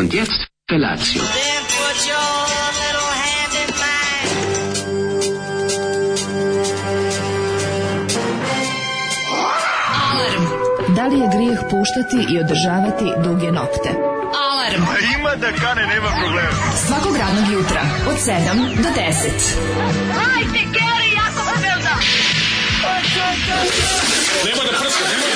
Und jetzt Felatio. Da li je grijeh puštati i održavati duge nokte? Alarm! A ima da kane, nema problema. Svakog radnog jutra od 7 do 10. Hajde, Geri, jako se velda! Nema da prska, nema da...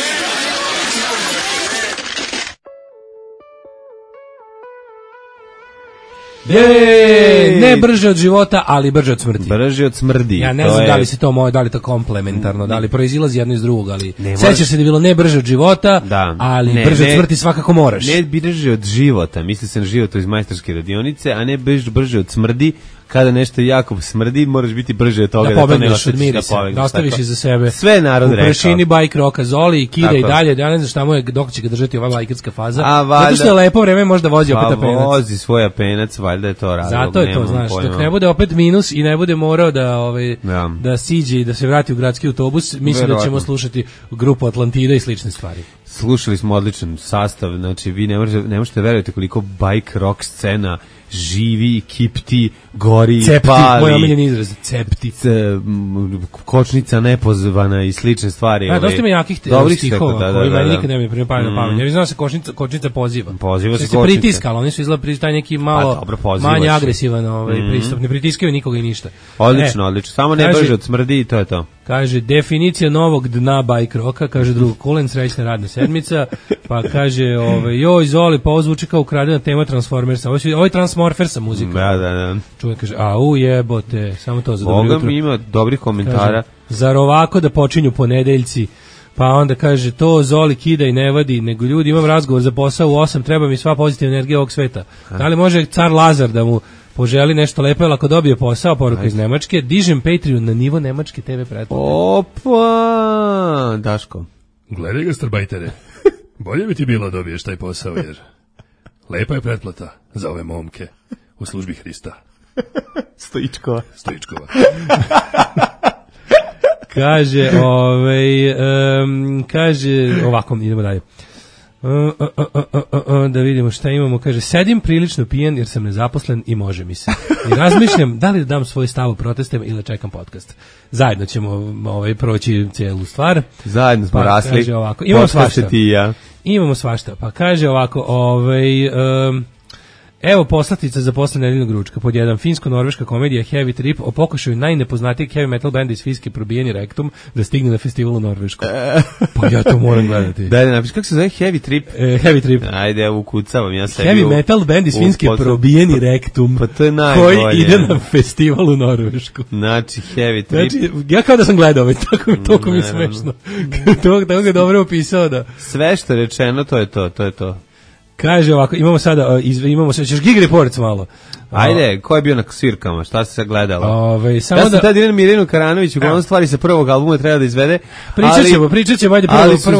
Ne brže od života, ali brže od smrti. Brže od smrdi. Ja ne znam da li se to moje, da li to komplementarno, da li proizilazi jedno iz drugog, ali sećaš se da je bilo ne brže od života, da. ali brže od smrti svakako moraš. Ne brže od života, misli se na život iz majstorske radionice, a ne brže od smrdi. Kada nešto jako smrdi, moraš biti brže od toga da pobegneš od mirisa, da ostaviš iza sebe. Sve narod rekao. U prašini bajk roka Zoli i kida i dalje, ja ne znam šta mu je, dok će ga držati ova bajkerska faza. Zato što je lepo vreme, možda vozi opet apenac. Pa vozi svoj apenac, valjda je to razlog. Zato je to, znaš, dok ne bude opet minus i ne bude morao da siđe i da se vrati u gradski autobus, mislim da ćemo slušati grupu Atlantida i slične stvari. Slušali smo odličan sastav, znači vi ne možete verovati koliko bike rock scena živi, kipti, gori, cepti, pali. Moj omiljeni izraz, cepti. Kočnica nepozvana i slične stvari. Dosta ima jakih stihova koji meni nikad ne bi pripali na pamet. Ja znam se kočnica poziva. Poziva se kočnica. Pritiska, ali oni su izgleda taj neki malo manje agresivan pristup. Ne pritiskaju nikoga i ništa. Odlično. Samo ne brže od smrdi i to je to. Kaže, definicija novog dna bike roka, kaže drugo Kulen, srećna radna sedmica, pa kaže, joj, Zoli, pa ovo zvuči kao ukradena tema Transformersa, ovo je Transmorfersa muzika. Da. Čujem, kaže, au jebote, samo to za dobro jutro. Boga mi ima dobrih komentara. Kaže, zar ovako da počinju ponedeljci, pa onda kaže, to Zoli kida i ne vadi, nego ljudi, imam razgovor za posao u 8, treba mi sva pozitivna energija ovog sveta. Da li može car Lazar da mu poželi nešto lepo, ako dobije posao, poruka iz Nemačke, dižem Patreon na nivo nemačke TV pretplate. Opa, Daško. Gledaj ga, starbajtere. Bolje bi ti bilo dobiješ taj posao, jer lepa je pretplata za ove momke u službi Hrista. Stoičkova. Kaže, kaže, ovako, idemo dalje. Da vidimo šta imamo. Kaže, sedim prilično pijen jer sam nezaposlen i može mi se. I razmišljam da li da dam svoj stav o protestima ili čekam podcast. Zajedno ćemo proći cijelu stvar. Zajedno smo rasli. Kaže ovako, imamo svašta. Ti i ja. Imamo svašta. Pa kaže ovako, evo poslatica za posle nedeljnog ručka. Pod jedan, finsko-norveška komedija Heavy Trip o pokušaju najnepoznatijeg heavy metal benda iz Finske probijeni rektum da stigne na festivalu u Norvešku. Pa ja to moram gledati. Da, napiš, kako se zove Heavy Trip? Heavy Trip. Ajde, ja ukucavam, ja sebi. Heavy metal band iz Finske probijeni rektum. Pa to je najbolje. Koji ide na festival u Norvešku. Znači, Heavy Trip. Znači, ja kao da sam gledao, toliko mi je smešno. Tako ga dobro opisao da. Sve što je rečeno, to je to. Kaže ovako, imamo sada, ćeš Gig Reports malo. Ajde, ko je bio na svirkama, šta se gledalo? Samo ja sam tad idem Mirinu Karanović, uglavnom stvari sa prvog albuma treba da izvede. Pričat ćemo, ajde prvo. Ali su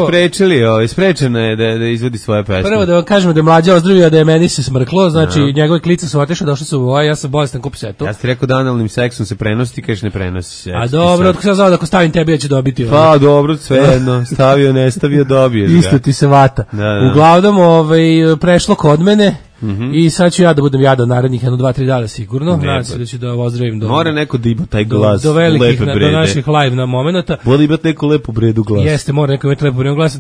sprečeno je da izvodi svoje pesme. Prvo da vam kažemo da je Mlađa ozdravio, da je meni se smrklo, znači njegove klice su otišle, došli su u ja sam bolestan kup setu. Ja sam ti rekao da analnim seksom se prenosi, ti kažeš ne prenosi se. A dobro, otko sam znao da ako stavim tebi ja ću dobiti. Pa dobro, svejedno, stavio, ne stavio, dobiješ ga. Isto ti se vata. Uglavnom, prešlo kod mene. I sad ću ja da budem jadan narednih 1-2-3 dana sigurno. Nadam se da ću da ozdravim mora neko da ima taj glas do velikih, do naših live na momenata. Voli imati neku lepu bredu glas. Jeste, mora neko imati lepu bredu glas.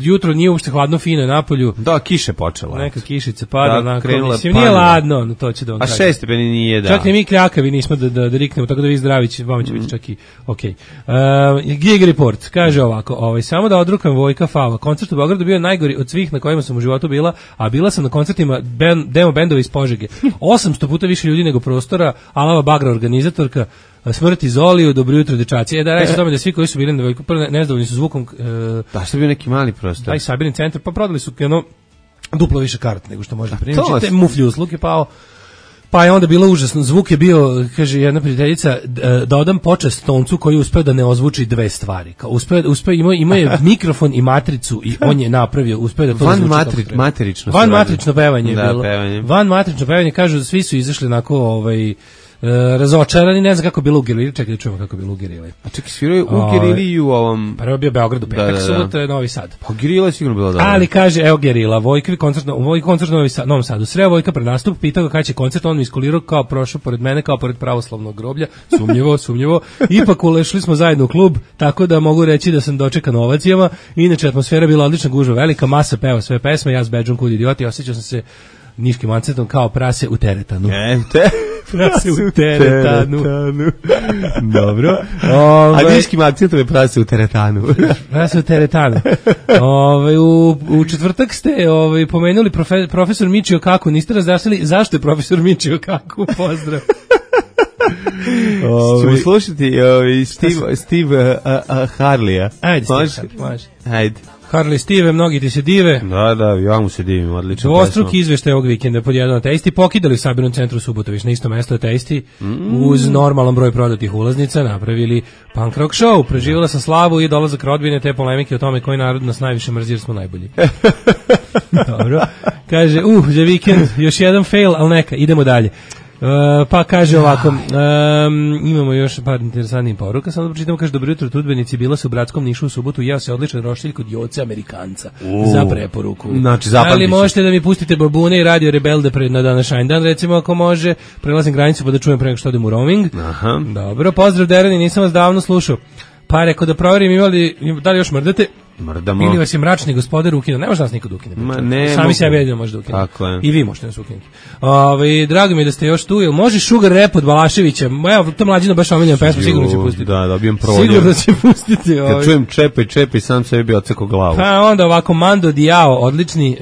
Jutro nije uopšte hladno, fino je napolju. Da, kiše počela. Neka kišica pada. Mislim, nije ladno, to će da vam kažem. A 6 stepeni nije, da. Čak ni mi kljakavi nismo da riknemo, tako da vi zdravići, vama će biti čak i okej. Gig Report, kaže ovako, samo da odrukam Vojka Fava. Koncert u Beogradu bio najgori od svih na kojima sam u životu bila, a bila sam na koncertima demo bendova iz Požege. 800 puta više ljudi nego prostora, Alava Bagra organizatorka, smrti Zoliju, dobro jutro dečaci. Da reći tome da svi koji su bili na Vojku, prvo nezadovoljni su zvukom. Da, što je bio neki mali prostor. Taj sabirni centar, pa prodali su duplo više karata nego što možete primiti. Muflji uslug je pao. Pa je onda bilo užasno, zvuk je bio, kaže jedna prijateljica, da odam počast Toncu koji uspeo da ne ozvuči dve stvari. Kao uspeo ima je mikrofon i matricu i on je napravio, uspeo da to zvuči kako treba. Matrično. Van matrično pevanje je bilo. Pevanje. Van matrično pevanje, kažu, svi su izašli onako, razočarani, ne znam kako je bilo u Gerili, čekaj da čujemo kako je bilo u Gerili. A čekaj, svirao je u Gerili i u ovom... Prvo je bio Beograd u petak, subotu je Novi Sad. Pa Gerila je sigurno bila dobra. Ali kaže, evo Gerila, Vojkovi koncert u Novom Sadu. Sreo Vojka pred nastup, pitao ga kada će koncert, on mi iskulirao kao prošao pored mene, kao pored pravoslavnog groblja, sumnjivo. Ipak ulešli smo zajedno u klub, tako da mogu reći da sam dočekan ovacijama. Inače, atmosfera bila odlična, gužva velika, masa peva sve pesme, ja s bedžom kud idioti, osjećao sam se niškim akcentom kao prase u teretanu. Prase u teretanu. Dobro. A niškim akcentom je prase u teretanu. Prase u teretanu. U četvrtak ste pomenuli profesor Michio Kaku, niste razjašnjali zašto je profesor Michio Kaku, pozdrav. Ćemo slušati Steve Harleya. Ajde, može. Ajde. Harley Steve, mnogi ti se dive. Da, ja mu se divim, odlično. Dvostruki izveštaj ovog vikenda pod jedan ateisti pokidali u Sabirnom centru Subotović na isto mesto ateisti uz normalan broj prodatih ulaznica napravili punk rock show. Preživjela sam slavu i dolazak rodbine te polemike o tome koji narod nas najviše mrzi jer smo najbolji. Dobro. Kaže, za vikend još jedan fail, ali neka, idemo dalje. Pa kaže ovako, imamo još par interesantnih poruka, samo da pročitamo, kaže, dobro jutro trudbenici, bila se u Bratskom Nišu u subotu, jeo se odličan roštilj kod Joce Amerikanca, za preporuku. Znači, ali možete da mi pustite babune i Radio Rebelde na današnji dan, recimo ako može, prelazim granicu pa da čujem pre nego što odem u roaming. Aha. Dobro, pozdrav Derani, nisam vas davno slušao. Pa rekao da proverim da li još mrdate. Mrdamo. Ili vas je mračni gospodar ukinuo. Ne može nas nikad ukinuti. Ne, sami sebe jedino može da ukinuti. Tako je. I vi možete nas ukinuti. Drago mi je da ste još tu. Jel može Sugar Rap od Balaševića? Evo, to mlađina baš omiljena pesma, sigurno će pustiti. Da, dobijem provodnje. Sigurno će pustiti. Kad čujem čepaj, sam sebi bi odsekao glavu. Pa onda ovako, Mando Diao, odlični,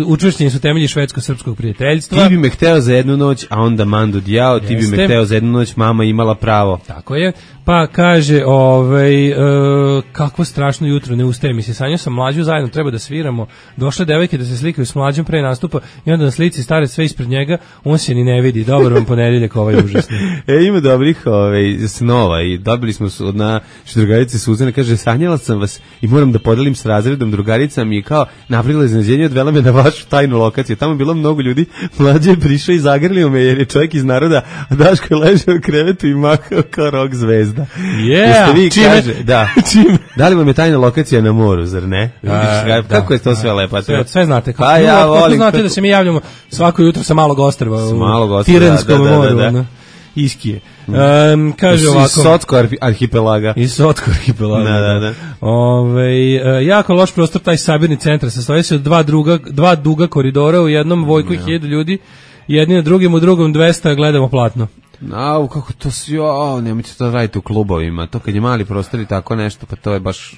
učvršćeni su temelji švedsko-srpskog prijateljstva. Ti bi me hteo za jednu noć, a onda Mando Diao, ti bi me hteo za jednu noć, mama imala pravo. Tako je. Pa kaže, kakvo strašno jutro, ne ustaje mi se, sanjao sam mlađu, zajedno treba da sviramo, došle devojke da se slikaju s mlađom pre nastupa i onda na slici stare sve ispred njega, on se ni ne vidi, dobar vam ponedeljak, ovaj užasni. Ima dobrih snova i dobili smo od naše drugarice Suzane, kaže, sanjala sam vas i moram da podelim s razredom, drugarica mi je kao napravila iznenađenje, odvela me na vašu tajnu lokaciju, tamo je bilo mnogo ljudi, mlađe je prišao i zagrlio me jer je čovjek iz naroda, a Daško je ležao u krevetu i mahao kao rock zvezda. Da li vam je tajna lokacija na moru, zar ne? Kako je to sve lepo? Sve znate. Kako znate da se mi javljamo svako jutro sa malog ostrva u Tirenskom moru. Iskije. Kaže ovako. Iz Sotko arhipelaga. Da. Jako loš prostor taj sabirni centar. Sastoji se od dva duga koridora, u jednom Vojku i 1000 ljudi, jedni na drugim, u drugom 200, gledamo platno. Kako to sve, nemojte to raditi u klubovima, to kad je mali prostor i tako nešto, pa to je baš...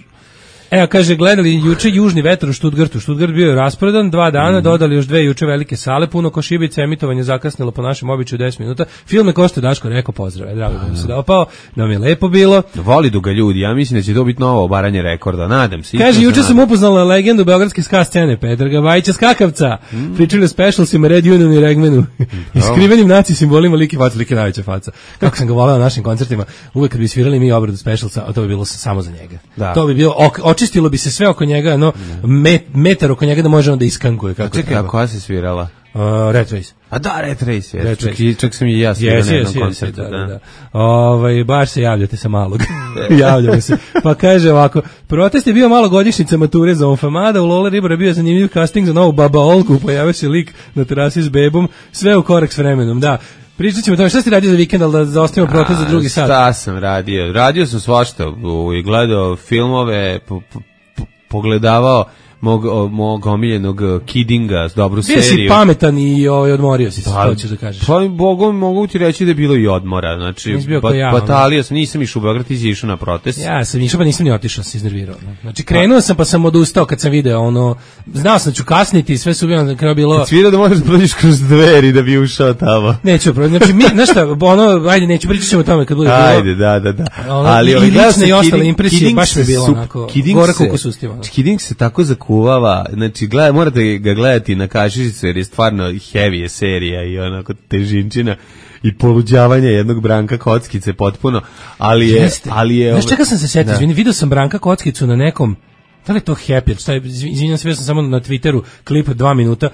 Evo, kaže, gledali juče Južni vetar u Stuttgartu. Stuttgart bio je rasprodan, 2 dana, dodali još 2 juče velike sale, puno košibica, emitovanje zakasnilo po našem običaju 10 minuta. Film je ko što Daško rekao, pozdrav, drago da mi se dopao, da mi je lepo bilo. Voli ga ljudi, ja mislim da će to biti novo obaranje rekorda, nadam se. Kaže, juče sam upoznala legendu beogradske ska scene, Petra Bajića Skakavca, pričali o specialsima Red Union i Regmanu, iskrivenim naci simbolima Liki najveća faca. Kako sam ga volao na našim koncertima, uvek kad bi svirali mi obradu specialca, a to bi bilo samo za njega. Da. To bi bilo očistilo bi se sve oko njega, metar oko njega da može onda iskankuje kako treba. Čekaj, a koja se svirala? Red Race. A da, Red Race, čak sam i ja svirao na jednom koncertu. Da. Baš se javljate sa malog. Javljamo se. Pa kaže ovako, protest je bio malo godišnjica mature za Onfamada, u Lola Ribara bio zanimljiv casting za novu Baba Olku, pojavio se lik na terasi s bebom, sve u korak s vremenom, da. Pričat ćemo o tome, šta si radio za vikend, ali da zaostavimo protest za drugi sat? Šta sam radio? Radio sam svašta, gledao filmove, pogledavao mog omiljenog Kiddinga, dobru seriju. Bio si pametan i odmorio si se, to ćeš da kažeš. Pa mogu ti reći da je bilo i odmora, znači batalio sam, nisam išao u Beograd, ti si išao na protest. Ja sam išao, pa nisam ni otišao, se iznervirao. Znači krenuo sam pa sam odustao kad sam video znao sam da ću kasniti i sve su bilo na kraju bilo... Kad svirao da možeš prođeš kroz dveri da bi ušao tamo. Neću, znači znaš šta, ajde, neću, pričat ćemo o tome kad bude bilo. Ajde, da. Ali i lične i ostale impresije, baš mi je bilo onako, gore koliko su ustima. Kidding se tako zakuvava, znači morate ga gledati na kašičicu jer je stvarno heavy je serija i onako težinčina i poluđavanje jednog Branka Kockice potpuno, ali je... Znaš čega sam se setio, izvini, vidio sam Branka Kockicu na nekom, da li je to Happy, izvinjam se, bio sam samo na Twitteru klip 2 minuta,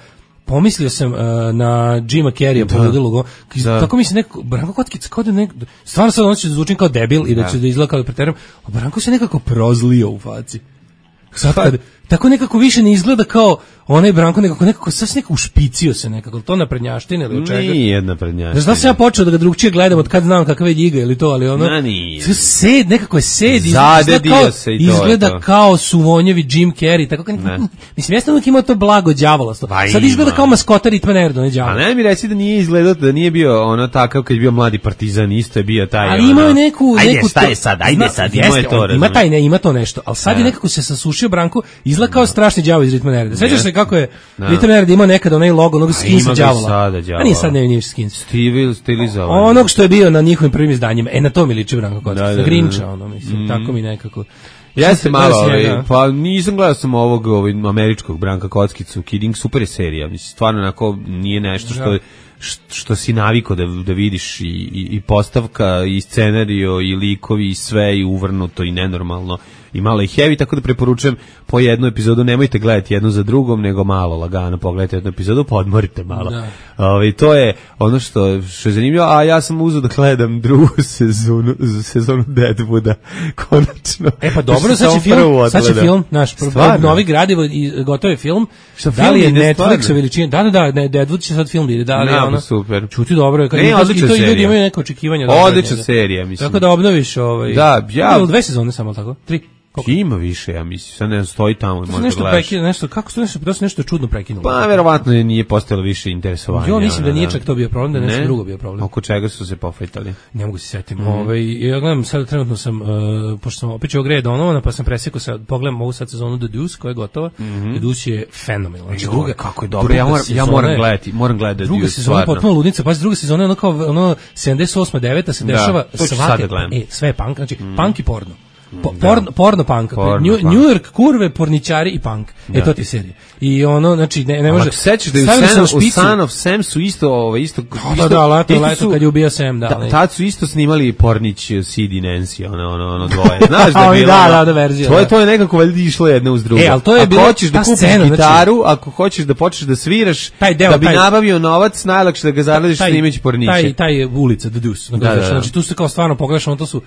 pomislio sam na Jima Carreya poludilog. Tako mi se neko Branko Kockica kao da stvarno sad on će da zvučim kao debil i da će da izgleda kao preteram, a Branko se nekako prozlio u faci. Sad kad tako nekako više ne izgleda kao onaj Branko, nekako sad nekako ušpicio se nekako, to na prednjaštine ili od čega? Nije jedna prednjaština. Znaš da sam ja počeo da ga drugčije gledam od kad znam kakve je ljiga ili to, ali ono... Sed, nekako je sed, izgleda kao Suvonjevi Jim Carrey, tako kao nekako, mislim, jesno uvijek imao to blago đavolasto. Sad izgleda kao maskota Ritma Nerdo, ne đavola. A ne mi reći da nije izgledao, da nije bio ono takav kad je bio mladi Partizan, isto je bio taj... Ali imao je neku... Ajde sad, ima to nešto, ali sad je nekako se sasušio Branko, izgleda kao strašni đavo iz Ritma Nerda. Sećaš se kako je Ritma Nerda imao nekad onaj logo, onog skinsa đavola. A nije sad nije skins. Stilizovan. Onog što je bio na njihovim prvim izdanjima. Na to mi liči Branko Kockica. Na Grinča, ono, mislim, tako mi nekako... Jeste malo, pa nisam gledao sam ovog američkog Branka Kockicu, Kidding, super je serija, mislim, stvarno onako nije nešto što si navikao da vidiš i postavka, i scenario, i likovi, i sve, i uvrnuto, i nenormalno, i malo i heavy, tako da preporučujem po jednu epizodu, nemojte gledati jednu za drugom, nego malo lagano pogledajte jednu epizodu, pa odmorite malo. To je ono što je zanimljivo, a ja sam uzeo da gledam drugu sezonu Deadwooda, konačno. Pa dobro, sad će film, naš novi gradivo i gotov je film. Da li je Netflix veličine? Da, Deadwood će sad film ide, da li je ono? Super. Čuti dobro, odlična serija. I ljudi imaju neke očekivanja. Odlična serija, mislim. Tako da obnoviš Da, ja... 2 sezone samo, tako? 3. Ima više, ja mislim, sad ne stoji tamo, možda gledaš. Kako su nešto čudno prekinulo? Pa, verovatno nije postojalo više interesovanja. Jo, mislim da nije čak to bio problem, da je nešto drugo bio problem. Oko čega su se pofajtali? Ne mogu se setim. Ja gledam, sad trenutno sam, pošto sam opet ću Grey Donovana, pa sam presekao sad, pogledam ovu sad sezonu The Deuce, koja je gotova. The Deuce je fenomenalna. Kako je dobro, ja moram gledati The Deuce. Druga sezona je potpuno ludnica, pa druga sezona je ono kao 78. 9. se dešava svake, sve je punk, znači punk i porno. Porno punk, New York, kurve, porničari i punk. To ti je serija. I ono, znači, ne može... Ako sećaš da je u Son of Sam su isto... Leto kad je ubio Sam, da. Tad su isto snimali Pornić, Sid i Nancy, ono dvoje. Znaš da je bilo... Da, verzija. To je nekako valjda išlo jedna uz drugu. Ali to je bilo... Ako hoćeš da kupiš gitaru, ako hoćeš da počneš da sviraš, da bi nabavio novac, najlakše da ga zaradiš snimeći Porniće. Taj je ulica, The Deuce. Znači, tu se kao stvarno pogledaš, to su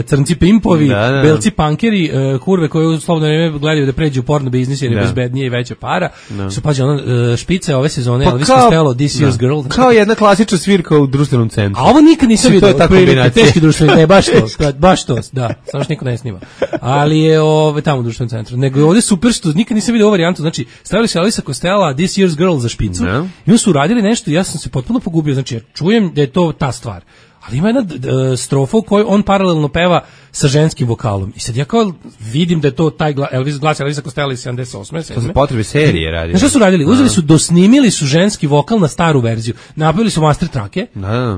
crnci pimpovi, belci punkeri, kurve koje u slobodno vreme gledaju da pređu u porno biznis jer je bezbednije i veća para. Su pađe špice ove sezone, Elvis Costello, This Year's Girl. Kao jedna klasična svirka u društvenom centru. A ovo nikad nisam vidio. To je ta kombinacija. Teški društveni, baš to, da, samo što niko ne snima. Ali je tamo u društvenom centru. Nego je ovdje super što nikad nisam vidio ovu varijantu. Znači, stavili su Elvisa Costello, This Year's Girl za špicu i onda su uradili nešto i ja sam se potpuno pogubio. Znači, čujem da je to ta stvar. Ali ima jedna strofa u kojoj on paralelno peva sa ženskim vokalom. I sad ja kao vidim da je to taj glas Elvisa Costello iz 78. To za potrebe serije radi. Znaš što su radili? Uzeli su, dosnimili su ženski vokal na staru verziju. Napravili su master trake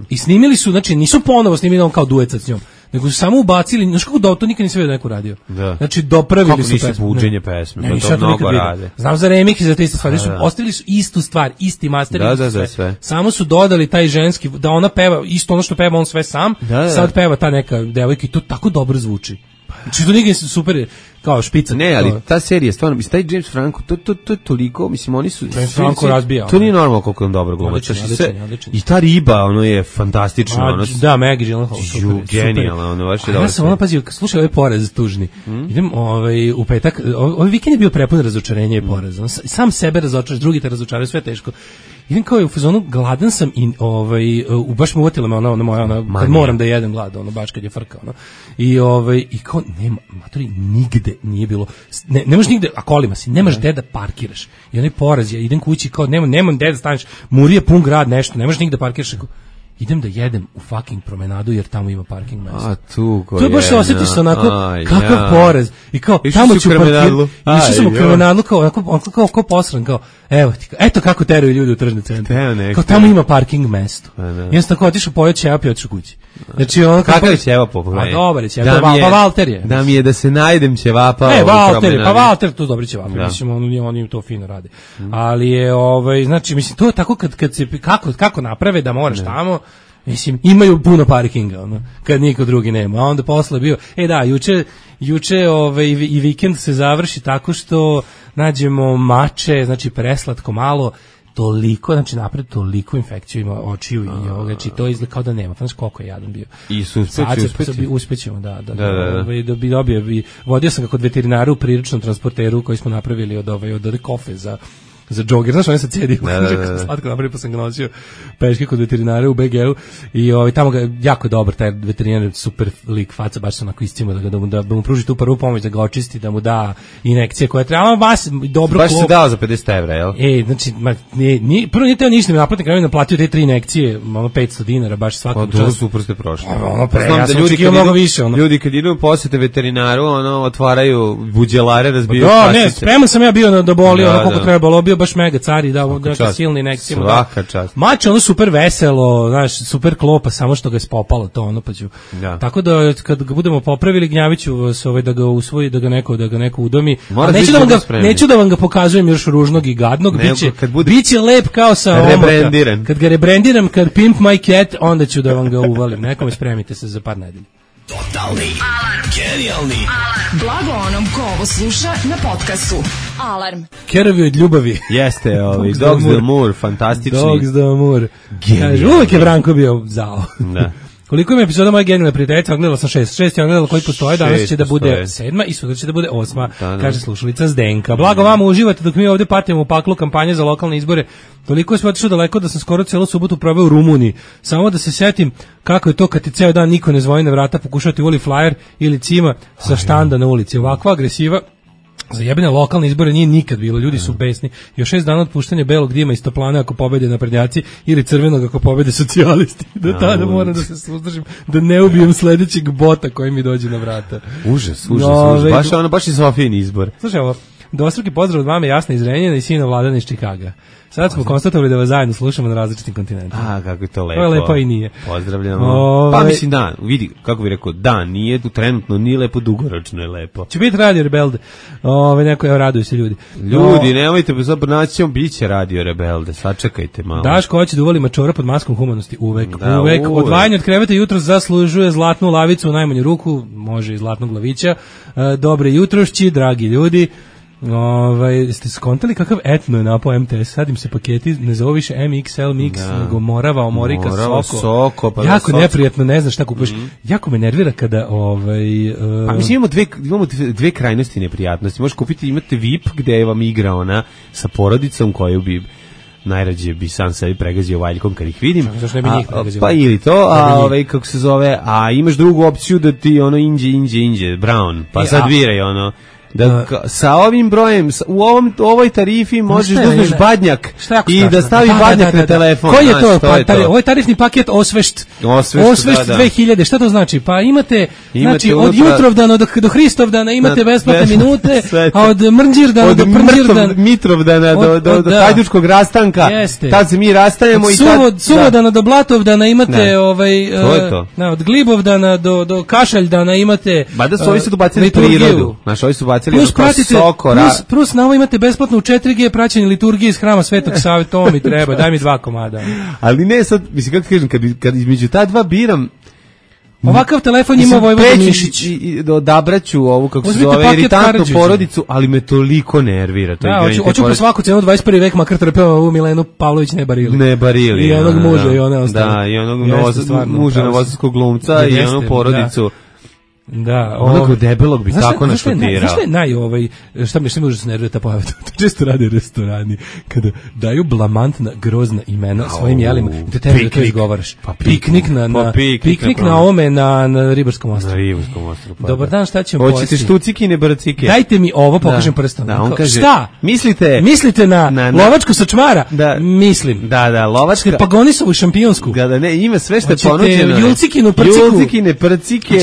i snimili su, znači nisu ponovo snimili on kao duet s njom, nego su samo ubacili, znaš kako to nikad nisam vidio neko radio. Znači dopravili su pesmu. Kako nisu buđenje pesme, to mnogo rade. Znam za remix i za te iste stvari, ostavili su istu stvar, isti master, sve. Samo su dodali taj ženski, da ona peva, isto ono što peva on sve sam, sad peva ta neka devojka i to tako dobro zvuči. Znači to nikad super kao špica. Ne, ali ta serija stvarno, mislim, taj James Franco, to je toliko, mislim, oni su... James Franco razbija. To nije normalno koliko on dobro gluma. I ta riba, ono je fantastično. Da, Maggie Gyllenhaal. Genijalno, ono baš je dobro. Ja sam ono, pazi, slušaj, ovaj porez tužni. Idem u petak, ovaj vikend je bio prepun razočarenja i poreza. Sam sebe razočaraš, drugi te razočaraju, sve teško. Idem kao u fazonu, gladan sam i baš me uvotila me ona moja, kad moram da jedem glad, baš kad je frka, i kao, nema, matori, nigde nije bilo, ne možeš nigde, a kolima si, nemaš gde da parkiraš. I onaj poraz, ja idem kući, kao, nemam gde da staneš, Murije pun grad, nešto, ne možeš nigde da parkiraš, idem da jedem u fucking promenadu jer tamo ima parking mesta. To je baš se osjetiš onako, kakav porez. I kao, tamo ću parkirati. Išao sam u promenadu kao posran, kao, eto kako teraju ljudi u tržne centre. Kao, tamo ima parking mesto. I ja sam tako otišao pojeo ćevap i otišao kući. Znači, kakav je ćevap pogledaj? Dobar je ćevap, pa Valter je. Da mi je da se najdem ćevapa. Valter, to dobri ćevap. Mislim, oni to fino rade. Ali je, znači, mislim, to je tako kad se, kako naprave da moraš tamo, Mislim, imaju puno parkinga, ono, kad niko drugi nema. A onda posle bio, juče i vikend se završi tako što nađemo mače, znači preslatko malo, toliko, znači napred toliko infekciju ima očiju i ovoga, znači to izgleda kao da nema. Znaš koliko je jadan bio. I uspećemo, da. Da bi dobio, vodio sam ga kod veterinara u priručnom transporteru koji smo napravili od kofe za džoger, znaš, on je sa cedi, slatko napravio, pa sam ga nosio peške kod veterinara u BG-u i tamo ga, jako je dobar, taj veterinar, super lik, faca, baš se onako iscimo da mu pruži tu prvu pomoć, da ga očisti, da mu da injekcije koje treba, baš dobro. Baš se dao za 50 evra, jel? Znači, prvo nije teo ništa mi naplatiti, kada mi naplatio te 3 injekcije, ono 500 dinara, baš svakom času. Pa super ste prošli. Ja sam očekio mnogo više. Ljudi kad idu posete veterinaru, otvaraju buđelare, razbiju kasice. Ne, spreman sam ja bio da boli, koliko trebalo, bio baš mega cari, da silni injekcije. Svaka čast. Mač ono super veselo, znaš, super klopa, samo što ga je spopalo to, ono pa ću. Da. Tako da kad ga budemo popravili, gnjaviću se da ga usvoji, da ga neko udomi. Neću da vam ga pokazujem još ružnog i gadnog, biće lep kao sa rebrendiran. Kad ga rebrendiram, kad pimp my cat, onda ću da vam ga uvalim. Nekome spremite se za par nedelja. Totalni alarm. Genijalni alarm. Blago onom ko ovo sluša na podcastu. Alarm. Kerovi od ljubavi. Jeste, Dogs d'Amour, fantastični. Dogs d'Amour. Uvijek je Branko bio zao. Da. Koliko ima epizoda moje genijalne prijateljice? Gledala sam 6 je gledala koji postoje, danas će da bude 7 i sutra će da bude 8, kaže slušalica Zdenka. Blago vama, uživate dok mi ovdje patimo u paklu kampanje za lokalne izbore. Toliko sam otišao daleko da sam skoro celu subotu proveo u Rumuniji. Samo da se setim kako je to kad ti ceo dan niko ne zvoni na vrata, pokušati uvoli flyer ili cima sa štanda na ulici. Ovakva agresiva za jebene lokalne izbore nije nikad bilo, ljudi su besni. Još 6 dana od puštanja belog dima iz toplane ako pobede naprednjaci ili crvenog ako pobede socijalisti. Do tada moram da se suzdržim, da ne ubijem sledećeg bota koji mi dođe na vrata. Užas. Baš je Sofijin izbor. Slušaj ovo, dvostruki pozdrav od mame Jasna iz Renjanina i sina Vladana iz Čikaga. Sad smo konstatovali da vas zajedno slušamo na različitim kontinentima. Kako je to lepo. To je lepo i nije. Pozdravljamo. Pa mislim da, vidi, kako bi rekao, da, nije tu trenutno, nije lepo, dugoročno je lepo. Će biti Radio Rebelde. Neko, raduju se ljudi. Ljudi, nemojte, naći ćemo, bit će Radio Rebelde, sačekajte malo. Daško hoće da uvoli mačora pod maskom humanosti, uvek. Odvajanje od kreveta jutro zaslužuje zlatnu lavicu u najmanju ruku, može i zlatnog lavića. Dobre jutrošći, dragi ljudi. Ste skontali kakav etno je napao MTS, sad im se paketi ne zove više MXL Mix, nego Morava, Omorika, Soko. Pa jako neprijatno, ne znaš šta kupaš. Jako me nervira kada pa mislim imamo dve krajnosti neprijatnosti. Možeš kupiti, imate VIP gde vam igra ona sa porodicom koju bi najrađe bi sam sebi pregazio valjkom kad ih vidim. Pa ili to, kako se zove, a imaš drugu opciju da ti inđe, Brown, pa sad biraj da sa ovim brojem u ovoj tarifi možeš da uzmeš badnjak i da stavi badnjak na telefon. Koji je to? Ovo je tarifni paket Osvešt 2000. Šta to znači? Pa imate znači od Jutrovdana do Hristovdana imate besplatne minute, a od Mrnđirdana do Prnđirdana, Mitrovdana do Hajdučkog rastanka, tad se mi rastajemo i tad Suvodana do Blatovdana imate od Glibovdana do Kašaljdana imate. Mada su ovi su dobacili prirodu. Znaš, ovi su plus na ovo imate besplatno u 4G praćenje liturgije iz hrama Svetog Save, to mi treba, daj mi 2 komada. Ali ne sad, mislim kako ti kažem, kad između ta dva biram, ovakav telefon ima Vojvoda Mišić. Odabraću ovu, kako se zove, iritantnu porodicu, ali me toliko nervira. Hoću po svaku cenu 21. vek, makar trpeo ovu Milenu Pavlović ne barili. I onog muža i one ostale. Da, i onog muža novosadskog glumca i onu porodicu. Da, onog debelog bi tako našutirao. Znaš šta mi užasno nervira ta pojava? To često rade restorani, kada daju blamantna, grozna imena svojim jelima i te tebi da to izgovaraš. Piknik na ovome, na Ribarskom ostrvu. Dobar dan, šta ćemo pojesti? Hoćete štucikine, brcike? Dajte mi ovo, pokažem prstom. Šta? Mislite na lovačku sa čmara? Mislim. Da, lovačka. Pagonisovu šampionsku. Ima sve što je ponuđeno. Hoćete julcikine, prcike,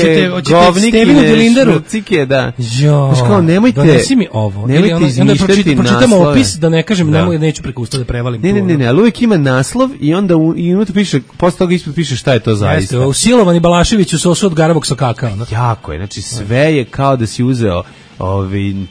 Stevinu Dilindaru. Štucike, da. Znaš kao, donesi mi ovo. Nemojte izmišljati pročitamo opis, da ne kažem, neću preko usta da prevalim. Ne, ali uvijek ima naslov i onda unutra piše, posle toga ispod piše šta je to zaista. Jeste, usilovani Balašević u sosu od garavog sokaka. Jako je, znači sve je kao da si uzeo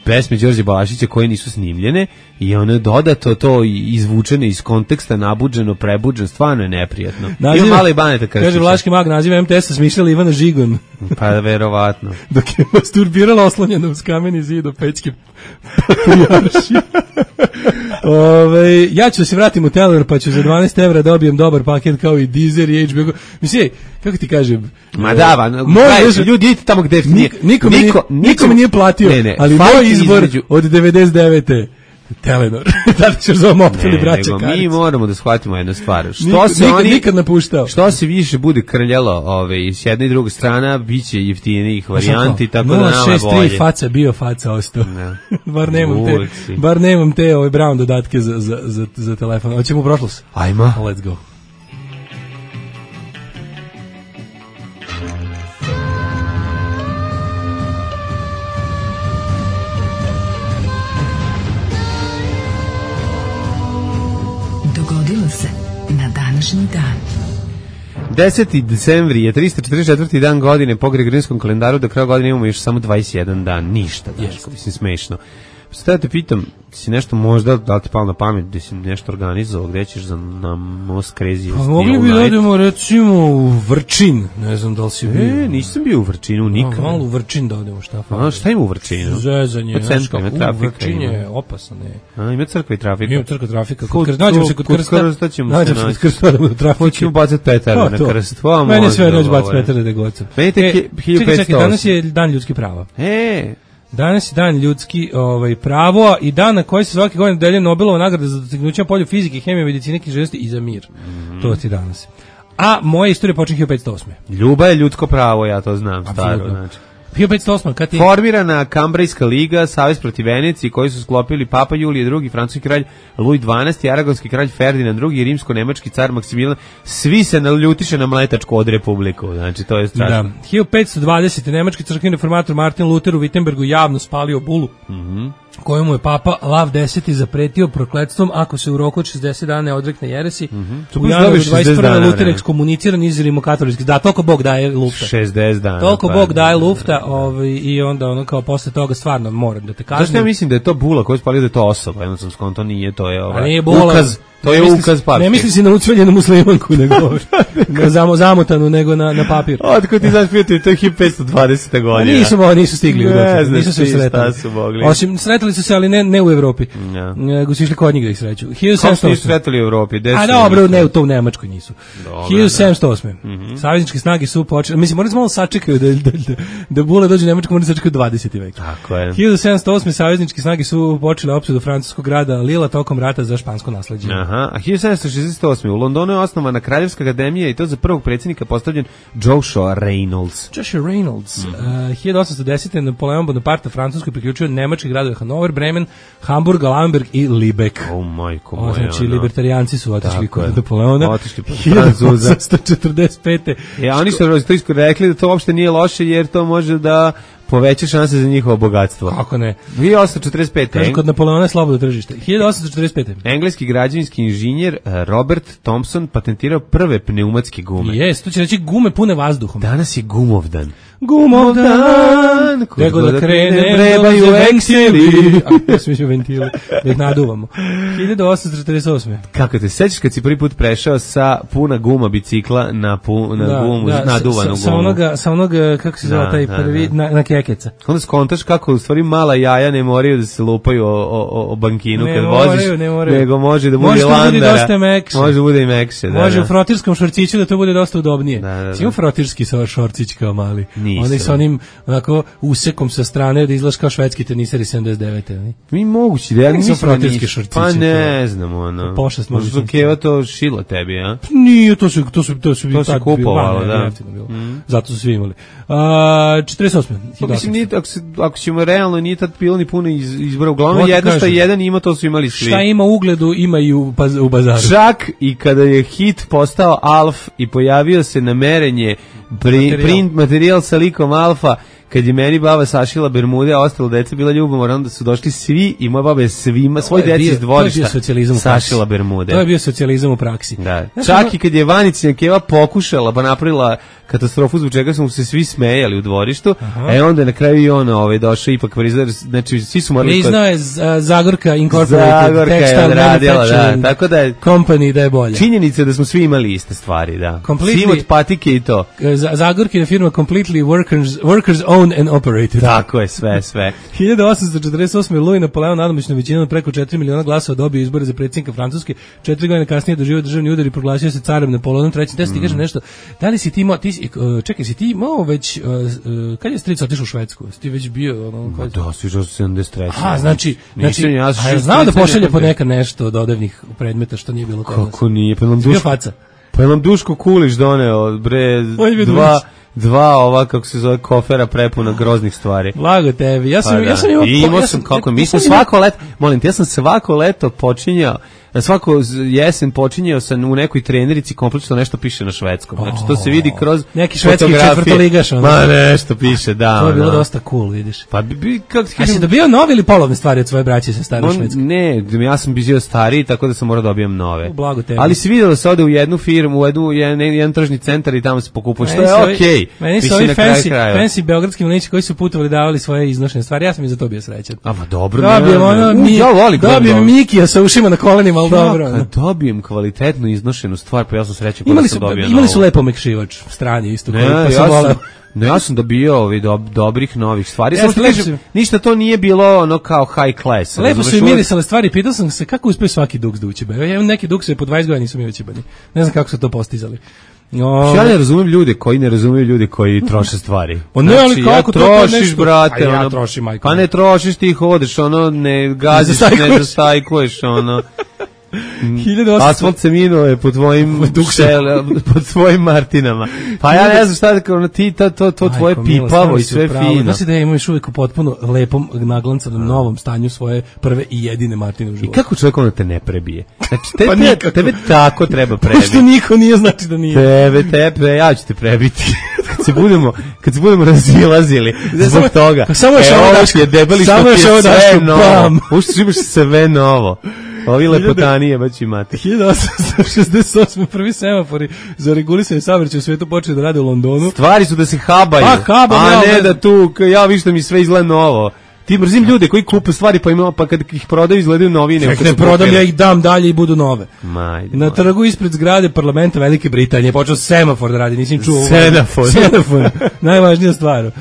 pesme Đorđe Balašića koje nisu snimljene i ono dodato to izvučeno iz konteksta, nabuđeno, prebuđeno, stvarno je neprijatno. Ima male i Baneta Krstića. Kaže Vlaški mag, naziva MTS-a smišljala Ivana Žigon. Pa verovatno. Dok je masturbirala oslonjena uz kameni zid u Pećke patrijaršije. Ja ću da se vratim u Telor, pa ću za 12 evra dobijem dobar paket kao i Deezer i HBO. Mislim, kako ti kažem? Ma da, ljudi idite tamo gde niko mi nije platio, ali moj izbor od 99. Telenor. Da li ćeš zove moptili braća Karić? Mi moramo da shvatimo jednu stvar. Nikad napuštao. Što se više bude krljalo s jedne i druge strana, bit će jeftinijih varijanti, tako da nama bolje. 063 faca bio, faca ostao. Bar nemam te Brown dodatke za telefon. Hoćemo u prošlost? Ajmo. Let's go. Dogodilo se na današnji dan. 10. decembri je 344. dan godine po Gregorijanskom kalendaru, do kraja godine imamo još samo 21 dan, ništa, Daško, mislim smešno. Sada te pitam, si nešto možda, da li ti palo na pamet, da si nešto organizovao, gde ćeš na Most Crazy? Pa mogli bi da odemo recimo u Vrčin, ne znam da li si bio. Nisam bio u Vrčinu nikad. Malo u Vrčin da odemo, šta ima u Vrčinu? Zezanje, u Vrčin je opasan. Ima crkva i trafika. Ima crkva i trafika. Nađemo se kod krsta. Nađemo se kod krsta da u trafiku. Hoćemo bacati petare na krst. Meni sve neće bacati petare da gocam. Čekaj, danas je dan ljudskih prava. Danas je dan ljudski pravo i dan na koji se svake godine delje Nobelova nagrada za dostignuće na polju fizike, hemije, medicine, književnosti i za mir. To ti danas. A moja istorija počinje 1508. Ljubav je ljudsko pravo, ja to znam. Staro, znači. 1508. Kad je formirana Kambrejska liga, savez protiv Venecije, koji su sklopili Papa Julije II, francuski kralj Louis XII, aragonski kralj Ferdinand II, rimsko-nemački car Maksimilijan, svi se naljutiše na mletačku od republiku. Znači, to je strašno. Da. 1520. nemački crkveni reformator Martin Luther u Wittenbergu javno spalio bulu. Kojemu je Papa Lav X zapretio prokletstvom ako se u roku od 60 dana ne odrekne jeresi. U januaru 21. Luther ekskomuniciran iz rimokatoličkih. Da, toliko Bog daje lufta. 60 dana. Toliko Bog daje lufta i onda kao posle toga stvarno moram da te kažem. Zašto ja mislim da je to bula koju je spalio da je to osoba? Jedno sam skonto nije, to je ukaz. To je ukaz papir. Ne misli si na ucveljenu muslimanku, nego zamotanu, nego na papir. Otko ti znaš prijatelji, to je 1520. godina. Nisu stigli u Evropi. Nisu se sretali. Osim, sretali su se, ali ne u Evropi. Nego su išli kod njih da ih sreću. Kako su sretali u Evropi? A dobro, ne, to u Nemačkoj nisu. 1708. Savezničke snage su počeli, mislim, morali smo malo sačekaju da bule dođe u Nemačku, morali sačekaju 20. vek. Tako je. 1708. savezničke snage su počele opsadu francuskog grada Lila tokom rata za špansko nasleđe. A 1768. u Londonu je osnovana Kraljevska akademija i to za prvog predsjednika postavljen Joshua Reynolds. 1810. Napoleon Bonaparte Francuskoj priključio nemački gradove Hanover, Bremen, Hamburg, Lamberg i Libeck. Majko moja. Znači, libertarijanci su otišli kod Napoleona. Otišli kod Francuza. 1845. Oni su to rekli da to uopšte nije loše jer to može da poveća šanse za njihovo bogatstvo. Kako ne? 1845. Kaže, kod Napoleona je slobodno tržište. 1845. Engleski građevinski inženjer Robert Thompson patentirao prve pneumatske gume. Jes, to će reći gume pune vazduhom. Danas je gumovdan. Gumovdan, nego da krene, trebaju eksili. A, svi smo ventili, da ih naduvamo. 1848. Kako te sećaš kad si prvi put prešao sa puna guma bicikla na gumu, naduvanu gumu? Sa onoga, kako se zove taj prvi, na kekeca. Onda skontaš kako u stvari mala jaja ne moraju da se lupaju o bankinu kad voziš, nego može da bude landara. Može da bude i mekše. Može u frotirskom šorciću da to bude dosta udobnije. Simo frotirski šorcić kao mali. Oni sa onim onako usekom sa strane da izgledaš kao švedski teniseri 79. Mi mogući da ja nisam frotirski šorcići. Pa ne znam, ono. Pošast može su Keva to šila tebi, a? Nije, to su kupovalo, da. Zato su svi imali. 48. Mislim, ako ćemo realno, nije tad bilo ni puno izbora. Uglavnom, jedno što jedan ima, to su imali svi. Šta ima ugledu, ima i u bazaru. Čak i kada je hit postao Alf i pojavio se na merenje print materijal sa likom Alfa, kad je meni baba sašila bermude, a ostalo deca bila ljubomorna, onda su došli svi i moja baba je svima, svoj deci iz dvorišta sašila bermude. To je bio socijalizam u praksi. Da. Čak i kad je Vanicina keva pokušala, pa napravila katastrofu zbog čega smo se svi smejali u dvorištu, onda je na kraju i ona došao ipak priznao, znači svi su morali... Priznao je Zagorka Incorporated Textile Manufacturing tako da je Company da je bolje. Činjenica je da smo svi imali iste stvari, da. Svi od patike i to. Zagorka je firma completely workers owned and operated. Tako je, sve. 1848. Louis Napoleon nadomičnom većinom preko 4 miliona glasova dobio izbore za predsjednika Francuske. 4 godine kasnije doživio državni udar i proglasio se carem Napoleonom III. Da ti kažem nešto, da li si ti imao, čekaj, si ti imao već, kad je stric otišao u Švedsku? Si ti već bio? Da, si išao 73. A, znači, ja znao da pošalje po neka nešto od odevnih predmeta što nije bilo kod nas. Kako nije? Pa nam Duško Kulić doneo, bre, dva ova, kako se zove, kofera prepuna groznih stvari. Blago tebi. Ja sam svako leto počinjao, svako jesen počinjao sam u nekoj trenerici kompletno nešto piše na švedskom. Znači to se vidi kroz neki švedski četvrtoligaš. Ma nešto piše, da. To je bilo dosta cool, vidiš. Pa a si dobio nove ili polovne stvari od svoje braće sa stare švedske? Ne, ja sam bio stariji, tako da sam morao dobijem nove. Blago tebi. Ali si vidio da se ode u jednu firmu, u jedan tržni centar i tamo se pokupuje. Što je okej. Meni su ovi fancy beogradski mlinići koji su putovali davali svoje iznošene stvari. Ja sam i za to bio srećan. Ama dobro. Dobijem Mikija sa ušima na kolenima, al dobro. Kad dobijem kvalitetnu iznošenu stvar, pa ja sam srećan kada sam dobio. Imali su lepo mekšivač, strani isto koji pa sam voleo. No ja sam dobio dobrih novih stvari. Ništa to nije bilo ono kao high class. Lepo su i mirisale stvari. Pitao sam se kako uspio svaki duks da ući. Ja imam neki dukse po 20 godina nisu mi ućibani. Ne znam kako su to postizali. Ja ne razumijem ljude koji ne razumiju ljudi koji troše stvari. Ne, ali kako to trošiš, brate? Ja trošim, majko. Pa ne trošiš, ti hodeš, ne gaziš, ne zastajkuješ, asfalt se minuje po tvojim Martinama. Pa ja ne znam šta da ti to tvoje pipavo i sve fino. Znači da ja imam još uvijek u potpuno lepom naglancanom novom stanju svoje prve i jedine Martine u životu. I kako čovjek te ne prebije? Znači tebe tako treba prebiti. Pošto niko nije, znači da nije. Tebe, ja ću te prebiti. Kad se budemo razilazili zbog toga. Samo još ovo daš novo. Ušto imaš sve novo. Ovi lepotanije baš imate. 1868. prvi semafori za regulisanje saobraćaja u svetu počeli da rade u Londonu. Stvari su da se habaju, a ne da tu, ja viš da mi sve izgleda novo. Ti mrzim ljude koji kupe stvari pa kad ih prodaju izgledaju novine. Ne prodam, ja ih dam dalje i budu nove. Na trgu ispred zgrade parlamenta Velike Britanije počeo semafor da radi, nisam čuo. Semafor, najvažnija stvar.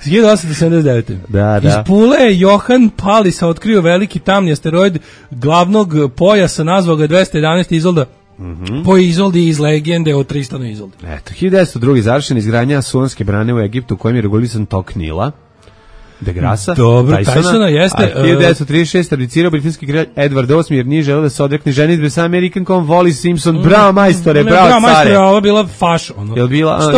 1879. Da. Iz Pule je Johan Palisa otkrio veliki tamni asteroid glavnog pojasa, nazvao ga 211 Izolda. Po Izoldi iz legende o Tristanu Izoldi. Eto, 1902. završena izgradnja Suanske brane u Egiptu, kojim je regulisan tok Nila. De Grasa, dobro, Tysona jeste. A 1936. abdicirao britanski kralj Edward VIII jer nije želeo da se odrekne ženidbe sa Amerikankom Wally Simpson. Bravo majstore, bravo care. Ovo bila faš, ono. Jel bila?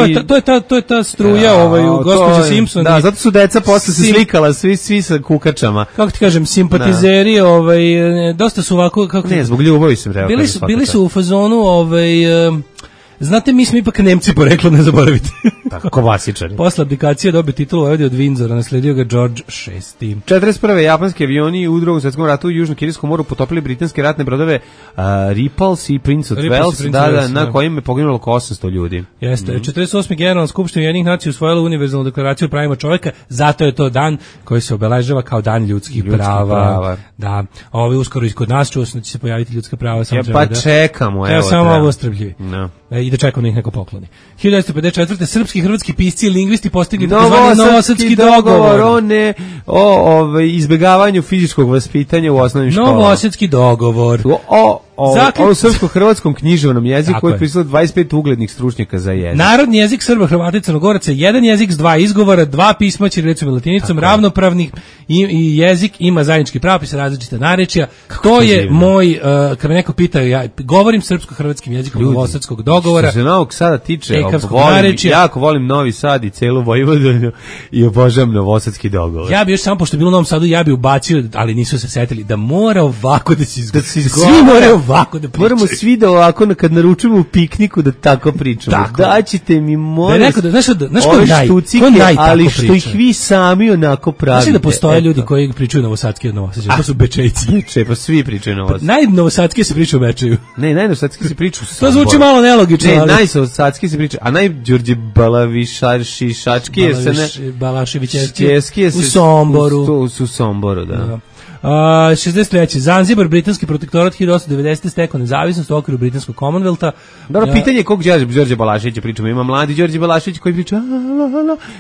To je ta struja, gospođa Simpson. Da, zato su deca posle se slikala svi sa kukačama. Kako ti kažem, simpatizeri, dosta su ovako kako ne, zbog ljubavi sam rekao. Bili su u fazonu, znate, mi smo ipak Nemci poreklo, ne zaboravite. Tako klasičari. Posle abdikacije dobio titulu vojvode od Windsora, nasledio ga George VI. 41. japanski avioni u Drugom svjetskom ratu u Južno-Kineskom moru potopili britanske ratne brodove Repulse i Prince of Wales, na kojim je poginulo oko 800 ljudi. Jeste. 48. Generalna skupština Ujedinjenih nacija usvojila univerzalnu deklaraciju o pravima čovjeka, zato je to dan koji se obeležava kao dan ljudskih prava. Da. Uskoro i kod nas čuo sam da će se pojaviti ljudska prava. Čekamo, evo. Samo ovo ostrpljivi. I da čekam da ih neko pokloni. 1954. srpski i hrvatski pisci i lingvisti postigli Novosadski dogovor o izbegavanju fizičkog vaspitanja u osnovnim školama. Novosadski dogovor. O srpsko-hrvatskom književnom jeziku koji je pisalo 25 uglednih stručnjaka za jezik. Narodni jezik Srba, Hrvata i Crnogoraca, jedan jezik s dva izgovora, dva pisma ćirilicom i latinicom, ravnopravnih i jezik ima zajednički pravopis, različita narečja. To je moj, kad me neko pita, ja govorim srpsko-hrvatskim jezikom Novosadskog dogovora. Što se Novog Sada tiče, jako volim Novi Sad i celu Vojvodinu i obožavam Novosadski dogovor. Ja bi još samo, pošto je bilo u Novom Sadu, ja bi ubacio, ali nisu se setili, da mora ovako da se izgovara. Svi moraju ovako da pričaju. Moramo svi da ovako kad naručujemo u pikniku da tako pričamo. Tako. Daćete mi molim. Da neko da znaš ove štucike, ali što ih vi sami onako pravite. Znaš da postoje ljudi koji pričaju novosadski od Novosađa, to su Bečejci. Pa svi pričaju novosadski. Najnovosadski se priča u Bečeju. Ne, najnovosadski se priča u To zvuči malo nelogično. Ne, najnovosadski se priča, a najđorđe Balavišaški je se ne... Balaševićevski u Somboru. U Somboru, da. 63. Zanzibar, britanski protektorat 1890. stekao nezavisnost u okviru britanskog Commonwealtha. Dobro, pitanje je kog Đorđe Balaševića pričamo. Ima mladi Đorđe Balašević koji priča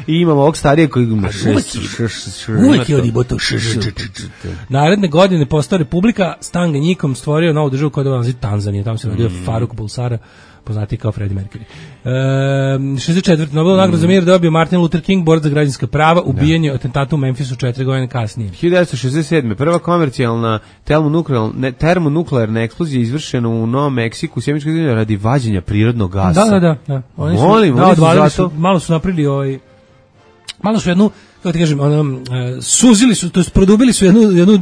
i imamo ovog starije koji ima uvijek je odiboto. Naredne godine postao republika, Stanganjikom stvorio novu državu koja je naziv Tanzanija. Tamo se rodio Faruk Bulsara, poznati kao Freddie Mercury. 64. Nobelova nagrada za mir dobio Martin Luther King, borac za građanska prava, ubijen je atentatu u Memphisu 4 godine kasnije. 1967. Prva komercijalna termonuklearna eksplozija izvršena u Novom Meksiku, sjemičkoj zemlji radi vađenja prirodnog gasa. Da. Oni su malo su napravili malo su jednu, kako ti kažem, suzili su, to jest produbili su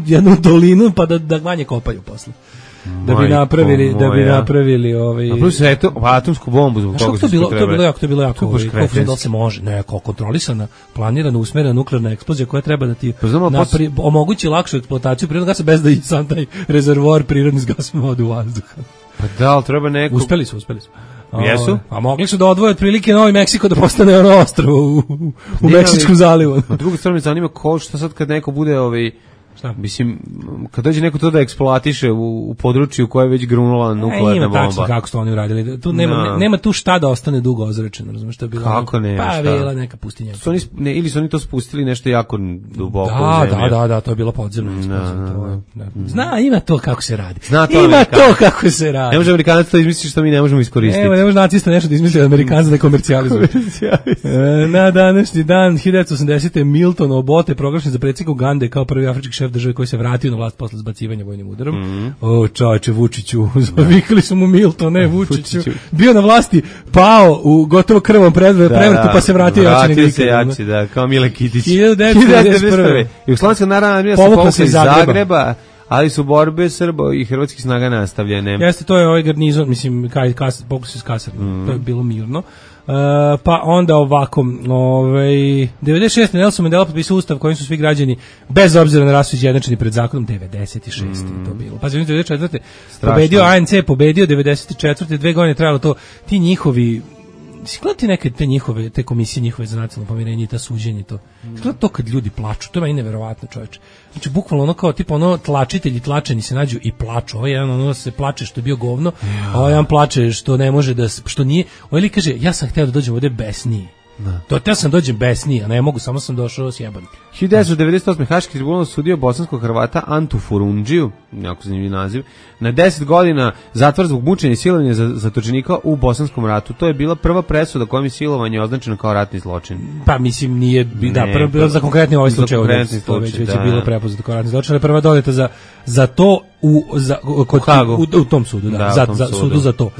jednu dolinu pa da manje kopaju posle. Da bi napravili A plus atomsku bombu zbog toga to je bilo jako kako se može, kao kontrolisana, planirana, usmerena nuklearna eksplozija koja treba da ti omogući lakšu eksploataciju prirodnog gasa bez da i sam taj rezervoar prirodni s gasom ode u vazduh. Pa da, ali treba neko... Uspeli su. Jesu? A mogli su da odvoje otprilike Novi Meksiko da postane ono ostrvo u Meksičkom zalivu. Na drugu stranu me zanima šta sad kad neko bude mislim, kad dođe neko to da eksploatiše u području koje je već grunula nuklearna bomba. Tačno kako su oni uradili. Tu nema tu šta da ostane dugo ozračeno, razumiješ što je bilo. Kako ne? Pa bila neka pustinja. Ili su oni to spustili nešto jako duboko u zemlju. Da, to je bilo podzemno. Ima to kako se radi. Kako se radi. Ne može Amerikanac to izmisliti što mi ne možemo iskoristiti. Ne može nacista nešto da izmisli Amerikanac da komercijalizuje. Na današnji dan 1980. Milton Obote proglašen za predsjednika Ugande kao prvi afrički šef države koji se vratio na vlast posle zbacivanja vojnim udarom. Čoveče, Vučiću, zavikali su mu Milton, ne Vučiću. Bio na vlasti, pao u gotovo krvom prevratu, pa se vratio jači nego ikad. Vratio se jači, kao Mile Kitić. 1991. Jugoslavijska narodna armija se povukla iz Zagreba, ali su borbe Srba i hrvatskih snaga nastavljene. Jeste, to je ovaj garnizon, mislim, pokus iz kasarne, to je bilo mirno. Pa onda ovako 96. Nelson Mandela potpisao ustav kojim su svi građani bez obzira na rasu izjednačeni pred zakonom. 96. je to bilo. Pa 94. pobedio ANC, pobedio 94. 2 godine trajalo to. Ti njihovi gledati neke te komisije njihove za nacionalno pomirenje i ta suđenje to. Gledati to kad ljudi plaču, to je meni neverovatno, čoveče. Znači bukvalno ono kao tipa tlačitelji tlačeni se nađu i plaču. Ovaj jedan se plače što je bio govno, a ovaj jedan plače što ne može da, što nije. Ovaj li kaže, ja sam hteo da dođem ovde besniji. To te sam dođem besniji, a ne mogu, samo sam došao sjeban. 1998. Haški tribunal sudio bosanskog Hrvata Antu Furundžiju, jako zanimljiv naziv, na 10 godina zatvor zbog mučenja i silovanja zatočenika u Bosanskom ratu. To je bila prva presuda kojom je silovanje označeno kao ratni zločin. Pa mislim nije, prva za konkretni ovaj slučaj, već je bilo prepoznato kao ratni zločin, ali prva doneta za to u tom sudu, za sudu za to.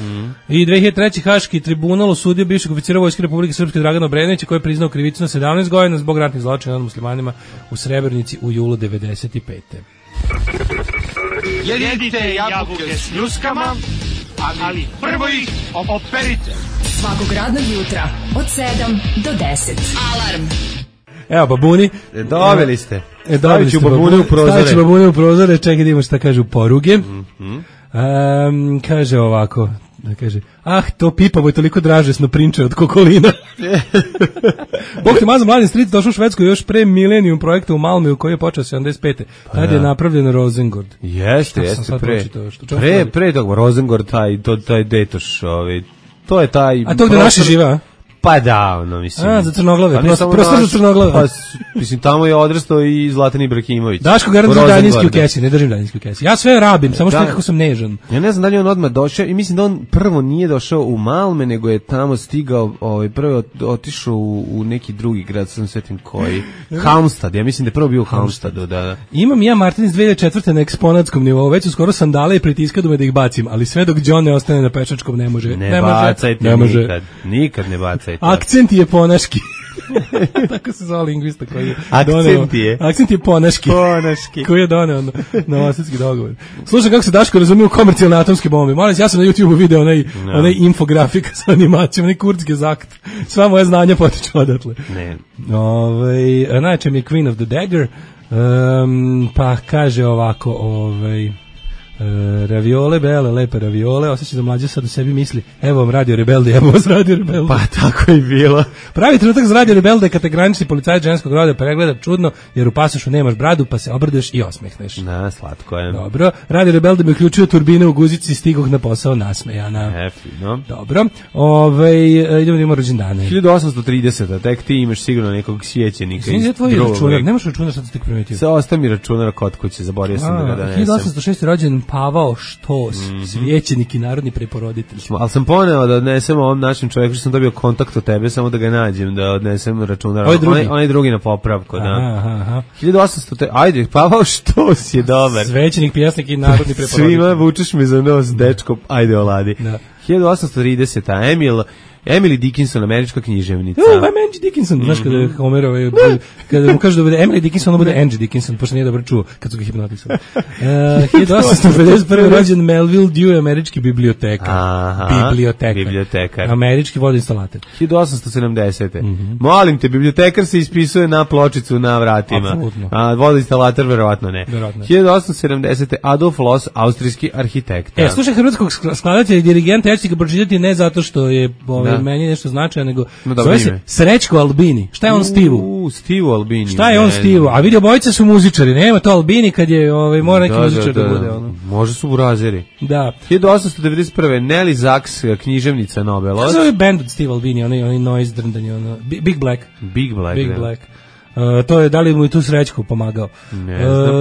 I 2003. Haški tribunal osudio bivšeg oficira Vojske Republike Srpske Dragana Obrenovića koji je priznao krivicu na 17 godina zbog ratnih zločina nad muslimanima u Srebrenici u julu 95. Jedite jabuke s ljuskama, ali prvo ih operite. Svakog radnog jutra od 7 do 10. Alarm. Evo babuni. Doveli ste. Stavit ću babune u prozore. Čekaj da imamo šta kažu poruge. Kaže ovako. Kaže, to pipavo je toliko dražesno prinče od kokolina. Bog te mazam, Mladen Stric došao u Švedsku još pre Millennium projekta u Malmö koji je počeo 75. Tad je napravljen Rosengård. Jeste, pre toga Rosengård, taj detoš, to je taj... A to gde naši žive, a? Pa da, mislim. Za crnoglave, prostor za crnoglave. Pa, mislim, tamo je odrastao i Zlatan Ibrahimović. Daško garant za daljinski u kesi, ne držim daljinski u kesi. Ja sve rabim, samo što nekako sam nežan. Ja ne znam da li on odmah došao i mislim da on prvo nije došao u Malme, nego je tamo stigao, prvo otišao u neki drugi grad, sam svetim koji. Halmstad, ja mislim da je prvo bio u Halmstadu, da. Imam ja Martin iz 2004. na eksponatskom nivou, već su skoro sandale i pritiskadu me da ih bacim, ali sve dok John ne ostane na pešačkom ne može. Ne bacajte nikad ne bacajte. Akcent je ponaški. Tako se zove lingvista koji je Akcent je Ponaški. Ponaški. Koji je doneo na Osetski dogovor. Slušaj kako se Daško razumije u komercijalne atomske bombe. Molim, ja sam na YouTubeu video onaj infografik sa animacijom, onaj Kurzge zakt. Sva moja znanja potiču odatle. Ne. Najče mi je Queen of the Dagger, pa kaže ovako, raviole, bele, lepe raviole, osjeća da mlađe sad u sebi misli, evo vam Radio Rebelde, evo vas Radio Rebelde. Pa tako je bilo. Pravi trenutak za Radio Rebelde kad te granični policajac ženskog roda pregleda čudno, jer u pasošu nemaš bradu, pa se obrdeš i osmehneš. Na, slatko je. Dobro, Radio Rebelde mi uključio turbine u guzici i stigoh na posao nasmejana. Fino. Dobro, idemo da imamo rođendane. 1830, tek ti imaš sigurno nekog sjećenika. Izvinite, tvoj računar, nemaš računar, sad ste primetio. Sa ostav mi računar kod kuće, zaborio sam da ga donesem. 1806. rođen Pavao Štos, svećenik i narodni preporoditelj. Ali sam poneo da odnesem ovom našem čovjeku, što sam dobio kontakt od tebe, samo da ga nađem, da odnesem računar. Onaj drugi na popravku, da. Aha. 1800, ajde, Pavao Štos je dobar. Svećenik, pjesnik i narodni preporoditelj. Svima vučeš mi za nos, dečko, ajde oladi. Da. 1830, Emily Dickinson, američka književnica. Angie Dickinson, znaš kada mu kažu da bude Emily Dickinson, onda bude Angie Dickinson, pošto nije dobro čuo kad su ga hipnotisali. 1851. rođen Melville Dewey, američki bibliotekar. Američki vodoinstalater. 1870. Molim te, bibliotekar se ispisuje na pločicu na vratima. Apsolutno. A vodoinstalater verovatno ne. 1870. Adolf Loos, austrijski arhitekt. Slušaj, hrvatskog skladatelja i dirigenta, ja ću ga pročitati ne zato što je meni nešto značaja, nego zove se Srećko Albini. Šta je on Stivu? Stivu Albini. Šta je on Stivu? A vidi, obojica su muzičari, nema to Albini kad je, mora neki muzičar da bude. Može su burazeri. Da. 1891. Nelly Sachs, književnica Nobelova. Šta je band od Steve Albini, onaj noise drndanje, Big Black. Big Black. To je, da li mu i tu Srećko pomagao? Ne znam.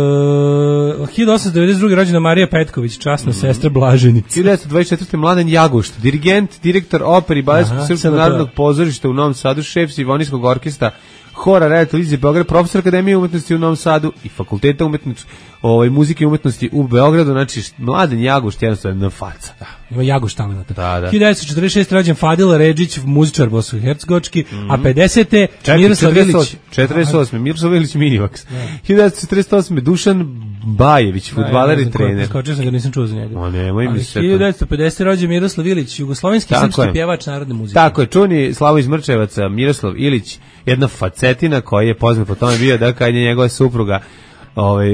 1892. rođena Marija Petković, časna sestra Blaženici. 1924. Mladen Jagušt, dirigent, direktor opere i Baletskog srpskog narodnog pozorišta u Novom Sadu, šef simfonijskog orkestra, Hora Radio Televizije Beograd, profesor Akademije umetnosti u Novom Sadu i Fakulteta muzike i umetnosti u Beogradu. Znači, Mladen Jagušt jednostavno faca. Da, ima Jagušt talenata. Da. 1946. rođen Fadil Redžić, muzičar bosansko-hercegovački, a 50. Miroslav Ilić. 48. Miroslav Ilić Minivax. 1948. Dušan Bajević, fudbaler i trener. Skočio sam ga, nisam čuo za njega. 1950. rođen Miroslav Ilić, jugoslovenski srpski pjevač narodne muzike. Tako je, čuni Slavo iz Mrčevaca, Miroslav Ilić, jedna facetina koji je poznat po tome bio da kad je njegova supruga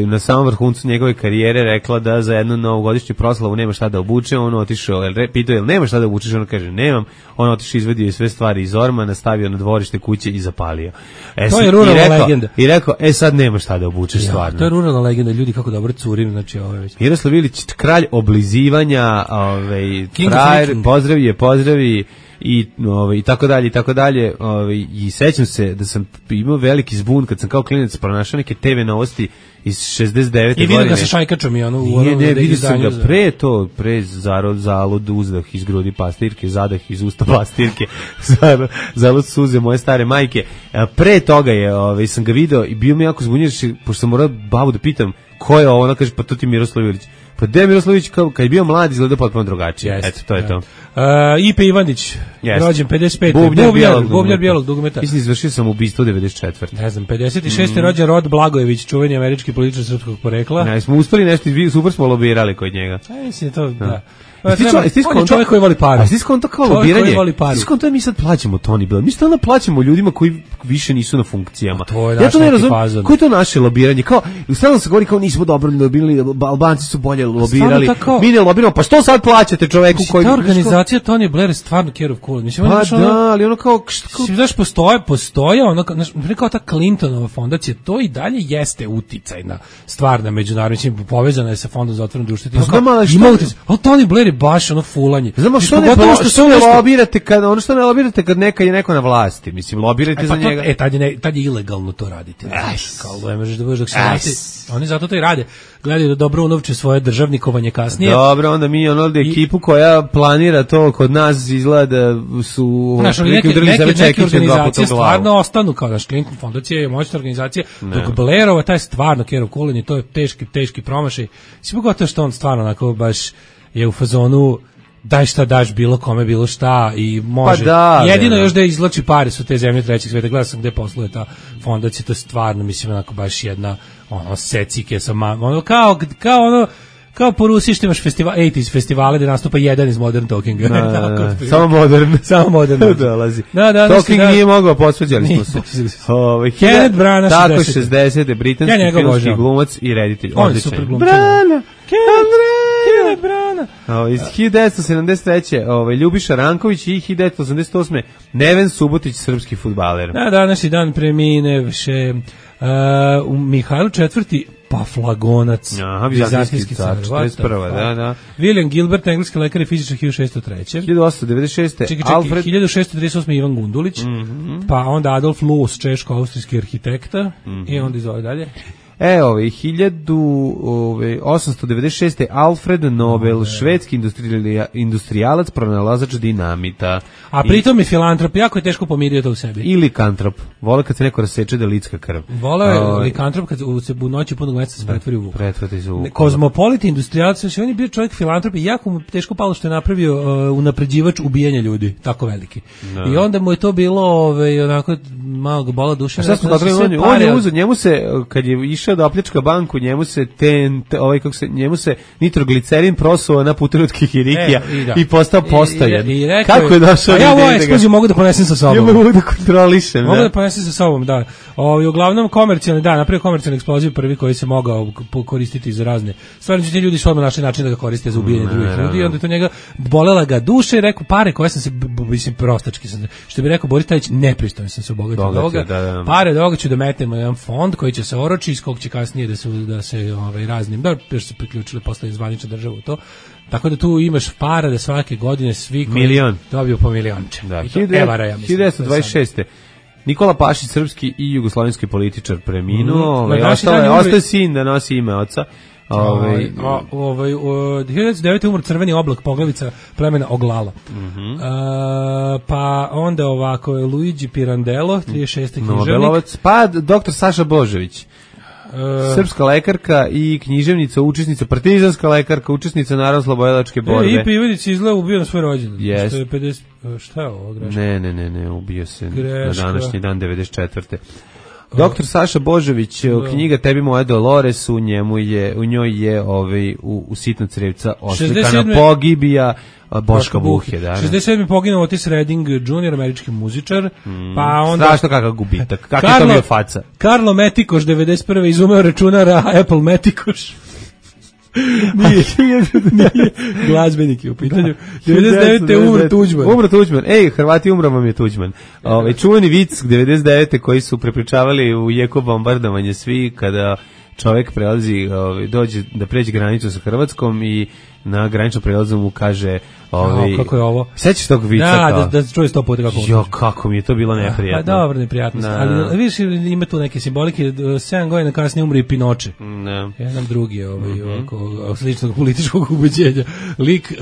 na samom vrhuncu njegove karijere rekla da za jednu novogodišnju proslavu nema šta da obuče, on otišao, pitao je nema šta da obučeš, on kaže nemam, on otišao, izvadio sve stvari iz ormana, stavio na dvorište kuće i zapalio. To je ruralna legenda. I rekao, sad nema šta da obučeš stvarno. To je ruralna legenda, ljudi kako dobro curim, znači već. Miroslav Ilić, kralj oblizivanja, frajer, pozdravi i tako dalje, i sećam se da sam imao veliki zbun kad sam kao klinac pronašao neke TV novosti iz 69. godine. I vidio ga sa šajkačom i vidio sam ga pre zalud uzdah iz grudi pastirke, zadah iz usta pastirke, zalud suze moje stare majke. Pre toga sam ga video i bio mi jako zbunjen, pošto sam morao babu da pitam ko je ovo, ona kaže pa to ti Miroslav Ilić. Pa Miroslavić kad je bio mlad izgleda potpuno drugačije. Eto, to je to. Ipe Ivanić, rođen 55. Bubnjar bijelog dugmeta. Mislim, izvršio sam ubistvo 94. Ne znam, 56. rođen Rod Blagojević, čuveni američki političar srpskog porekla. Ne, smo uspeli nešto, super smo lobirali kod njega. Mislim, to, da. On je čovjek koji voli paru. A ti skonto kao lobiranje? Ti skonto mi sad plaćamo Tony Blair. Mi stalno plaćamo ljudima koji više nisu na funkcijama. Ja to ne razumem. Koje je to naše lobiranje? Kao, stalno se govori kao nismo dobro lobirali, Albanci su bolje lobirali. Mi ne lobiramo, pa što sad plaćate čoveku koji... Ta organizacija Tony Blair je stvarno care of cool. Pa da, ali ono kao... Znaš, postoje ono, kao ta Clintonova fondacija, to i dalje jeste uticajna stvar na međunarodnim, povezana je sa fondom za otvoreno društvo. Ali Tony Blair baš ono fulanje. Znamo što ne lobirate kad neka je neko na vlasti, mislim lobirajte za njega. Tad je ilegalno to raditi. Kao ne možeš da budeš dok se vrati. Oni zato to i rade. Gledaju da dobro unovče svoje državnikovanje kasnije. Dobro, onda mi ekipu koja planira to kod nas izgleda su neke organizacije stvarno ostanu kao naš Clinton fondacija je moćna organizacija, dok Blairova taj stvarno care of cool, to je teški promašaj. Si pogotovo što on stvarno onako baš je u fazonu daj šta daš bilo kome bilo šta i može. Pa da, jedino da. još da izvlači pare su te zemlje trećeg sveta. Gledao sam gde posluje ta fondacija, to je stvarno mislim onako baš jedna ono secike sa ono kao po Rusiji što imaš 80s festivale gde nastupa jedan iz Modern Talkinga. Samo modern. Samo modern. Dolazi. Da, Talking nije mogao, posveđali smo se. Kenneth Branagh, tako 60. britanski filmski glumac i reditelj. On je super glumac. Kenneth Branagh. Iz 1973. Ljubiša Ranković i 1988. Neven Subotić, srpski fudbaler. Na današnji dan premine više Mihajlo IV. Paflagonac, vizantijski car, 41. Da. William Gilbert, engleski lekar i fizičar 1603. 1896. Alfred 1638. Ivan Gundulić, pa onda Adolf Loos, češko-austrijski arhitekta, i onda izove dalje. 1896. Alfred Nobel, švedski industrijalac, pronalazač dinamita. A pritom je filantrop, jako je teško pomirio to u sebi. I likantrop. Vole kad se neko raseče da licka krv. Vole je likantrop kad se u noći punog meseca se pretvori u vuk. Pretvori se u vuk. Kozmopolit industrijalac, on je bio čovjek filantrop i jako mu teško palo što je napravio unapređivač ubijanja ljudi, tako veliki. Da. I onda mu je to bilo onako malo ga bola duša. On je uzeo, njemu se, kad je išao da opljačka banku, njemu se njemu se nitroglicerin prosuo na putu kikirikija i postao postojan. Kako je došao? A ja ovu eksploziju mogu da ponesem sa sobom. Ja mogu da kontrolišem. Mogu da ponesem sa sobom, da. Uglavnom komercijalni, napravio komercijalni eksploziv prvi koji se mogao koristiti za razne. Stvarno ti ljudi su odmah našli način da ga koriste za ubijanje drugih ljudi i onda je to njega bolela ga duša i rekao pare koje sam se, mislim prostački sam, što bi rekao Boris Tadić, nepristojno sam se obogatio od ovoga. Pare od ovoga ću da metemo jedan fond koji će se oroči, iz kog će kasnije da se raznim, još se priključili postali zvanična država u to. Tako da tu imaš para da svake godine svi koji dobiju po milionče. Da, 1926. Nikola Pašić, srpski i jugoslovenski političar, preminuo. Ostaje sin da nosi ime oca. 1909. umro Crveni oblak, poglavica plemena Oglala. Pa onda ovako Luigi Pirandello, 36. književnik. Nobelovac, pa doktor Saša Božović. Srpska lekarka i književnica, učesnica, partizanska lekarka, učesnica Narodno-slobodilačke borbe. I Ivanić izgleda ubio na svoj rođendan. Yes. Šta je ovo, greška? Ne, ubio se greška. Na današnji dan 94. Doktor Saša Božović, knjiga Tebi moja Dolores, u njoj je u Sitna crevca oslikana pogibija Boška Buhe. 67. poginuo Otis Redding Jr., američki muzičar. Pa onda strašno kakav gubitak. Kako je to bio faca? Karlo Metikoš, 91. izumeo računara Apple Metikoš. Nije glazbenik je u pitanju. 99. umro Tuđman. Hrvati umro vam je Tuđman. Čuveni vic 99. koji su prepričavali u jeku bombardovanje svi kada čovjek prelazi, dođe da pređe granicu sa Hrvatskom i na graničnom prelazu mu kaže kako je ovo? Sećaš tog vica? Da se čuje 100 puta kako ovo. Kako mi je to bilo neprijatno. Pa dobro, neprijatnost. Ali vidiš, ima tu neke simbolike. 7 godina kasnije umri i Pinoče. Jedan drugi sličnog političkog ubeđenja. Lik,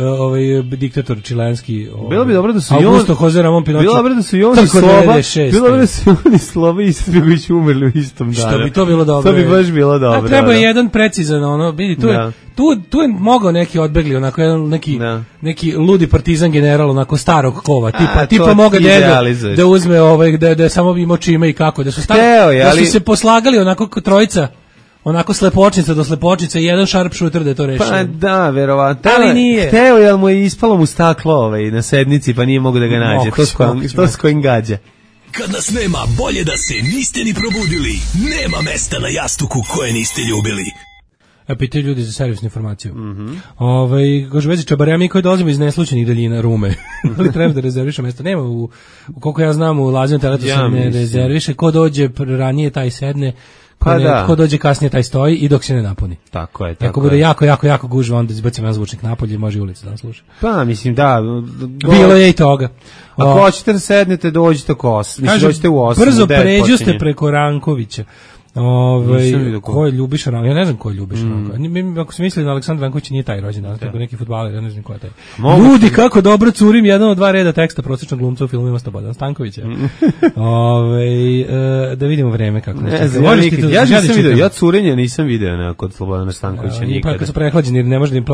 diktator čilenski. Bilo bi dobro da su Augusto Jose Ramon Pinoče. Bilo bi dobro da su i Sloba i Istrigović umrli u istom danu. Što bi to bilo dobro. To bi baš bilo dobro. A treba je jedan precizan, vidi, tu je mogao neki odbegli, onako neki ludi partizan general, onako starog kova, tipa moga da uzme da samo imao čime i kako, da su se poslagali onako trojica, onako slepočnica do slepočnice i jedan sharpshooter da je to rešio. Pa da, verovatno. Ali nije. Hteo, jel mu je ispalo mu staklo na sednici, pa nije mogo da ga nađe. To s kojim gađa. Kad nas nema, bolje da se niste ni probudili. Nema mesta na jastuku koje niste ljubili. Pitaju ljudi za servisnu informaciju. Kaže, vezi čabarja, mi koji dolazimo iz neslučenih daljina Rume. Ali treba da rezerviše mesto. Nema, koliko ja znam, u Lazinom teletu se ne rezerviše. Ko dođe ranije, taj sedne. Ko dođe kasnije, taj stoji i dok se ne napuni. Tako je. Ako bude jako gužva, onda izbacimo jedan zvučnik napolje i može ulica da vam sluša. Pa, mislim, da. Bilo je i toga. Ako hoćete da sednete, dođite u 8. Brzo pređu ste preko Rankovića. Ko je Ljubiša Ranko? Ja ne znam ko je Ljubiša Ranko. Ako se misli na Aleksandar Ranković nije taj rođendan, tako neki fudbaler, ja ne znam ko je taj. Ljudi, kako dobro curim jedan od 2 reda teksta prosječnog glumca u filmovima Slobodan Stankovića. Da vidimo vreme kako nešto. Ja curenje nisam video kod Slobodana Stankovića nikada. Pa kad su prehlađeni, ne može da im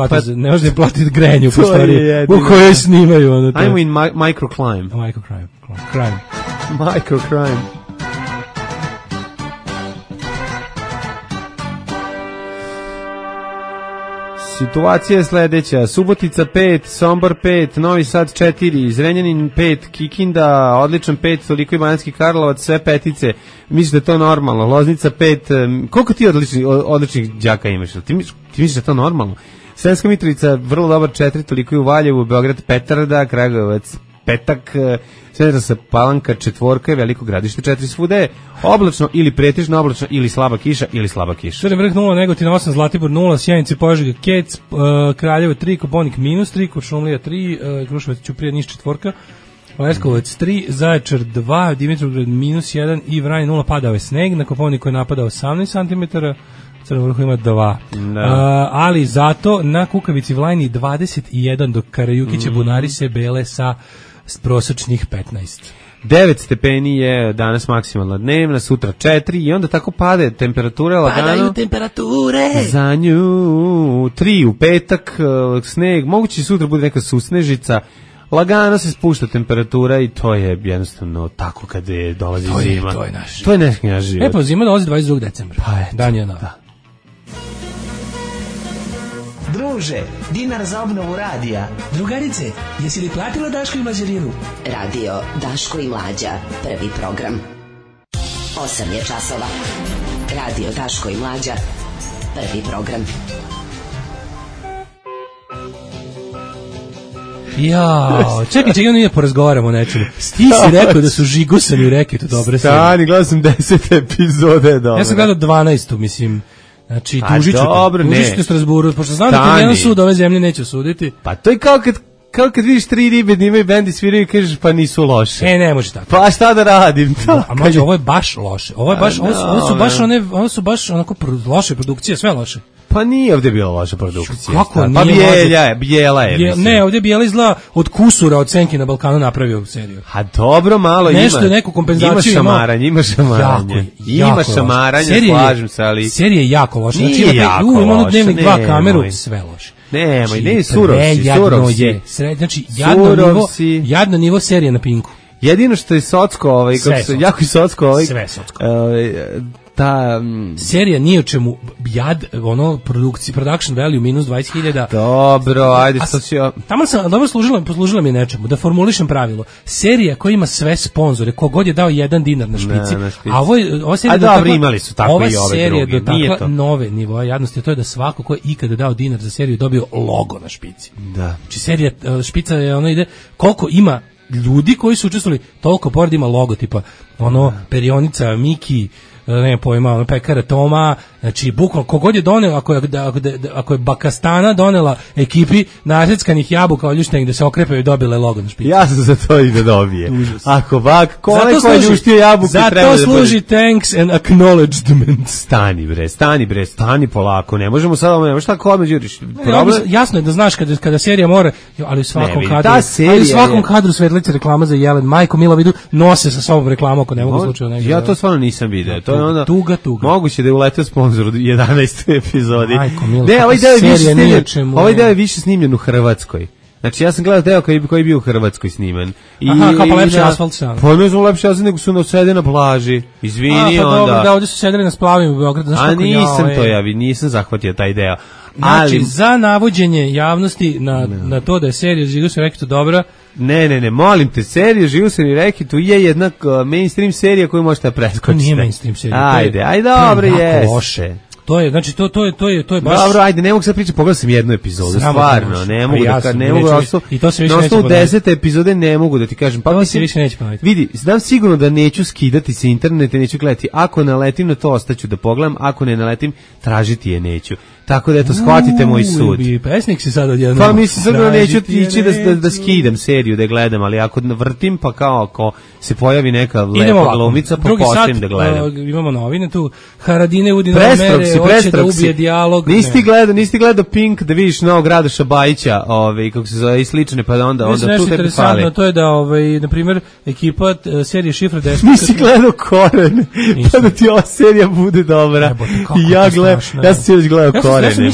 platiti grejanje u prostoriji u kojoj snimaju. Ajmo in microclimb. Microcrime. Situacija je sledeća: Subotica 5, Sombor 5, Novi Sad 4, Zrenjanin 5, Kikinda odličan 5, toliko i Banatski Karlovac, sve petice. Misliš da je to normalno? Loznica 5, koliko ti odličnih đaka imaš? Ti misliš da je to normalno? Sremska Mitrovica vrlo dobar 4, toliko i u Valjevu, Beograd petarda, Kragujevac petak, Smederevska Palanka 4, Veliko Gradište 4, svuda je oblačno ili pretežno oblačno ili slaba kiša ili slaba kiša. Crni Vrh 0, Negotin 8, Zlatibor 0, Sjenica, Požega, Kec, Kraljevo 3, Koponik -3, Kuršumlija 3, Kruševac, Ćuprija, Niš 4, Leskovac 3, Zaječar 2, Dimitrovgrad -1 i Vranje 0, padao je sneg, na Koponiku je napadao 18 cm, Crnom Vrhu ima 2. Ali zato na Kukavici Vlajni 21, dok Karajukiće Bunari se bele sa prosečnih 15. 9 stepeni je danas maksimalna dnevna, sutra 4 i onda tako pade temperatura lagano. Padaju temperature. Za nju 3 u petak, sneg, moguće sutra bude neka susnežica. Lagano se spušta temperatura i to je jednostavno tako kad dolazi zima. To je naš. To je naš život. Pa zima dolazi 22. decembra. Pa eto. Dan je nova. Druže, dinar za obnovu radija. Drugarice, jesi li platila Daško i Mlađarinu? Radio Daško i Mlađa, prvi program. 8 je časova. Radio Daško i Mlađa, prvi program. Jao, čekaj, nije porazgovaramo o nečemu. Ti si rekao da su žigusani u reketu dobre sve. Stani, gledao sam 10 epizode dobre. Ja sam gledao 12, mislim. Znači, tužit ću te Strasburu, pošto znam da jedan sud ove zemlje neće suditi. Pa to je kao kad vidiš 3 ribe da imaju bendi sviraju i kažeš pa nisu loše. Ne može tako. Pa šta da radim? A mlađe, ovo je baš loše. Ovo su baš onako loše produkcije, sve loše. Pa nije ovdje bila loša produkcija. Kako nije? Pa Bijela je. Ne, ovdje Bijela izgleda od kusura od Senki na Balkanu napravio seriju. A dobro, malo ima. Nešto je neku kompenzaciju. Ima šamaranje. Ima šamaranje, slažem se, ali... Serija je jako loša. Nije znači, jako loša. Ima Dnevnik 2 kameru, sve loše. Nemoj, ne surovsi. Znači, jadno nivo serije na Pinku. Jedino što je socko, jako je socko. Sve socko. Ta serija nije o čemu production value minus 20.000. Dobro, ajde što si... Tamo sam dobro poslužila mi je nečemu da formulišem pravilo. Serija koja ima sve sponzore, kogod je dao $1 na špici. A ova serija dobro, imali su tako i ove druge. Ova serija dotakla nove nivoe jadnosti, to je da svako ko je ikada dao dinar za seriju dobio logo na špici. Da. Znači serija špica je ide koliko ima ljudi koji su učestvovali, toliko pored ima logo tipa perionica Miki, ne pojma, pekara Toma, znači bukvalno kogod je donela, ako je Bakastana donela ekipi naseckanih jabuka oljuštenih da se okrepaju i dobile logo na špici. Ja sam za to i da dobije. Ako onaj ko je ljuštio jabuke treba da... Zato služi thanks and acknowledgement. Stani polako, ne možemo sad, ne možeš tako odmah đuriš. Jasno je da znaš kada serija mora, ali u svakom kadru Svetlice reklama za Jelen, majko Mila vidu, nose sa sobom reklamu ako ne mogu slučajno negdje. Ja to stvarno nisam vidio. Tuga. Moguće da je uletio sponsor u 11. epizodi. Ne, ovaj deo je više snimljen u Hrvatskoj. Znači ja sam gledao deo koji je bio u Hrvatskoj sniman. Kao pa lepši asfalt sam. Pa ne znam lepši asfalt, nego su sede na plaži. Izvini onda. Dobro, da, ovdje su sedeli na splavima u Beogradu. Nisam zahvatio taj deo. Znači, za navođenje javnosti na to da je serija Žigu se rekitu dobra. Ne, molim te, serija Živu se mi rekitu je jedna mainstream serija koju možete preskočiti. Nije mainstream serija. Ajde, dobro, loše. To je, znači, to je baš... Dobro, ajde, ne mogu sad pričati, pogledao sam jednu epizodu, stvarno, ne mogu i to se više na neće osnovu 10 epizode ne mogu da ti kažem. Pa to se više neće ponoviti. Vidi, znam sigurno da neću skidati se internete, neću gledati. Ako naletim na to, ostaću da pogledam, ako ne naletim, tražiti je neću. Tako da eto, shvatite moj sud. Pesnik si sad odjedno. Pa mislim, sigurno neću ići da skidam seriju da gledam, ali ako vrtim, pa kao ako se pojavi neka lepa glumica, pa postavim da gledam. Imamo novine tu. Haradine Udina Mere, hoće da ubije dijalog. Nisi gledao Pink da vidiš novog Radoša Bajića, kako se zove, i slične, pa onda tu tebi fali. To je da, na primjer, ekipa serije Šifra Despot. Nisi gledao Korene, pa da ti ova serija bude dobra. Ja sam sinoć gledao Korene,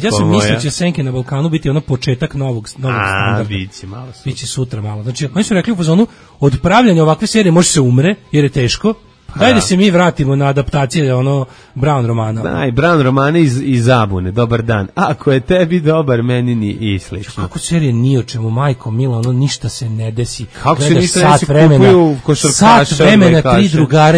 ja sam mislio da će Senke na Balkanu biti ono početak novog standarda. Biće malo. Biće sutra malo. Znači, oni su rekli u fazonu, od pravljanja ovakve serije može se umre, jer je teško. Daj da se mi vratimo na adaptacije Brown romana. Daj, Brown romane iz Zabune, dobar dan. Ako je tebi dobar, meni ni i slično. Kako serije ni o čemu, majko mila, ništa se ne desi. Kako se ništa ne kupuju košarkaša? Sat vremena, 3 drugara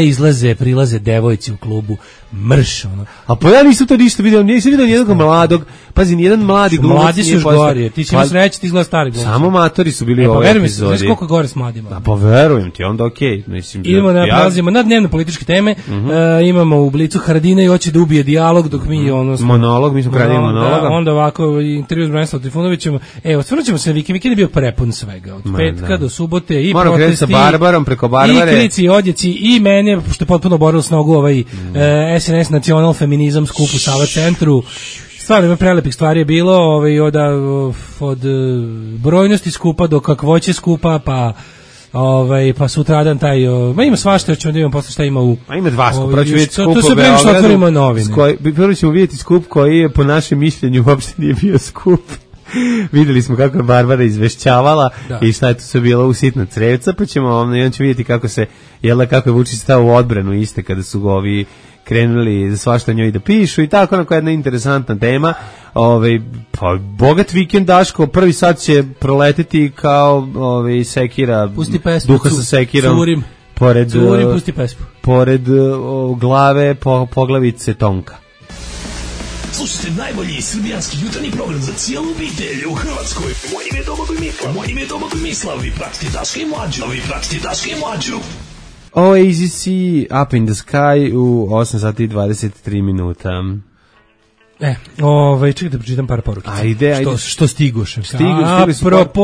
prilaze devojci u klubu, mrš, ono. A pa ja nisam to ništa vidio, nisam vidio nijednog mladog, pazi, nijedan mladi glumac. Mladi su još gori, ti si mi sreći, ti izgleda stari glumac. Samo matori su bili u ovoj epizodi. Znaš koliko gore s mladima? Pa verujem ti, onda okej. Idemo da prelazimo na dnevno političke teme, imamo u Blicu Haradine i hoće da ubije dijalog, dok mi monolog, mi smo kradili monologa. Onda ovako, intervju s Branislavom Trifunovićem, osvrnut ćemo se, vikend je bio prepun svega, od petka do subote i moram protesti, sa Barbarom, preko Barbare, i krici, i odjeci, i mene, što je potpuno borilo s nogu SNS Nacional Feminizam skup u Sava centru. Stvarno, prelepih stvari je bilo, od brojnosti skupa do kakvoće skupa, pa sutradan taj, ima svašta, ćemo da imamo posle šta ima u... Ima dva skupa, prvo ću vidjeti skup u Beogradu. Prvo ćemo vidjeti skup koji je po našem mišljenju uopšte nije bio skup. Videli smo kako je Barbara izvešćavala i šta je to sve bilo u sitna crevca, pa ćemo vidjeti kako se, kako je Vučić stao u odbranu iste kada su ovi krenuli svašta njoj da pišu i tako, onako jedna interesantna tema. Pa bogat vikend, Daško, prvi sat će proleteti kao sekira, duha sa sekirom, curim, pusti pesmu, pored glave poglavice Tonka. Slušajte najbolji srbijanski jutarnji program za cijelu obitelj u Hrvatskoj. Moje ime je Domagoj Mislav. Vi pratite Daška i Mlađu. Oasis Up in the Sky u 8 sati i 23 minuta. Čekaj da pročitam par porukica. Ajde. Što stigoše. Stigu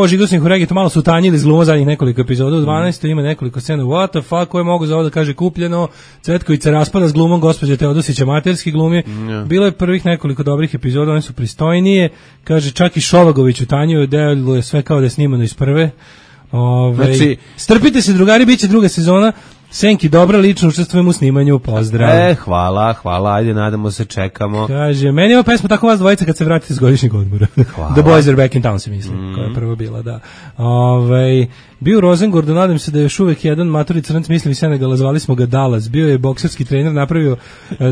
Žigo sam ih u regiju, malo su utanjili s glumom zadnjih nekoliko epizoda. U 12. ima nekoliko scena. What the fuck, koje mogu za ovo da kaže kupljeno. Cvetkovica raspada s glumom gospođe Teodosića, materski glumi. Bilo je prvih nekoliko dobrih epizoda, one su pristojnije. Kaže, čak i Šovagović utanjuje, deluje sve kao da je snimano iz prve. Znači, strpite se drugari, bit će druga sezona. Senki, dobra, lično učestvujem u snimanju, pozdrav. Hvala, ajde, nadamo se, čekamo. Kaže, meni je pesma tako vas dvojica kad se vratite s godišnjeg odmora. The Boys Are Back in Town, se mislim, koja je prvo bila, da. Bio u Rosengordu, nadam se da je još uvek jedan matori crnac, mislim Senegala, zvali smo ga Dallas, bio je bokserski trener, napravio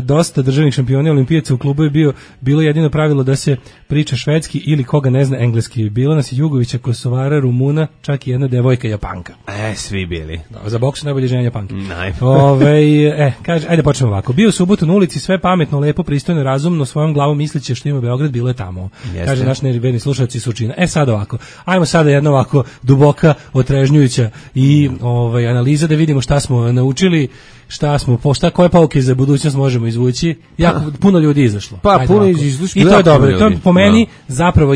dosta državnih šampiona olimpijaca u klubu, je bilo jedino pravilo da se priča švedski ili koga ne zna engleski. Bilo nas je Jugovića, Kosovara, Rumuna, čak i jedna devojka Japanka. Svi bili. Za boks najbolje ženja Japanke. Najbolje. Kaže, ajde počnemo ovako. Bio u subotu na ulici, sve pametno, lepo, pristojno, razumno, svojom glavom misliće što ima Beograd, bilo je tamo. Kaže naš neverni slušalci Surčina. Sad ovako. Ajmo sada jedna ovako duboka, otrežnjujuća i analiza da vidimo šta smo naučili, koje pouke za budućnost možemo izvući. Puno ljudi izašlo. Puno izašlo. I to je dobro. To je po meni zapravo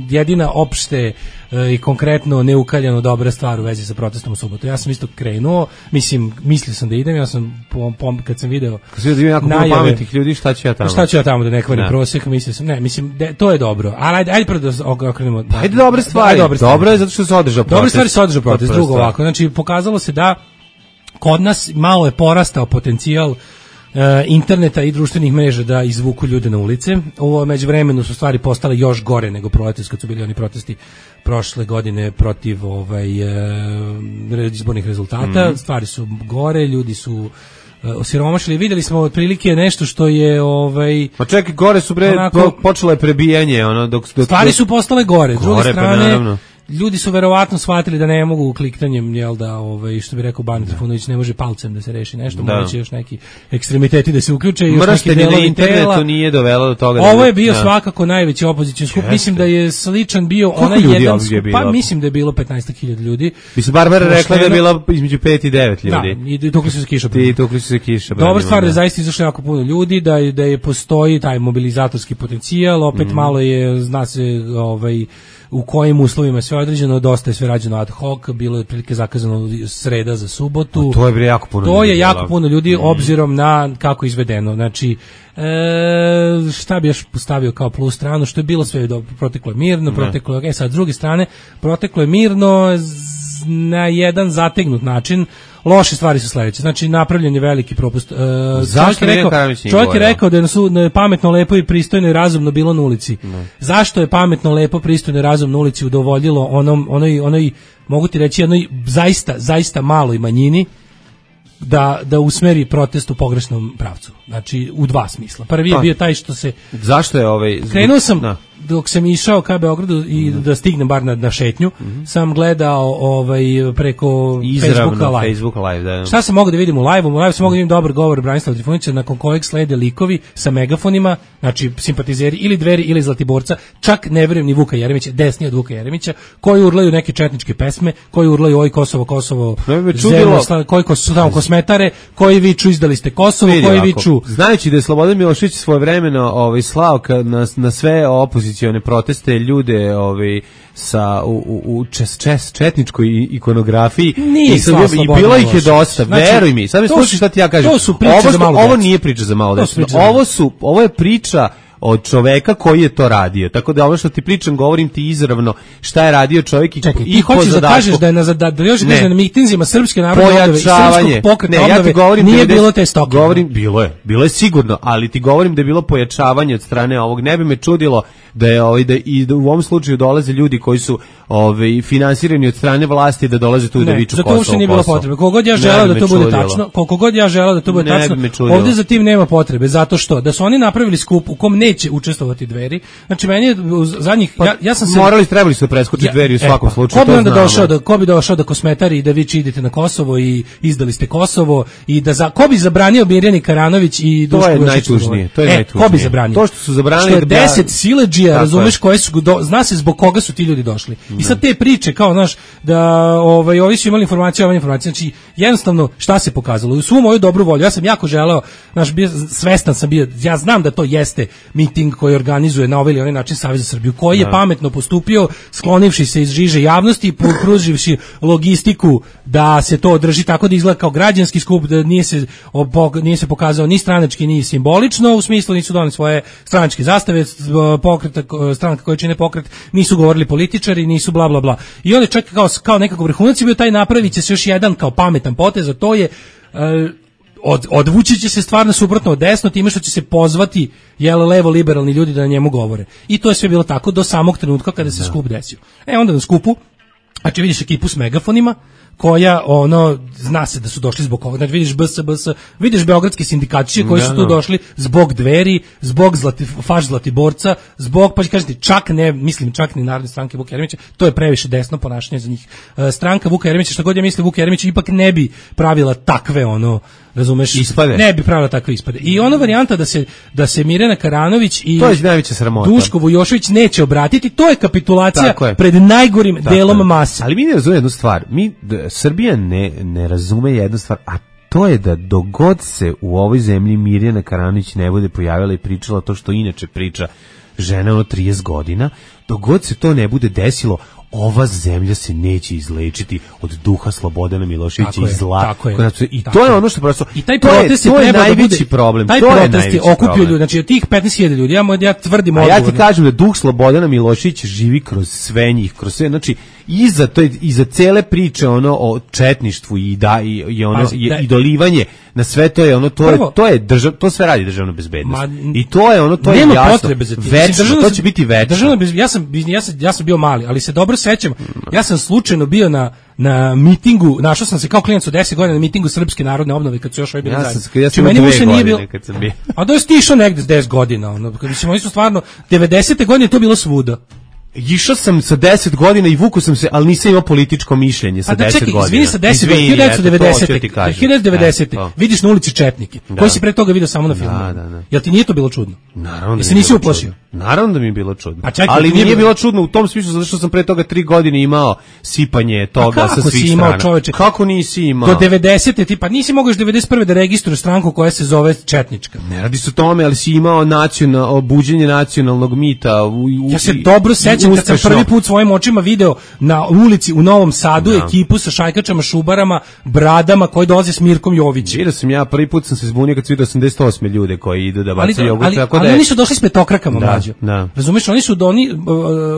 jedina opšte i konkretno neukaljano dobra stvar u vezi sa protestom u subotu. Ja sam isto krenuo, mislio sam da idem, ja sam kad sam video jako puno pametnih ljudi, šta ću ja tamo da ne kvarim prosjek, mislio sam, to je dobro. Ali ajde prvo da okrenemo. Ajde dobre stvari. Dobro je zato što se održao protest. Dobre stvari se održao protest. Drugo ovako, znači pokazalo se da kod nas malo je porastao potencijal interneta i društvenih mreža da izvuku ljude na ulice. U međuvremenu su stvari postale još gore nego proletos kad su bili oni protesti prošle godine protiv izbornih rezultata. Stvari su gore, ljudi su osiromašili. Videli smo otprilike nešto što je Pa čekaj, gore su počelo je prebijanje, dok stvari su postale gore. S druge strane, ljudi su verovatno shvatili da ne mogu kliktanjem, jel da, što bi rekao Ban Trifunović, ne može palcem da se reši nešto, moći još neki ekstremiteti da se uključe i još neki delovi na internetu tela. Nije dovelo do toga. Ovo je bio svakako najveći opozicioni skup. Mislim da je sličan bio onaj jedan skup, pa mislim da je bilo 15.000 ljudi. Mislim, Barbara rekla da je bila između 5 i 9 ljudi. Da, i tukli su se kiša. Dobra stvar da zaista izašlo jako puno ljudi, da je postoji taj mobilizatorski potencijal, opet malo je, zna se u kojim uslovima sve određeno, dosta je sve rađeno ad hoc, bilo je otprilike zakazano sreda za subotu. To je jako puno ljudi. To je jako puno ljudi obzirom na kako je izvedeno. Znači, šta bi još postavio kao plus stranu, što je bilo sve dobro, proteklo je mirno, sad s druge strane, proteklo je mirno na jedan zategnut način. Loše stvari su sledeće. Znači, napravljen je veliki propust. Čovjek je rekao da je pametno, lepo i pristojno i razumno bilo na ulici. Zašto je pametno, lepo, pristojno i razumno na ulici udovoljilo onoj, mogu ti reći, jednoj zaista maloj manjini da usmeri protest u pogrešnom pravcu. Znači, u dva smisla. Prvi je bio taj što se... Zašto je krenuo sam... Dok sam išao ka Beogradu i da stignem bar na šetnju, sam gledao preko Facebooka live. Da. Šta sam mogao da vidim u live-u? U live sam mogao da vidim dobar govor Branislava Trifunića, nakon kojeg slede likovi sa megafonima, znači simpatizeri ili Dveri ili Zlatiborca, čak ne verujem ni Vuka Jeremića, desni od Vuka Jeremića, koji urlaju neke četničke pesme, koji urlaju oj Kosovo, zemlja, koji su tamo kosmetare, koji viču izdali ste Kosovo, koji viču... Znajući da je Slobodan Milošević svojevremeno slao na sve opozicione proteste ljude sa u četničkoj ikonografiji i bilo ih je dosta, veruj mi. Sad mi slušaj šta ti ja kažem. Ovo nije priča za malo decu. Ovo je priča od čoveka koji je to radio. Tako da ovo što ti pričam, govorim ti izravno šta je radio čovjek i ti hoćeš da kažeš da je na mitinzima Srpske narodne obnove i Srpskog pokreta obnove nije bilo te stoke. Bilo je sigurno, ali ti govorim da je bilo pojačavanje od strane ovog. Ne bi me čudilo da u ovom slučaju dolaze ljudi koji su finansirani od strane vlasti da dolaze tu da viču Kosovo. Zato uopšte nije bilo potrebe. Koliko god ja želeo da to bude tačno, ovdje za tim nema potrebe, zato što da su oni napravili skup u kom neće učestvovati Dveri. Znači meni je zadnjih ja sam se trebali su preskočiti Dveri u svakom slučaju. Ko bi došao da kosmetari i da vi idete na Kosovo i izdali ste Kosovo i da ko bi zabranio Mirjani Karanović i Dušku Jošić? To je najtužnije. Ko bi zabranio? To što su zabranili 10 siledžija, razumeš, koje su zna se zbog koga su ti ljudi došli. I sad te priče kao, znaš, da ovi su imali informacije, znači jednostavno šta se pokazalo? U svu moju dobru volju, ja sam jako želeo, znaš, svestan sam bio, ja znam da to jeste miting koji organizuje na ovaj ili onaj način Savez za Srbiju, koji je pametno postupio, sklonivši se iz žiže javnosti i pruživši logistiku da se to održi tako da izgleda kao građanski skup, da nije se pokazao ni stranački ni simbolično, u smislu nisu doneli svoje stranačke zastave, stranka koje čine pokret, nisu govorili političari, nisu bla bla bla. I onda čak kao nekako vrhunac je bio taj, napravit će se još jedan kao pametan potez, a to je odvući će se stvarno suprotno od desno, time što će se pozvati levo liberalni ljudi da na njemu govore. I to je sve bilo tako do samog trenutka kada se skup desio. Onda na skupu, znači vidiš ekipu s megafonima, koja zna se da su došli zbog ovoga, znači vidiš BS, vidiš beogradski sindikačiće koji su tu došli zbog Dveri, zbog faš Zlatiborca, zbog, pa kažete, čak ni Narodne stranke Vuka Jeremića, to je previše desno ponašanje za njih. Stranka Vuka Jeremića, što god ja mislim, Vuka Jeremića ipak ne bi pravila takve razumeš, ispade. Ne bi pravila takve ispade. I varijanta da se Mirjana Karanović i Duško Jošić neće obratiti, to je kapitulacija pred najgorim delom mase. Ali mi ne razumemo jednu stvar. Srbija ne razume jednu stvar, a to je da dogod se u ovoj zemlji Mirjana Karanović ne bude pojavila i pričala to što inače priča žena 30 godina, dogod se to ne bude desilo, ova zemlja se neće izlečiti od duha Slobodana Miloševića i zla. I to je ono što prosto... I taj protest je najveći problem. Taj protest je okupio ljudi, znači od tih 15.000 ljudi, ja tvrdim odgovorno. Ja ti kažem da duh Slobodana Miloševića živi kroz sve njih, kroz sve, znači iza cele priče o četništvu i dolivanje na sve to je to sve radi državna bezbednost. I to je to je jasno. Potrebe za večno, to će biti večno. Ja sam bio mali, ali se dobro sećam. Ja sam slučajno bio na mitingu, našao sam se kao klinac od 10 godina na mitingu Srpske narodne obnove kad su još bili zajedno. Ja sam imao 2 godine kad sam bio. A da je stišao negde s 10 godina. Mislim, oni su stvarno, 90. godine to bilo svuda. Išao sam sa 10 godina i vuku sam se, ali nisam imao političko mišljenje sa 10 godina. Čekaj, izvini, sa 10 godina, 1990. Vidiš na ulici četnike, koji si pre toga video samo na filmu. Jel ti nije to bilo čudno? Naravno. Jesi nisi uplašio? Naravno da mi je bilo čudno. Pa čekaj, ali nije bilo čudno u tom smislu zato što sam pre toga 3 godine imao sipanje toga sa svih strana. Imao, čoveče? Kako nisi imao? Do 90. ti pa nisi mogao još 91. da registruješ stranku koja se zove četnička. Ne radi se o tome, ali si imao buđenje nacionalnog mita. Ja se dobro sećam kad sam prvi put svojim očima video na ulici u Novom Sadu ekipu sa šajkačama, šubarama, bradama koji dolaze s Mirkom Jovićem. Vidio sam ja, prvi put sam se zbunio kad sam vidio 88 ljude koji idu da bacaju jogurt. Ali oni su došli s petokrakama, mlađo. Razumeš, oni su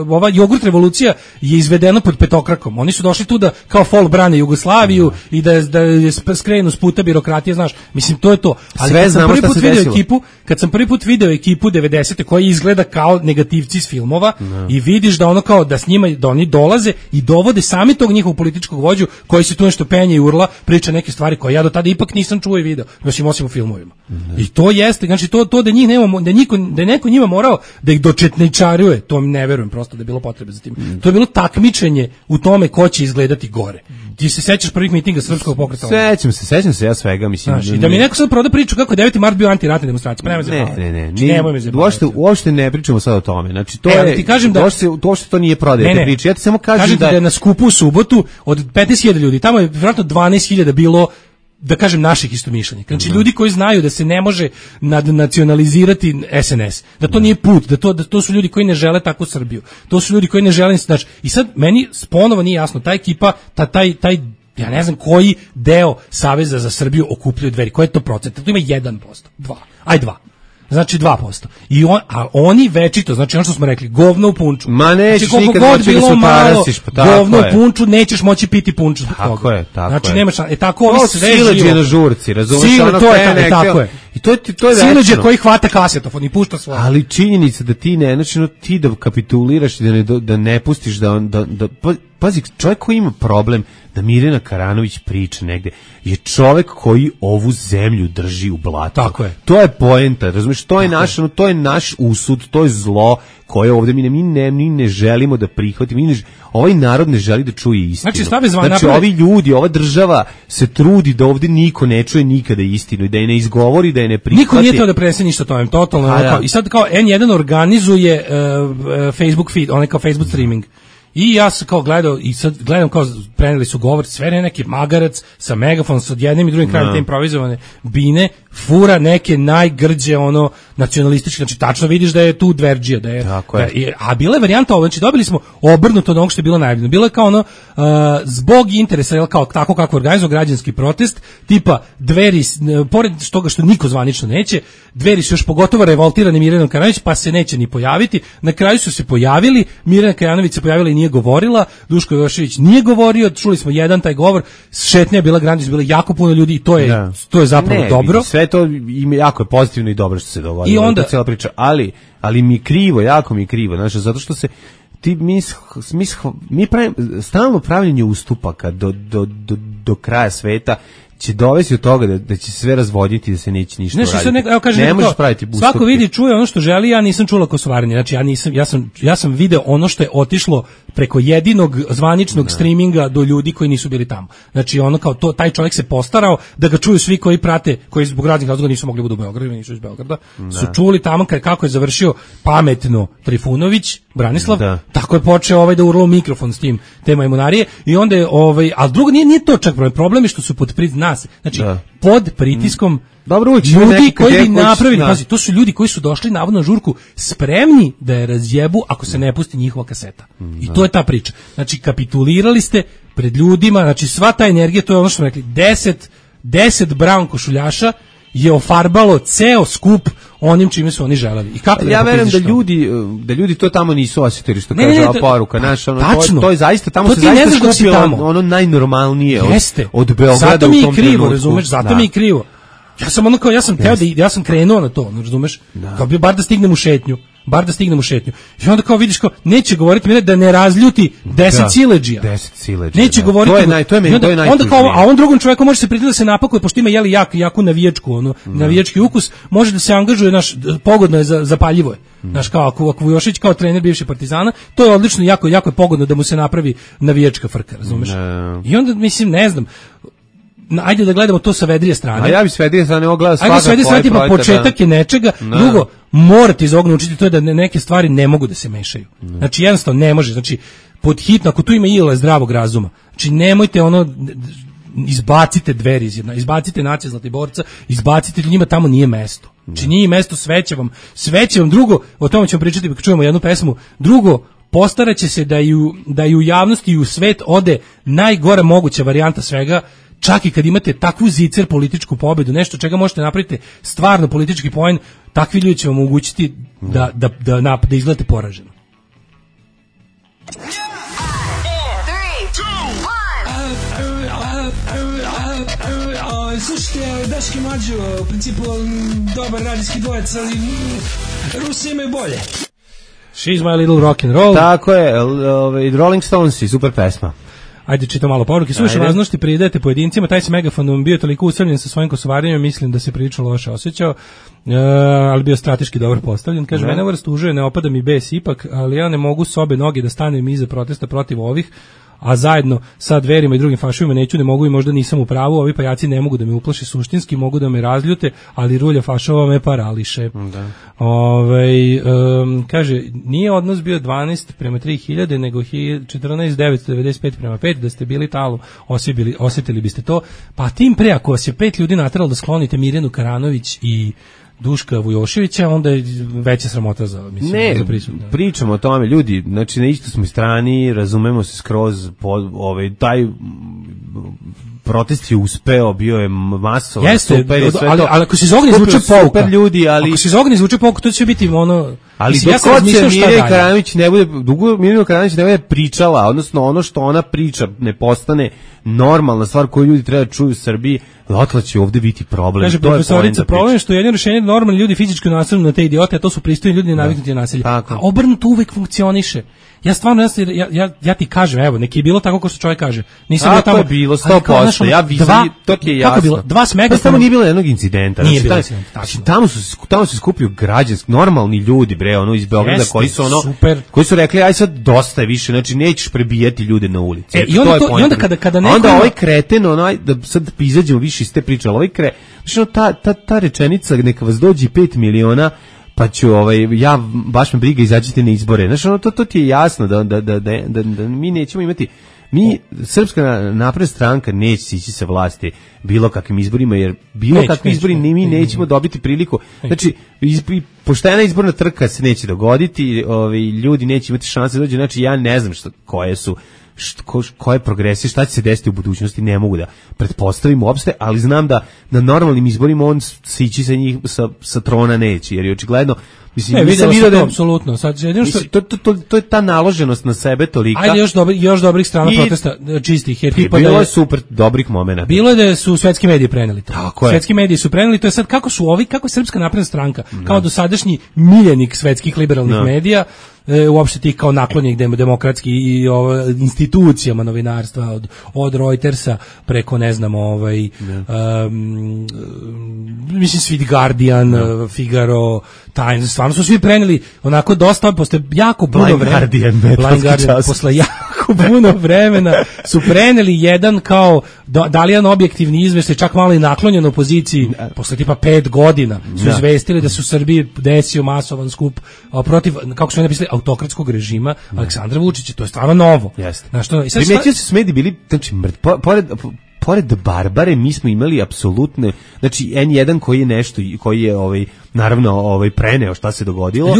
ova jogurt revolucija je izvedena pod petokrakom. Oni su došli tu da kao fol brane Jugoslaviju i da je skrenu s puta birokratije, znaš. Mislim, to je to. Ali sve znamo šta se desilo. Kad sam prvi put video ekipu 90. koja izgleda kao negativci iz filmova i vidiš da ono kao da s njima, da oni dolaze i dovode sami tog njihovog političkog vođu koji se tu nešto penje i urla, priča neke stvari koje ja do tada ipak nisam čuo i video, osim u filmovima. I to jeste, znači to da njih nemamo, da je neko njima morao da ih dočetničaruje, to ne verujem prosto da je bilo potrebe za tim. To je bilo takmičenje u tome ko će izgledati gore. Ti se sećaš prvih mitinga Srpskog pokreta? Sećam se ja svega, mislim. Znači, da mi neko sad proda priču kako je 9. mart bio antiratna demonstracija. Uopšte ne pričamo sad o tome. Znači to je, ti kažem da uopšte to nije prodaje te priče. Ja ti samo kažem da je na skupu u subotu od 15.000 ljudi, tamo je vjerojatno 12.000 bilo, da kažem, naših istomišljenika. Znači ljudi koji znaju da se ne može nadnacionalizirati SNS, da to nije put, da to su ljudi koji ne žele takvu Srbiju. To su ljudi koji ne žele, znači, i sad meni ponovo nije jasno, ta ekipa, taj ja ne znam koji deo Saveza za Srbiju okupljaju Dveri, koji je to procent? To ima 1%, 2. Znači 2%. A oni večito, znači ono što smo rekli, govno u punču. Ma nećeš znači, nikad moći da se utarasiš, pa tako govno u punču, nećeš moći piti punču. Tako je. Znači nemaš, tako ovi sve živo. Sileđe na žurci, razumiješ? Tako je. I to je Sileđe koji hvata kasetofon i pušta svoje. Ali činjenica da ti ne, znači ti da kapituliraš i da ne pustiš da pazi, čovjek koji ima problem da Mirjana Karanović priča negde je čovjek koji ovu zemlju drži u blatu. Tako je. To je poenta, razumiješ? To je naš usud, to je zlo koje ovdje mi ne želimo da prihvatimo. Ovaj narod ne želi da čuje istinu. Znači ovi ljudi, ova država se trudi da ovdje niko ne čuje nikada istinu i da je ne izgovori, da je ne prihvati. Niko nije teo da prenese ništa tome, totalno. I sad kao N1 organizuje Facebook feed, onaj kao Facebook streaming. I ja sam kao gledao i sad gledam kao preneli su govor, sve neki magarac sa megafonom sa jednim i drugim krajem te improvizovane bine, fura neke najgrđe nacionalističke, znači tačno vidiš da je tu dverđija, a bila je varijanta znači dobili smo obrnuto od onog što je bilo najavljeno. Bilo je kao zbog interesa, kao tako kako organizovao građanski protest, tipa Dveri, pored toga što niko zvanično neće, Dveri su još pogotovo revoltirani Mirjanom Karanović, pa se neće ni pojaviti. Na kraju su se pojavili, Mirjana Karanović se pojavila i nije govorila, Duško Jošević nije govorio, čuli smo jedan taj govor, šetnja je bila grandioz, bilo jako puno ljudi i to je zapravo dobro. Sve to jako je pozitivno i dobro što se dogodilo. I onda cijela priča, ali mi krivo, jako mi krivo, znači zato što se mi pravimo stalno pravljenje ustupaka do kraja sveta će dovesti od toga da će sve razvoditi, da se neće ništa raditi. Ne možeš praviti ustupke. Svako vidi, čuje ono što želi, ja nisam čula kosovarenje. Znači ja sam video ono što je otišlo preko jedinog zvaničnog streaminga do ljudi koji nisu bili tamo. Znači ono kao taj čovjek se postarao da ga čuju svi koji prate, koji zbog raznih razloga nisu mogli budu u Beogradu, nisu iz Beograda. Su čuli tamo kako je završio pametno Trifunović, Branislav, tako je počeo da urlo mikrofon s tim te majmunarije i onda je ali drugo nije to čak problem je što su pod pod pritiskom ljudi koji bi napravili, pazi, to su ljudi koji su došli navodno na žurku spremni da je razjebu ako se ne pusti njihova kaseta. I to je ta priča. Znači kapitulirali ste pred ljudima, znači sva ta energija, to je ono što smo rekli, 10 brown košuljaša je ofarbalo ceo skup onim čime su oni želeli. I kako ja verujem da ljudi to tamo nisu osjetili, što kaže ova poruka naša, to je zaista tamo se zaista skupilo ono najnormalnije od Beograda. Zato mi je krivo, razumeš, zato mi je krivo. Ja sam krenuo na to, razumeš? Kao bi bar da stignem u šetnju. bar da stignem u šetnju. I onda kao vidiš kao neće govoriti mi da ne razljuti 10 siledžija. 10 siledžija. Neće govoriti. To je najtužnije. Onda kao, a on drugom čoveku može se pridati da se napakuje, pošto ima jaku navijačku, navijački ukus, može da se angažuje, pogodno je zapaljivo je. Znaš, kao ako Vujošić kao trener bivši Partizana, to je odlično, jako je pogodno da mu se napravi navijačka frka, razumeš? I onda, mislim, ne znam, ajde da gledamo to sa vedrije strane. A ja bi s vedrije strane ogledao svakako. Ajde sa vedrije strane, tipa početak je nečega, drugo, morate iz ovog naučiti, to je da neke stvari ne mogu da se mešaju. Znači, jednostavno ne može, znači, pod hitno, ako tu ima ile zdravog razuma, znači, nemojte izbacite Dveri iz jedna, izbacite Nacije Zlatiborca, izbacite, njima tamo nije mesto. Znači, nije mesto, sveće vam, drugo, o tome ćemo pričati kad čujemo jednu pesmu, drugo, postaraće se da i u javnosti i u svet ode najgora moguća varijanta svega, čak i kad imate takvu zicer političku pobedu, nešto čega možete napraviti stvarno politički poen, takvi ljudi će vam omogućiti da izgledate poraženo. Slušajte, Daški Mlađo, u principu dobar radijski dvojec, ali Rusi imaju bolje. She's my little rock and roll. Tako je, Rolling Stonesi, super pesma. Ajde, čitam malo poruke. Slušaj, važnosti pridajete pojedincima, taj se megafon bio toliko usamljen sa svojim kosovarenjem, mislim da se prilično loše osjećao, ali bio strateški dobro postavljen. Kaže, mene ovo rastužuje, ne opada mi bes ipak, ali ja ne mogu s obe noge da stanem iza protesta protiv ovih, a zajedno sa Dverima i drugim fašovima ne mogu i možda nisam u pravu, ovi pajaci ne mogu da me uplaše suštinski, mogu da me razljute, ali rulja fašova me parališe. Kaže, nije odnos bio 12 prema 3000, nego 14.995 prema 5, da ste bili talom, osjetili biste to, pa tim pre, ako vas je 5 ljudi nateralo da sklonite Mirjanu Karanović i Duška Vujoševića, onda je veća sramota za prisutno. Pričamo o tome, ljudi, znači na istoj smo strani, razumemo se skroz, taj protest je uspeo, bio je masovan. Jeste, super je sve ali ako se iz ovoga izvuče pouka, ako se iz ovoga izvuče pouka, to će biti ono... Ali dok god se Mirjana Karanović ne bude pričala, odnosno ono što ona priča ne postane normalna stvar koju ljudi treba da čuju u Srbiji, otle će ovde biti problem. Kaže profesorica, problem je što je jedino rešenje da normalni ljudi fizički nasilno na te idiote, a to su pristojni ljudi naviknuti na nasilje. A obrnuto uvek funkcioniše. Ja stvarno, ja ti kažem, evo, neki je bilo tako kao što čovjek kaže. Nisam tamo je bilo 100%, ja vidim, to ti je jasno. Kako je bilo? Dva smega. Tamo nije bilo jednog incidenta. Nije bilo incidenta. Tamo se skupio građanski, normalni ljudi, bre, iz Beograda, koji su rekli, aj sad dosta je više, znači nećeš prebijati ljude na ulici. I onda kada neko... Onda ovaj kreten, da sad izađemo više iz te priče, ali ovaj ta rečenica, neka vas dođi 5 miliona, pa ću, ja, baš me briga, izađite na izbore. Znači, to ti je jasno da mi nećemo imati, Srpska napredna stranka neće ići sa vlasti bilo kakvim izborima, jer bilo kakvi izbori mi nećemo dobiti priliku. Znači, poštena izborna trka se neće dogoditi, ljudi neće imati šanse da dođe, znači ja ne znam koje progresije, šta će se desiti u budućnosti, ne mogu da pretpostavim uopšte, ali znam da na normalnim izborima on se ići sa njih sa trona neće, jer je očigledno videlo se to, apsolutno. To je ta naloženost na sebe tolika. Ajde, još dobrih strana protesta čistih. Bilo je super dobrih momenata. Bilo je da su svetski mediji preneli to. Svetski mediji su preneli, to je sad kako je Srpska napredna stranka, kao dosadašnji miljenik svetskih liberalnih medija, uopšte tih kao naklonjenih demokratski i institucijama novinarstva, od Reutersa preko, ne znam, mislim Sweet Guardian, Figaro, Times, stvarno su svi preneli onako dosta, posle jako puno vremena, posle jako puno vremena su preneli jedan kao dalijan objektivni izveštaj, čak malo i naklonjen opoziciji, posle tipa 5 godina su izvestili da se u Srbiji desio masovan skup protiv, kako su napisali, autokratskog režima Aleksandra Vučića. To je stvarno novo. Primetio se mediji bili, znači, pored Barbare mi smo imali apsolutne, znači N1 koji je nešto, koji je naravno preneo šta se dogodilo.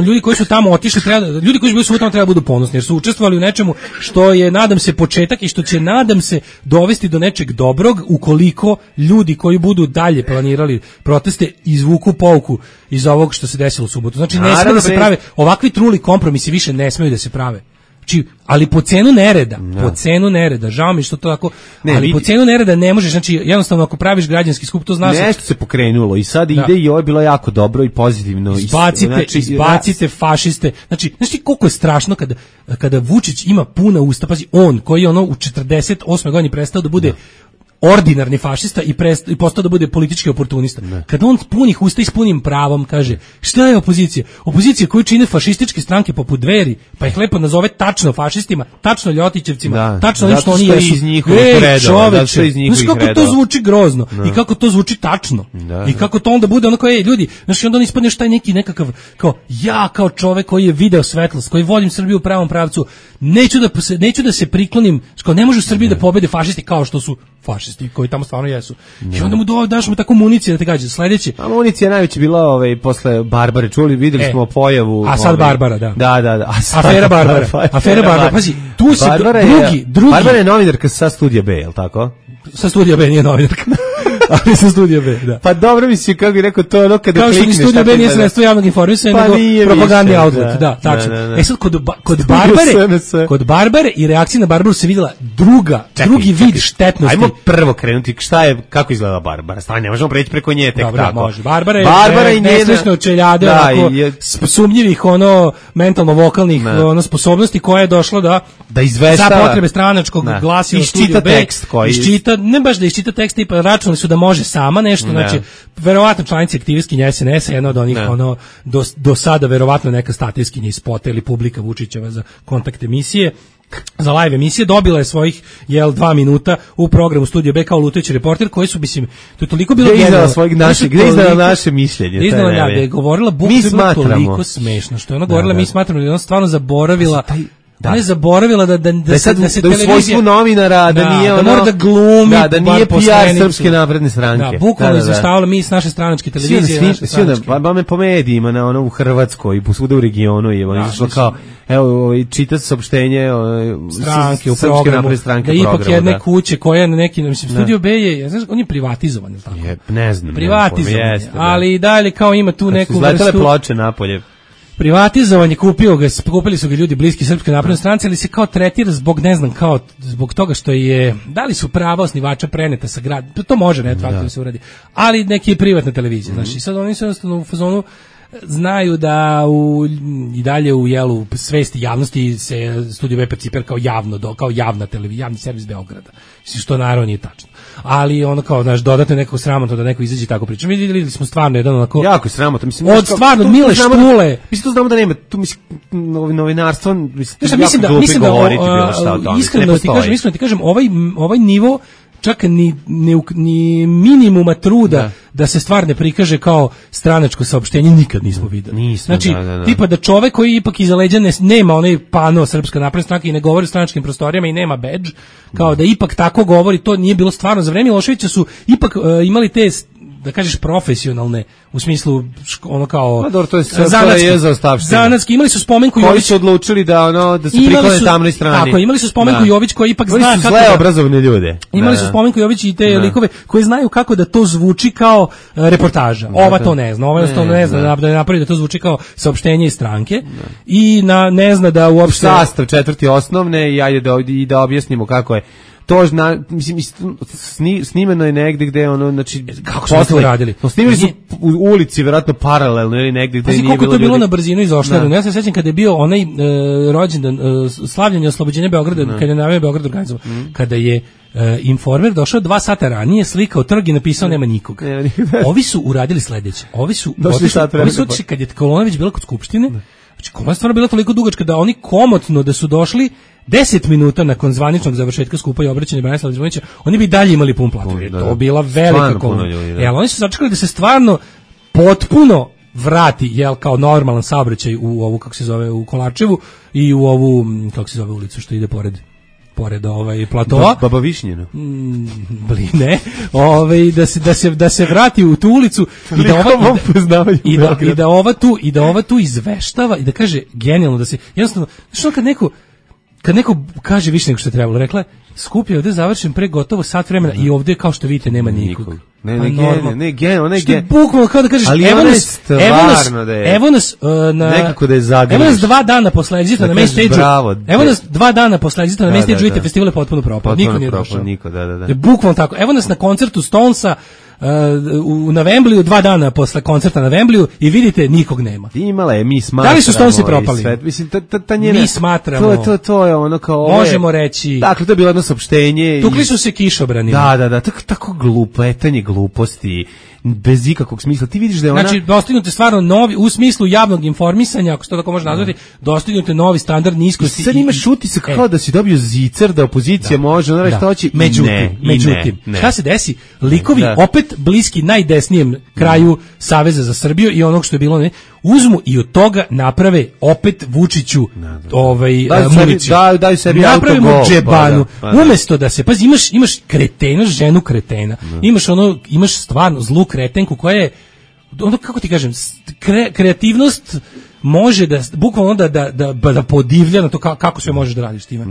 Ljudi koji su tamo otišli, ljudi koji su bili tamo treba budu ponosni, jer su učestvovali u nečemu što je, nadam se, početak i što će, nadam se, dovesti do nečeg dobrog, ukoliko ljudi koji budu dalje planirali proteste izvuku pouku iz ovog što se desilo u subotu. Znači, ne smije da se prave ovakvi truli kompromisi, više ne smeju da se prave. Znači, ali po cenu nereda, po cenu nereda, žao mi što to tako, ali po cenu nereda ne možeš, znači jednostavno ako praviš građanski skup, to znaš. Nešto se pokrenulo i sad ide i ovo je bilo jako dobro i pozitivno. Izbacite fašiste, znači koliko je strašno kada Vučić ima puna usta, pazi, on koji je ono u 48. godini prestao da bude ordinarni fašista i postao da bude politički oportunista. Kada on punih usta i s punim pravom kaže šta je opozicija? Opozicija koju čine fašističke stranke poput Dveri, pa ih lepo nazove tačno fašistima, tačno ljotićevcima, tačno ono što oni jesu. Čoveče, znaš kako to zvuči grozno i kako to zvuči tačno i kako to onda bude ono kao, ljudi, znaš, onda on ispadne šta je neki nekakav, kao ja kao čovek koji je video svetlost, koji volim Srbiju u pravom pravcu, neću da se priklonim, kao ne može u Srbiji da pobede fašisti kao što su fašisti koji tamo stvarno jesu. I onda mu daš mu tako municije da te gađa. Sledeće. A municija najveća bila posle Barbare, videli smo pojavu. A sad Barbara, da. Da. Afera Barbara. Pazi, tu se drugi. Barbara je novinarka sa Studija B, je li tako? Sa Studija B nije novinarka. Ali sa Studija B, da. Pa dobro misli, kako bi rekao, to je ono kada klikneš. Kao što ni Studija B nije sredstvo javnog informisanja, nego propagandni outlet, da, tačno. E sad, kod Barbare i reakcija na Barbaru se videla drugi vid štetnosti. Ajmo prvo krenuti, kako izgleda Barbara? Stani, ne možemo preći preko nje tek tako. Dobro, može. Barbara je nesrećno čeljade, sumnjivih, mentalno-vokalnih sposobnosti koja je došla da izveštava za potrebe stranačkog glasila Studija B. Iščita, ne baš da iščita tekst, tipa računali su da može sama nešto, znači verovatno članici aktivistkinja SNS-a, jedna od onih do sada verovatno neka statijskinja iz Spota ili Publika Vučićeva za kontakt emisije, za live emisije, dobila je svojih 2 minuta u programu Studija B kao lutajući reporter, koji su, mislim, to je toliko bilo gdje izdala naše mišljenje, da je govorila bukvalno toliko smešno, što je ona govorila, mi smatramo da je ona stvarno zaboravila. Ona je zaboravila da se u svojstvu novinara, da nije ono, da glumi, da nije PR Srpske napredne stranke. Da, bukvalno izveštavala mi s naše stranačke televizije. Ba po medijima, u Hrvatskoj, svuda u regionu, i ono izašlo kao, evo, čita se saopštenje stranke u programu, da ipak jedne kuće koja na neki, mislim, Studio B je, znaš, on je privatizovan, ili tako? Ne znam. Privatizovan, ali i dalje kao ima tu neku vrstu. Izletele ploče napolje. Privatizovan je, kupili su ga ljudi bliski Srpskoj naprednoj stranci, ali se kao tretira zbog, ne znam, kao zbog toga što je, da li su prava osnivača preneta sa grad, to može retroaktivno se uradi, ali neki je privatna televizija, znači sad oni su jednostavno u fazonu, znaju da i dalje u svesti javnosti se Studio B percipira kao javna televizija, javni servis Beograda, što naravno nije tačno. Ali ono kao, znaš, dodatno nekako sramotno da neko izađe tako priča. Mi vidjeli smo stvarno jedan onako... Jako sramotno. Mislim, od stvarno Mile Štule... Mislim, to znamo da nema, tu mislim, novinarstvo, mislim da govoriti bilo šta o tome. Iskreno ti kažem, ovaj nivo čak ni minimuma truda da se stvar ne prikaže kao stranačko saopštenje nikad nismo videli. Znači, tipa da čovek koji ipak iza leđa nema onaj pano Srpska napredna stranka i ne govori o stranačkim prostorijama i nema bedž, kao da ipak tako govori, to nije bilo stvarno. Za vreme Miloševića su ipak imali te, da kažeš, profesionalne, u smislu ono kao zanatski, imali su Spomenku Jović, koji su odlučili da se priklone tamnoj strani. Tako, imali su Spomenku Jović koji ipak zna kako zle obrazovne ljude. Imali su Spomenku Jović i te likove koji znaju kako da to zvuči kao reportaža. Ova to ne zna, ne zna da napravi da to zvuči kao saopštenje iz stranke i ne zna da uopšte sastav 4. osnovne i da objasnimo kako je to, mislim, snimeno je negde gde ono, znači, kako smo to radili? Snimili su u ulici, verovatno paralelno ili negde gde nije bilo ljudi. Koliko to bilo na brzinu izošljeno. Ja se sećam kada je bio onaj rođendan, slavljenje oslobođenja Beograda, kada je najavio Beograd organizovan, kada je Informer došao 2 sata ranije, slikao trg i napisao nema nikoga. Ovi su uradili sledeće. Ovi su otišli kad je kolona već bila kod Skupštine. Znači, kolona je stvarno bila toliko dugačka da oni komotno da su došli 10 minuta nakon zvaničnog završetka skupa i obraćanja Branislava Đivanovića, oni bi dalje imali pun plato. To bila velika kolona. Oni su sačekali da se stvarno potpuno vrati, kao normalan saobraćaj u ovu, kako se zove, u Kolarčevu i u ovu, kako se zove ulicu što ide pored platova. Baba Višnjena. Ne. Da se vrati u tu ulicu i da ova tu izveštava i da kaže genijalno da se jednostavno, što kad neko kaže više nego što je trebalo, rekla je skup je ovdje završen pre gotovo sat vremena i ovdje kao što vidite nema nikog. Ne, gen, ona je što je gen. bukvalno kao da kažeš, Ali evo ona je nas, stvarno da je. Evo nas na Nekako da je zagriš. Evo nas 2 dana posle Exita na main stage-u. Evo nas 2 dana posle Exita na main stage-u, vidite, festival je potpuno propao. Niko nije došao. Niko, da. Bukvalno tako. Evo nas na koncertu Stonesa na Wembliju 2 dana posle koncerta na Wembliju i vidite nikog nema. Imala je, mi smatramo. Da li su Stonesi propali? Mislim, ta njena, mi smatramo. To je ono kao... Možemo reći. Dakle, to je bilo jedno saopštenje. Tukli su se kišobranima. Da, tako glupetanje gluposti, bez ikakvog smisla. Ti vidiš da je ona... Znači, dostignute stvarno novi, u smislu javnog informisanja, ako se to tako može nazvati, dostignute novi standard niskosti. Sad imaš utisak kao da si dobio zicer, da opozicija može, ona što hoće. Međutim, šta se desi? Likovi opet bliski najdesnijem kraju Saveza za Srbiju i onog što je bilo, uzmu i od toga naprave opet Vučiću municiju. Daju sebi napravimo autogol. džebanu. Umesto da se, pazi, imaš kretena, ženu kretena. Imaš stvarno zlu kretenku koja je, ono, kako ti kažem, kreativnost može da, bukvalno da podivlja na to kako sve možeš da radiš time.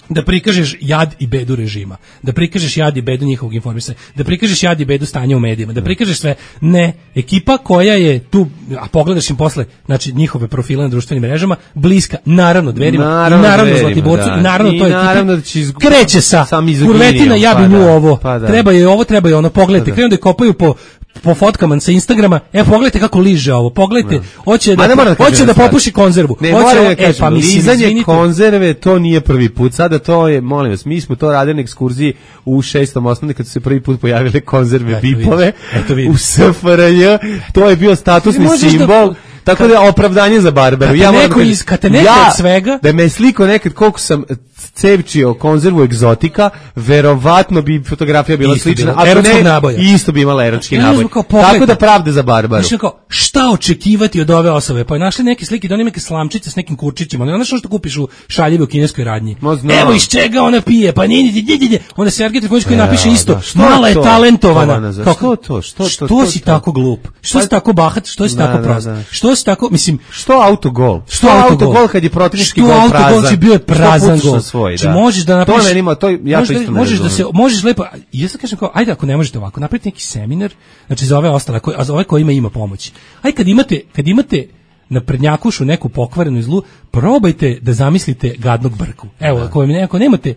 Da prikažeš jad i bedu režima, da prikažeš jad i bedu njihovog informisanja, da prikažeš jad i bedu stanja u medijima, da prikažeš sve. Ne, ekipa koja je tu, a pogledaš im posle, znači njihove profile na društvenim mrežama, bliska, naravno Dverima, naravno Zlatiborcu, naravno to je kreće sa kurvetina, ja bi nju ovo, treba je ovo, treba je ono, pogledajte, krenu da je kopaju po fotkama sa Instagrama, pogledajte kako liže ovo, pogledajte, hoće da popuši konzervu. Lizanje konzerve, to nije prvi put, sada to je, molim vas, mi smo to radili na ekskurziji u 6. osnovne kad su se prvi put pojavile konzerve bipove u SFRJ, to je bio statusni simbol. Tako da je opravdanje za Barbaru. Svega, da me sliko nekad koliko sam cevčio konzervu egzotika, verovatno bi fotografija bila slična, a ne, isto bi imala eročki naboj. Tako da pravde za Barbaru. Šta očekivati od ove osobe? Pa je našli neke slike, da oni neke slamčice s nekim kurčićima. Znaš što kupiš u šaljivi u kineskoj radnji? Evo iz čega ona pije, pa nije. Onda Sergej Trifunović koji napiše isto, mala je talentovana. Što si tako glup? Što si tako bahat? Što si tako prost? Što si tako, mislim... Što autogol? Što autogol kad je protivnički gol prazan? Što autogol si bio je prazan gol? Znači možeš da napraviš... Možeš lepo... Ja sam kažem kao, ajde ako ne možete ovako, napravite neki seminar, znači za ove ostale, za ove kojima ima pomoći. Ajde kad imate na prednjakušu neku pokvarenu zlu, probajte da zamislite gadnog brku. Evo, ako nemate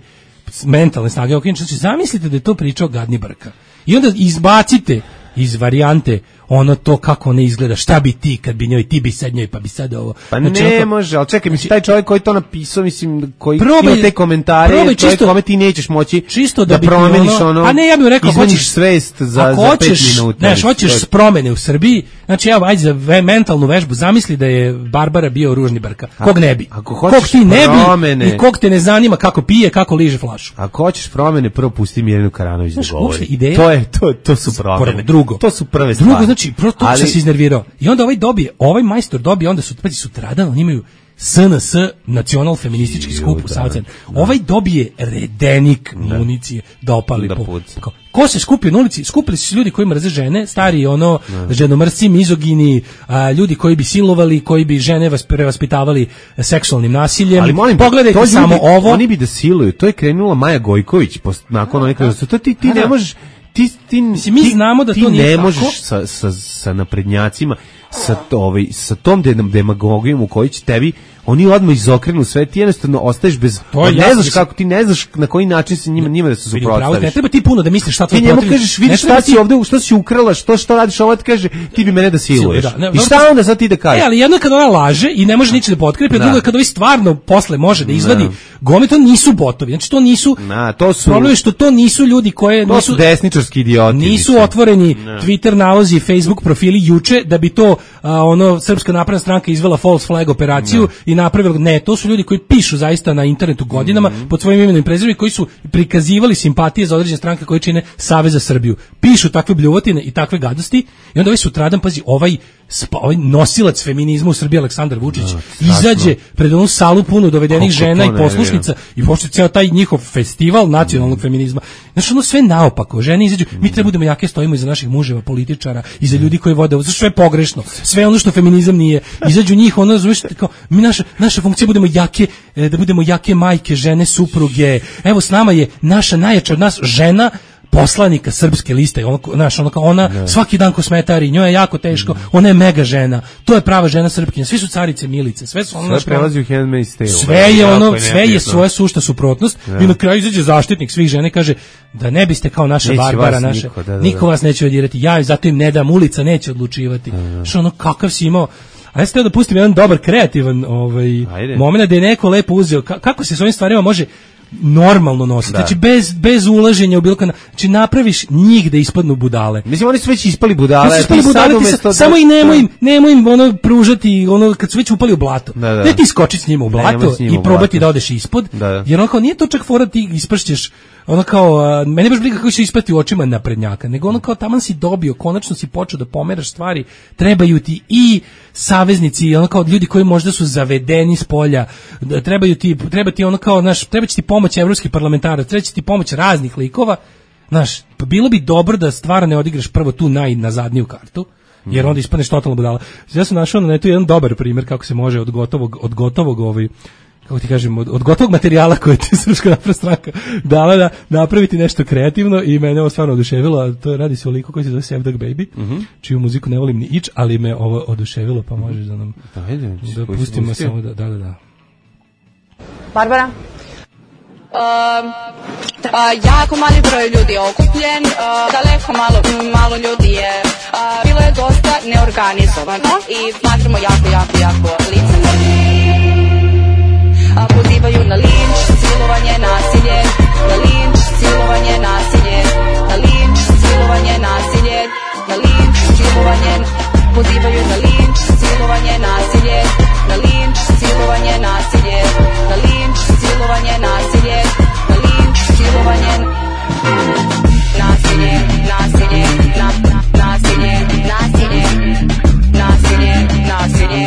mentalne snage, znači zamislite da je to pričao gadni brka. I onda izbacite iz varijante ono to kako ne izgleda, šta bi ti kad bi njoj, ti bi sad njoj, pa bi sad ovo. Pa znači, ne može, ali čekaj, mislim, taj čovjek koji to napisao, mislim, koji ima te komentare, čovjek kome ti nećeš moći čisto da promeniš ono, a ne, ja bih rekao, izmeniš svest za 5 minuta. Znaš, hoćeš promene u Srbiji, znači evo, ajde za mentalnu vežbu, zamisli da je Barbara bio ružni brka. Kog ne bi? Kog ti ne bi i kog te ne zanima kako pije, kako liže flašu. Ako hoćeš promene, prvo pusti Mirjanu Karanović da govori. To su promene. To su prve stvari. Znači, to se iznervirao. I onda ovaj majstor dobije, onda su sutradan, oni imaju SNS, nacional feministički skup u Savcen. Ovaj dobije redenik municije da opali po. Ko se skupio na ulici? Skupili su ljudi koji mrze žene, stari ženomrsci, mizogini, ljudi koji bi silovali, koji bi žene prevaspitavali seksualnim nasiljem. Ali molim, pogledajte samo ovo. Oni bi da siluju. To je krenula Maja Gojković nakon onih kaže, to ti ne možeš. Mi znamo da to nije tako. Ti ne možeš sa naprednjacima, sa tom demagogijom u kojoj će tebi oni odmah izokrenu sve, ti jednostavno ostaješ bez, ne znaš kako, ti ne znaš na koji način se njima da se suprotstaviš. Ne treba ti puno da misliš šta tvoj protiv. Ti njemu kažeš, vidi šta si ovde, što si ukrala, što radiš, ovo ti kaže, ti bi mene da siluješ. I šta onda sad ti da kažeš? Ali jedno kad ona laže i ne može ničega da potkrepi, drugo kad ovi stvarno posle može da izvadi, gome to nisu botovi, znači to nisu, problem je što to nisu ljudi koje to su desničarski idioti. Nisu otvoreni Twitter nalozi, Facebook profili juče da bi to Srpska napredna stranka izvela false flag operaciju i napravili, ne, to su ljudi koji pišu zaista na internetu godinama pod svojim imenom i prezimenom, koji su prikazivali simpatije za određene stranke koje čine Savez za Srbiju. Pišu takve bljuvotine i takve gadosti i onda ovaj sutradan, pazi, ovaj nosilac feminizma u Srbiji Aleksandar Vučić izađe pred onu salu punu dovedenih žena i poslušnica i počne ceo taj njihov festival nacionalnog feminizma. Znači ono sve naopako, žene izađu, mi treba budemo jake, stojimo iza naših muževa, političara, iza ljudi koji vode, sve je pogrešno, sve ono što feminizam nije, izađu njih, ono, znaš, kao, mi naša funkcija budemo jake, da budemo jake majke, žene, supruge, evo s nama je naša najjača od nas žena, poslanika srpske liste, ona svaki dan kosmetari, njoj je jako teško, ona je mega žena, to je prava žena Srpkinja, svi su carice milice, sve su sve prelazi u Handmaid's Tale. Sve je svoja sušta suprotnost i na kraju izađe zaštitnik svih žena i kaže da ne biste kao naša Barbara, naša, niko vas neće odirati, ja zato im ne dam, ulica neće odlučivati. Što ono, kakav si imao. A ja sam teo da pustim jedan dobar, kreativan moment da je neko lepo uzeo, kako se s ovim stvarima može normalno nositi, znači bez ulaženja u bilo kada, znači napraviš njih da ispadnu budale. Mislim, oni su već ispali budale, samo i nemoj im ono pružati, ono kad su već upali u blato. Ne ti skočiti s njima u blato i probati da odeš ispod, jer ono kao nije to čak fora ti ispršćeš, ono kao, mene baš briga kako će ispati u očima naprednjaka, nego ono kao taman si dobio, konačno si počeo da pomeraš stvari, trebaju ti i saveznici, ono kao ljudi koji možda su zavedeni s polja, treba ti ono kao, znaš, treba će ti pomoć evropskih parlamentaraca, treba će ti pomoć raznih likova, znaš, pa bilo bi dobro da stvarno ne odigraš prvo tu na zadnju kartu, jer onda ispadneš totalno budala. Ja sam našao na netu jedan dobar primjer kako se može od gotovog kako ti kažem, od gotovog materijala koje ti Srpska napredna stranka dala da napraviti nešto kreativno i mene ovo stvarno oduševilo, a to radi se o liku koji se zove Sevdak Baby, čiju muziku ne volim ni ić, ali me ovo oduševilo, pa možeš da nam da pustimo samo da. Barbara? Jako mali broj ljudi je okupljen, daleko malo ljudi je, bilo je dosta neorganizovano i smatramo jako licemerno. Pozivaju na linč, silovanje, nasilje, na linč, silovanje, nasilje, na linč, silovanje, nasilje, na linč, silovanje, pozivaju na linč, silovanje, nasilje, na linč, silovanje, nasilje, na linč, silovanje, nasilje, na linč, silovanje, nasilje, nasilje, nasilje, nasilje, nasilje, nasilje, nasilje, nasilje.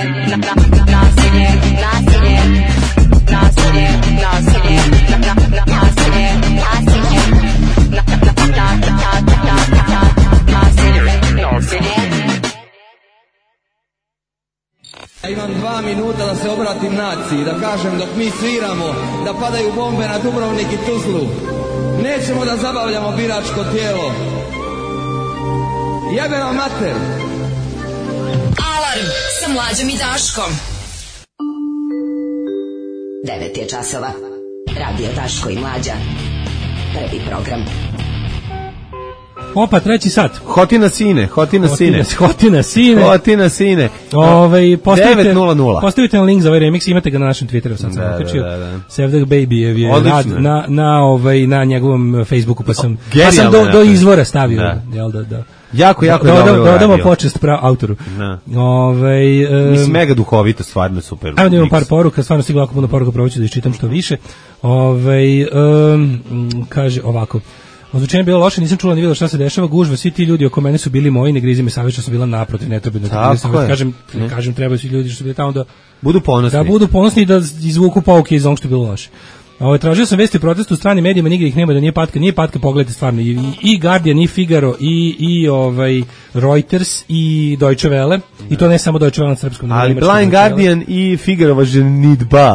Ja imam 2 minuta da se obratim naciji, da kažem dok mi sviramo, da padaju bombe na Dubrovnik i Tuzlu. Nećemo da zabavljamo biračko tijelo. Jebe vam mater! Alarm sa Mlađom i Daškom. 9 je časova. Radio Daško i Mlađa. Prvi program. Opa, 3. sat. Hotina sine. 9:00. Postavite na link za ovaj remix, imate ga na našem Twitteru, sad sam okačio. Sevdak Baby je rad na njegovom Facebooku, pa sam do izvora stavio. Da. Jako dobro. Da odamo počest autoru. Mislim, mega duhovito, stvarno super. Ajmo da imam par poruka, stvarno stiglo jako puno poruka, probat ću da iščitam što više. Kaže ovako. Ozvučenje je bilo loše, nisam čula ni videla šta se dešava, gužva, svi ti ljudi oko mene su bili moji, ne grizi me savjeć što su bila naprotiv, ne treba da kažem, trebaju svi ljudi što su bili tamo da budu ponosni. Da budu ponosni i da izvuku pouke iz onog što je bilo loše. Tražio sam vesti o protestu u stranim medijima, nigdje ih nema, da nije patka, pogledajte stvarno, i Guardian, i Figaro, i Reuters, i Deutsche Welle, i to ne samo Deutsche Welle na srpskom. Ali Blind Guardian i Figaro važe Nidba,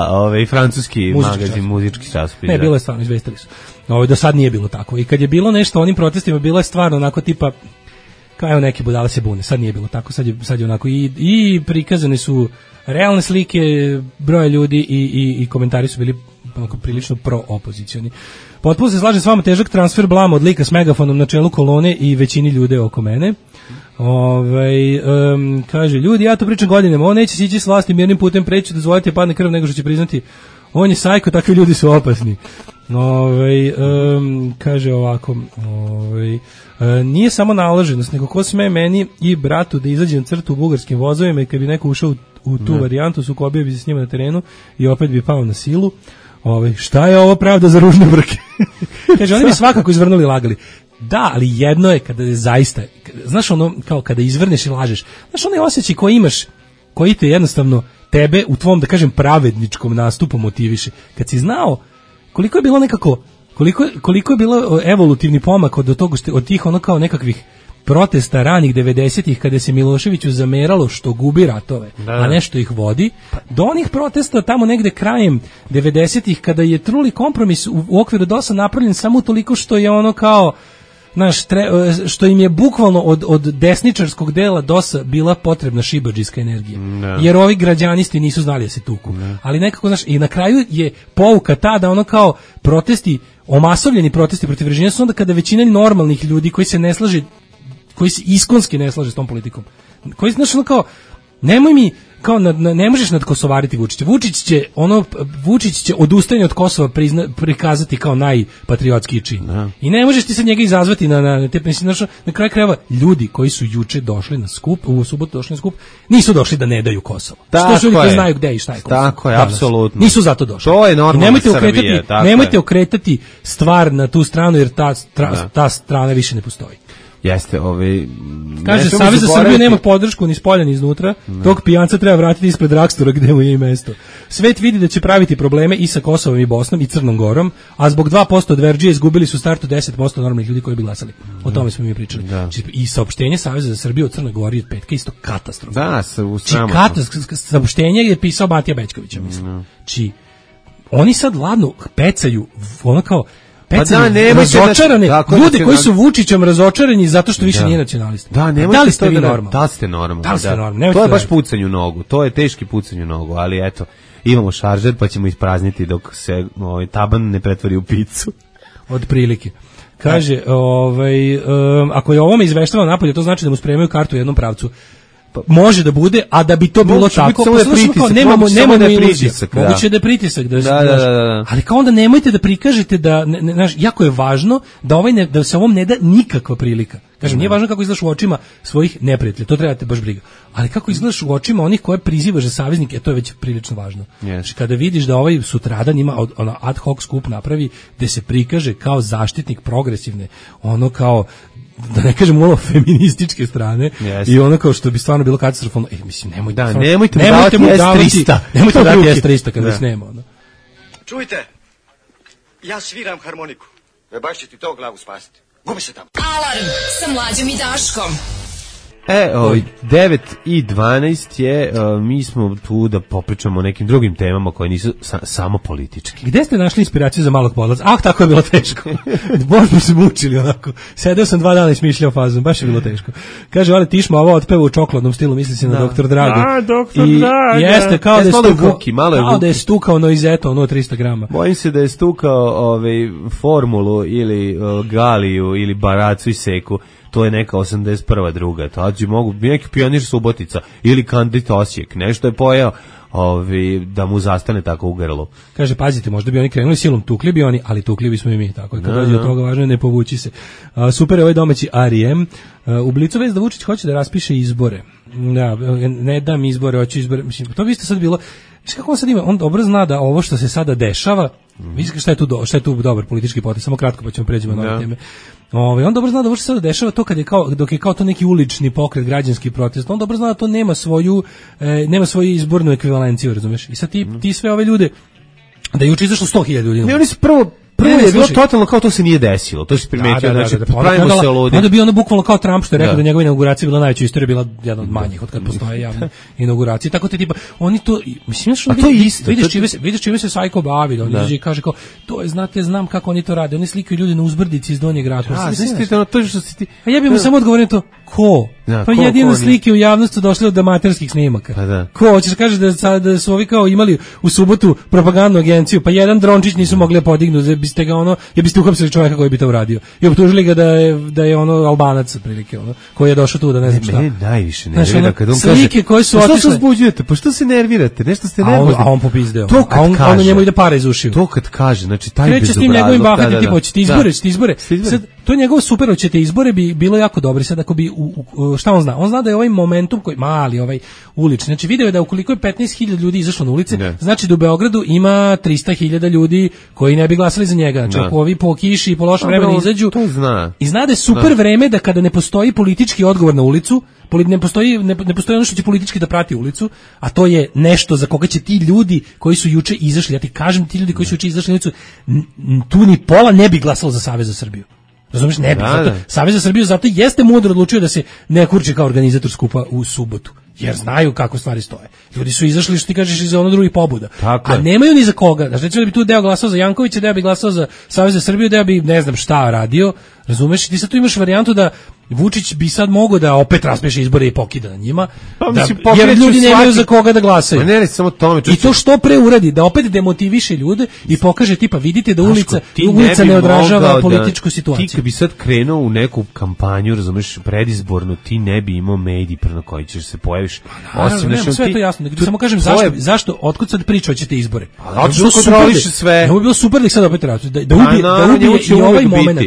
francuski magazin, muzički časopis. Ne, bilo je stvarno, izvestili su. Do sad nije bilo tako. I kad je bilo nešto o onim protestima, bilo je stvarno onako tipa, kao evo neki budale se bune, sad nije bilo tako, sad je onako i prikazane su realne slike broja ljudi i komentari su bili onako prilično pro-opozicioni. Potpuno se slažem s vama, težak transfer blama od lika s megafonom na čelu kolone i većini ljude oko mene. Kaže, ljudi, ja to pričam godinama, on neće sići s vlasti mirnim putem, preći dozvoliti padne krv nego što će priznati on je sajko, takvi ljudi su opasni. Kaže ovako, nije samo naloženost, nego ko sme meni i bratu da izađem crtu u bugarskim vozovima i kad bi neko ušao u tu varijantu, sukobio bi se s njima na terenu i opet bi pao na silu. Šta je ovo pravda za ružne brke? Kaže, oni bi svakako izvrnuli i lagali. Da, ali jedno je kada je zaista, znaš ono, kao kada izvrneš i lažeš, znaš onaj osjećaj koji imaš, koji te jednostavno tebe u tvom, da kažem, pravedničkom nastupu motiviše. Kad si znao koliko je bilo nekako, koliko je bilo evolutivni pomak od tih ono kao nekakvih protesta ranih 90-ih kada se Miloševiću zameralo što gubi ratove, a nešto ih vodi, do onih protesta tamo negde krajem 90-ih kada je truli kompromis u okviru DOS-a napravljen samo toliko što je ono kao što im je bukvalno od desničarskog dela DOS-a bila potrebna šibadžijska energija. Jer ovi građanisti nisu znali da se tuku. Ali nekako, i na kraju je pouka ta da ono kao protesti, omasovljeni protesti protiv režima su onda kada većina normalnih ljudi koji se ne slaže, koji se iskonski ne slaže s tom politikom, koji ono kao, nemoj mi, kao ne možeš nadkosovariti Vučića. Vučić će odustajanje od Kosova prikazati kao najpatriotskiji čin. I ne možeš ti sad njega izazvati na kraju krajeva ljudi koji su juče došli na skup, u subotu došli na skup, nisu došli da ne daju Kosovo. Što su ljudi koji znaju gde i šta je Kosovo. Tako je, apsolutno. Nisu zato došli. To je normalno Srbije. Nemojte okretati stvar na tu stranu, jer ta strana više ne postoji. Jeste, kaže, Savez za Srbiju nema podršku ni spolja ni iznutra, tog pijanca treba vratiti ispred Rakstora gde mu je i mesto. Svet vidi da će praviti probleme i sa Kosovom i Bosnom i Crnom Gorom, a zbog 2% od Verdžije izgubili su startu 10% normalnih ljudi koji bi glasali. O tome smo mi pričali. I saopštenje Saveza za Srbiju o Crnoj Gori od petka isto katastrofa. Da, saopštenje je pisao Batija Bećkovića, mislim. Oni sad ladno pecaju, ono kao razočarane ljude koji su Vučićem razočarani zato što više nije nacionalista. Da li ste vi normalni? Da li ste normalni? To je baš pucanje u nogu, to je teški pucanje u nogu, ali eto, imamo šaržer pa ćemo isprazniti dok se taban ne pretvori u picu. Od prilike. Kaže, ako je ovome izveštava napolje, to znači da mu spremaju kartu u jednom pravcu. Može da bude, a da bi to bilo tako, nemamo iluzija. Moguće da je pritisak, ali kao onda nemojte da prikažete da, jako je važno da se ovom ne da nikakva prilika. Kažem, nije važno kako izgledaš u očima svojih neprijatelja, to trebate baš briga. Ali kako izgledaš u očima onih koje prizivaš za saveznike, to je već prilično važno. Kada vidiš da ovaj sutradan ima ad hoc skup napravi, gde se prikaže kao zaštitnik progresivne, ono kao, da ne kažem malo feminističke strane, i ono kao što bi stvarno bilo katastrofalno, mislim, nemojte mu davati S300, nemojte mu dati S300 kada se nema. Čujte, ja sviram harmoniku, baš će ti to glavu spasiti. Gubi se tamo. Alarm sa Mlađom i Daškom. 9:12 je, mi smo tu da popričamo o nekim drugim temama koje nisu samo politički. Gde ste našli inspiraciju za Malog podlaca? Tako je bilo teško. Bož smo se mučili onako. Sedeo sam 2 dana i smišljao fazom, baš je bilo teško. Kaže, ali Tišma ovo otpeva u čokoladnom stilu, misli se na Doktor Drago. Doktor Drago. Jeste, kao da je stukao noizeto, 300 grama. Bojim se da je stukao formulu ili galiju ili baracu i seku. To je neka 81. druga, tađi mogu, neki Pionir Subotica ili Kandit Osijek, nešto je pojeo da mu zastane tako u grlu. Kaže, pazite, možda bi oni krenuli silom, tukli bi oni, ali tukli bismo i mi, tako je, kad dođe od toga važno je ne povući se. Super je ovaj domaći R.E.M. U Blicu vez da Vučić hoće da raspiše izbore. Ne dam izbore, hoću izbore, mislim, to bi isto sad bilo, kako on sad ima, on dobro zna da ovo što se sada dešava, vidite šta je tu dobar politički potez, samo kratko pa ćemo pređemo na ove teme. On dobro zna da ovo što se sada dešava, to kad je dok je kao to neki ulični pokret, građanski protest, on dobro zna da to nema svoju izbornu ekvivalenciju, razumeš? I sad ti sve ove ljude, da je juče izašlo 100.000 ljudi. Ne, oni su prvo je bilo totalno kao to se nije desilo. To se primetio, znači pravimo se ludi. Onda bi ono bukvalno kao Trump što je rekao da njegova inauguracija bila najveća u istoriji, bila jedna od manjih od kad postoje javne inauguracije. Tako te tipa oni to, mislim što vidiš čime se Sajko bavi, on izađe i kaže kao to je, znate, znam kako oni to rade. Oni slikaju ljude na uzbrdici iz Donjeg Rakovca. A ja bih mu samo odgovorio to ko? Pa jedino slike u javnosti došle od amaterskih snimaka. Ko hoćeš kaže da su ovi kao imali u subotu propagandnu agenciju, pa jedan drončić nisu mogli podignuti, biste ga biste uhapsili čovjeka koji bi to uradio. I optužili ga da je Albanac otprilike, koji je došao tu da ne znam šta. Mene najviše nervira kad on kaže. Slike koje su otišle. Što se uzbuđujete? Pa što se nervirate? Nešto ste nervirani. A on popizdeo. A on njemu ide para iz ušiju. To kad kaže, znači taj bezobrazluk. Kreće s tim njegovim bahati, tipa hoćete izbore. Sad to je njegovo super, hoćete izbore bi bilo jako dobro. Sad ako bi šta on zna? On zna da je ovaj momentum koji mali, ovaj ulični. Znači video je da ukoliko je 15.000 ljudi izašlo na ulice, znači da u Beogradu ima 300.000 ljudi koji ne bi glasali za njega. Znači ako ovi po kiši i po lošem vremenu izađu, i zna da je super vreme da kada ne postoji politički odgovor na ulicu, ne postoji ono što će politički da prati ulicu, a to je nešto za koga će ti ljudi koji su juče izašli, ja ti kažem, ti ljudi koji su juče izašli na ulicu, tu ni pola ne bi glasalo za Savez za Srbiju. Razumiješ, ne bi. Savez za Srbiju zato jeste mudro odlučio da se ne kurči kao organizator skupa u subotu. jer znaju kako stvari stoje. Ljudi su izašli, što ti kažeš, iz ono drugih pobuda. Tako a je. nemaju ni za koga. Znači, recimo da bi tu deo glasao za Jankovića, deo bi glasao za Savez za Srbiju, deo bi ne znam šta radio. Razumeš? Ti sad tu imaš varijantu da Vučić bi sad mogao da opet raspeše izbore i pokida na njima. Pa, Da, mislim, jer ljudi nemaju za koga da glasaju. Ne, samo tome. I to što pre uradi, da opet demotiviše ljude i pokaže tipa, vidite da ulica bi ne odražava mogao političku situaciju. Ti kad bi sad krenuo u neku kampanju, razumeš, predizbornu, ti ne bi imao medij na koji ćeš se pojaviš. Osim nema, sve je to jasno. Nego samo kažem zašto, otkud sad priča hoćete izbore? Zato kontroliše sve. Ne bi bilo super da ih sad opet radi, da ubije i ovaj moment.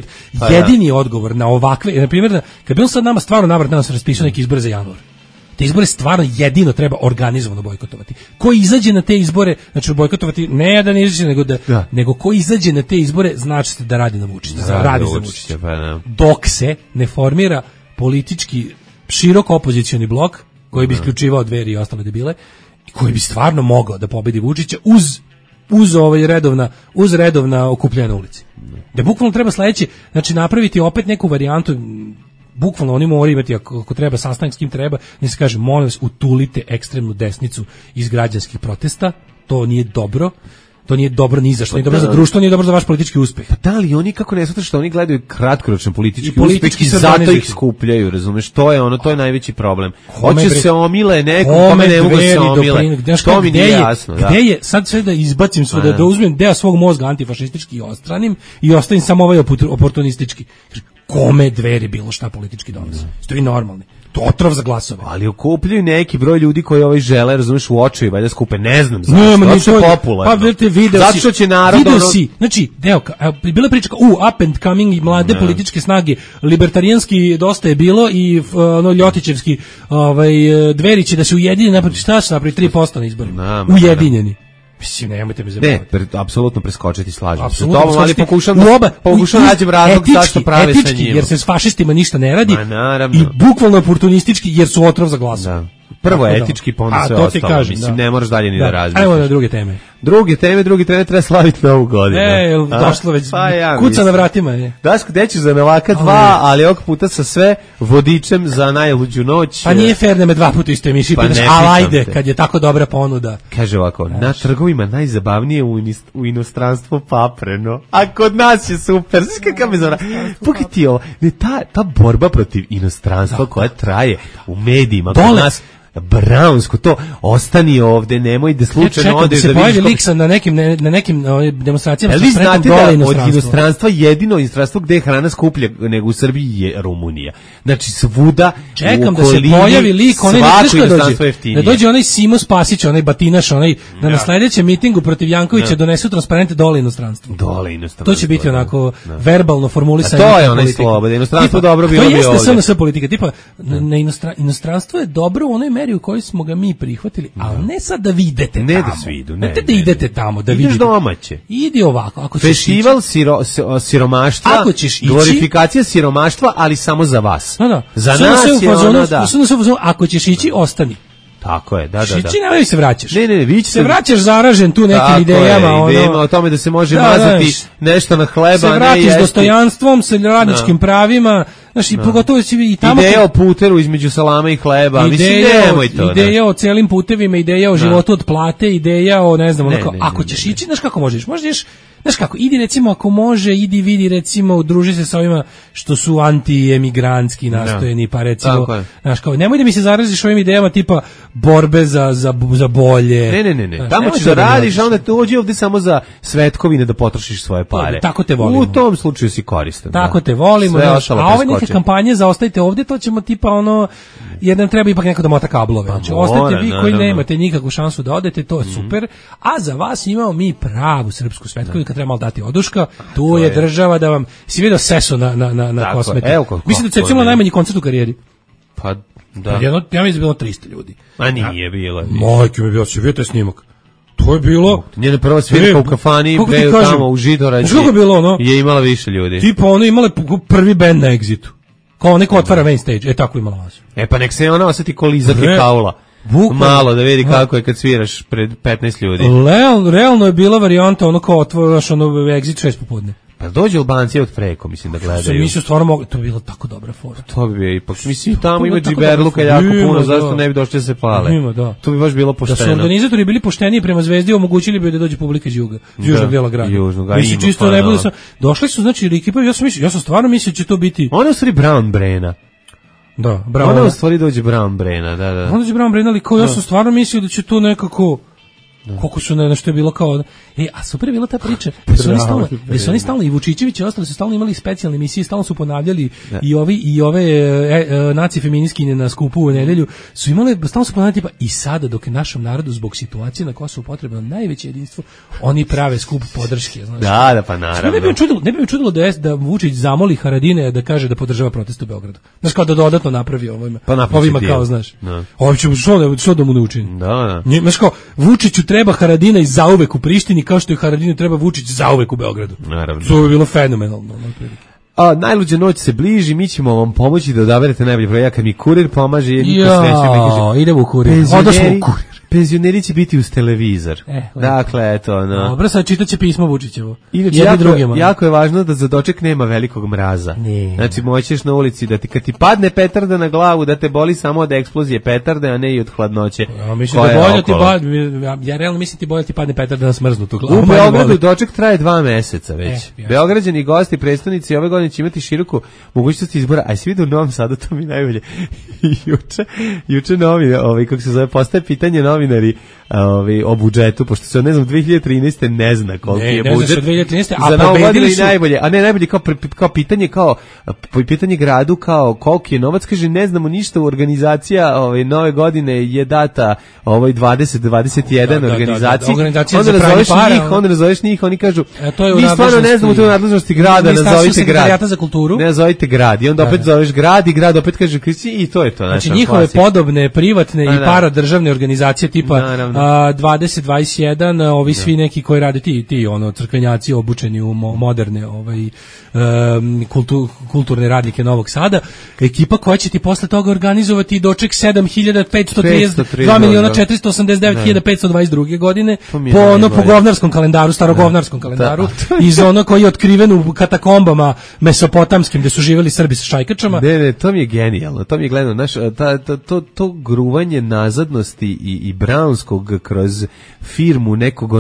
Jedini odgovor na ovakve, na primjer, kad bi on sad nama stvarno navrat nas raspisao neki izbore za januar. Te izbore stvarno jedino treba organizovano bojkotovati. Ko izađe na te izbore, znači bojkotovati ne da ne izađe, nego ko izađe na te izbore, znači da radi na Vučića, radi za Vučića. Dok se ne formira politički širok opozicioni blok koji bi isključivao Dveri i ostale debile i koji bi stvarno mogao da pobedi Vučića uz redovna okupljanja na ulici. Da bukvalno treba sledeće, znači napraviti opet neku varijantu, bukvalno oni moraju imati, ako treba sastanak s kim treba, ne se kaže, molim vas, utulite ekstremnu desnicu iz građanskih protesta, to nije dobro. To nije dobro ni za što, nije dobro za društvo, nije dobro za vaš politički uspeh. Pa da li oni kako ne shvataju što oni gledaju kratkoročan politički uspeh i zato ih skupljaju, razumeš? To je ono, to je najveći problem. Hoće se omile nekom, kome ne mogu se omile. To mi nije jasno. Gde je, sad sve da izbacim sve, da uzmem deo svog mozga antifašistički i ostranim i ostavim samo ovaj oportunistički. Kome Dveri bilo šta politički donose? Ste vi normalni? To otrov za glasove. Ali okupljaju neki broj ljudi koji žele, razumeš, u očevi, valjda skupe, ne znam zašto. Zato je popularno. Pa vidite, video zato što će narod... Video si, znači, bila priča, up and coming i mlade političke snage, libertarijanski dosta je bilo i ljotićevski Dveri će da se ujedinjeni, naproti šta su napraviti 3% na izborima. Ujedinjeni. Mislim, nemojte me zabavati. Ne, apsolutno preskočiti, slažem se. Ali pokušam nađem razlog zašto prave sa njima. Jer se s fašistima ništa ne radi i bukvalno oportunistički jer su otrov za glasove. Prvo etički, pa onda sve ostalo. Mislim, ne moraš dalje ni da razmišljaš. Ajmo na druge teme. Drugi trener treba slaviti Novu godinu. Došlo već, kuca na vratima je. Daško, deću za Novaka 2, ali ovog puta sa sve vodičem za najluđu noć. Pa nije fair da me 2 puta isto emisiji pitaš, ali ajde, kad je tako dobra ponuda. Kaže ovako, na trgovima najzabavnije u inostranstvu papreno, a kod nas je super. Znaš kakav me zora? Pogledaj ovo, ta borba protiv inostranstva koja traje u medijima, kod nas Brownsko, to ostani ovde, nemoj da slučajno odeš da vidiš. Se pojavi Liksa na nekim demonstracijama. Ali znate da od inostranstva jedino inostranstvo gde je hrana skuplja nego u Srbiji je Rumunija. Znači svuda čekam da se pojavi lik, onaj da dođe onaj Simo Spasić, onaj batinaš, onaj da na sledećem mitingu protiv Jankovića donesu transparente dole inostranstvo. To će biti onako verbalno formulisanje. To je onaj sloboda, inostranstvo dobro bilo bi ovde. To jeste samo sve politika, tipa inostranstvo je dobro u onoj meri u kojoj smo ga mi prihvatili, ali ne sad da vi idete tamo. Ne da svi idu, ne. Da idete tamo, da vidite. Ideš domaće. Idi ovako, ako ćeš festival siromaštva, ako ćeš ići, glorifikacija siromaštva, ali samo za vas. Da. Za nas je ono da. Ako ćeš ići, ostani. Tako je, da. Šići, nemoj se vraćaš. Ne, vi ćete se vraćaš zaražen tu nekim idejama. Idejama o tome da se može mazati nešto na hleba, se vratiš dostojanstvom, sa radničkim pravima, znaš, i pogotovo i tamo... Ideja o puteru između salama i hleba, mislim, nemoj to. Ideja o celim putevima, ideja o životu od plate, ideja o, ne znam, ako ćeš ići, znaš kako možeš? Možeš, znaš kako, idi recimo, ako može, idi vidi recimo, druži se sa ovima što su anti-emigrantski nastojeni, pa recimo, znaš kao, nemoj da mi se zaraziš ovim idejama tipa borbe za bolje. Ne. Tamo ćeš da radiš, a onda dođi ovde samo za svetkovine da potrošiš svoje pare. Tako te volimo. U tom slučaju si koristan. Tako te volimo, a ove neke kampanje za ostajte ovde, to ćemo tipa ono, jer nam treba ipak neko da mota kablove. Znači, ostajte vi koji nemate nikakvu šansu da odete, to je super, a za vas imamo mi pravu srpsku svetkovinu, kad treba malo dati oduška, tu je država da vam, si vidio Seso na Kosmetu. Mislim da je najmanji koncert u karijeri. Pa, da. Ja mislim da je bilo 300 ljudi. A nije bilo. Majke mi bilo, si vidio taj snimak. To je bilo... Njena prva svirka u kafani, tamo u Židorađi, je imala više ljudi. Tipa ono imala prvi band na Exitu. Kao neko otvara main stage, tako imala vas. Pa nek se ona osjeti ko Lizak i Kaula. Malo da vidi kako je kad sviraš pred 15 ljudi. Realno je bila varijanta ono kao otvaraš ono Exit 6 popodne. Pa dođe Albanci od preko, mislim da gledaju. Mislim stvarno mogu, to bi bilo tako dobra fora. To bi ipak, mislim tamo ima džiberluka jako puno, zašto ne bi došli da se pale. Ima, da. To bi baš bilo pošteno. Da su organizatori bili pošteniji prema Zvezdi, omogućili bi da dođe publika iz juga, južnog dela grada. Mislim čisto ne bude sa. Došli su znači ekipa, ja sam stvarno mislio da će to biti. Oni su Brown Brena. Da, bravo. Ona u stvari dođe Brown Brena, da. Onda dođe Brown Brena, ali kao ja sam stvarno mislio da će to nekako koliko su nešto je bilo kao a super je bila ta priča. Su oni stalno i Vučićević i ostali su stalno imali specijalne emisije, stalno su ponavljali i ove naci feministkinje na skupu u nedelju su imale, stalno su ponavljali tipa i sada dok je našem narodu zbog situacije na Kosovu potrebno najveće jedinstvo, oni prave skup podrške, znaš. Da, pa naravno. Ne bi me čudilo da Vučić zamoli Haradine da kaže da podržava protest u Beogradu. Znaš, kao da dodatno napravi ovima kao, znaš. Ovo će što da mu ne učini. Da. Znaš, kao Vučiću treba Haradina i zauvek u Prištini, kao što je Haradinu treba Vučić zauvek u Beogradu. Naravno. To bi bilo fenomenalno. Najluđa noć se bliži, mi ćemo vam pomoći da odaberete najbolji broj. Ja kad mi kurir pomaže, idemo u kurir. Odnosno u kurir. Penzioneri će biti uz televizor. Dakle, eto, no. Dobro, sad čitaće pismo Vučićevo. Inače, jako je važno da za doček nema velikog mraza. Znači, moćeš na ulici da kad ti padne petarda na glavu, da te boli samo od eksplozije petarde, a ne i od hladnoće. Ja realno mislim ti bolje ti padne petarda na smrznutu glavu. U Beogradu doček traje 2 meseca već. Beograđani gosti, predstavnici ove godine će imati široku mogućnost izbora. Aj se vidi u Novom Sadu, to mi najbolje. Juče novi, kako se zove, postaje pitanje novinari o budžetu, pošto se ne znam 2013. ne zna koliko je budžet. Ne, 2013. A pobedili su najbolje, a ne najbolje kao pitanje pitanje gradu kao koliko je novac, kaže ne znamo ništa, organizacija nove godine je data 20-21 organizaciji. Onda nazoveš njih, oni kažu mi stvarno ne znamo, to je u nadležnosti grada, nazovite grad. Ne nazovite grad i onda opet zoveš grad i grad opet kaže i to je to. Znači njihove podobne, privatne i paradržavne organizacije tipa 2021, ovi svi neki koji rade ti crkvenjaci obučeni u moderne kulturne radnike Novog Sada, ekipa koja će ti posle toga organizovati doček 7.532.489.522 godine po govnarskom kalendaru, starogovnarskom kalendaru, iz koji je otkriven u katakombama mesopotamskim gde su živjeli Srbi sa šajkačama. Ne, to mi je genijalno, to mi je gledano, znaš, to gruvanje nazadnosti i brownskog kroz firmu nekog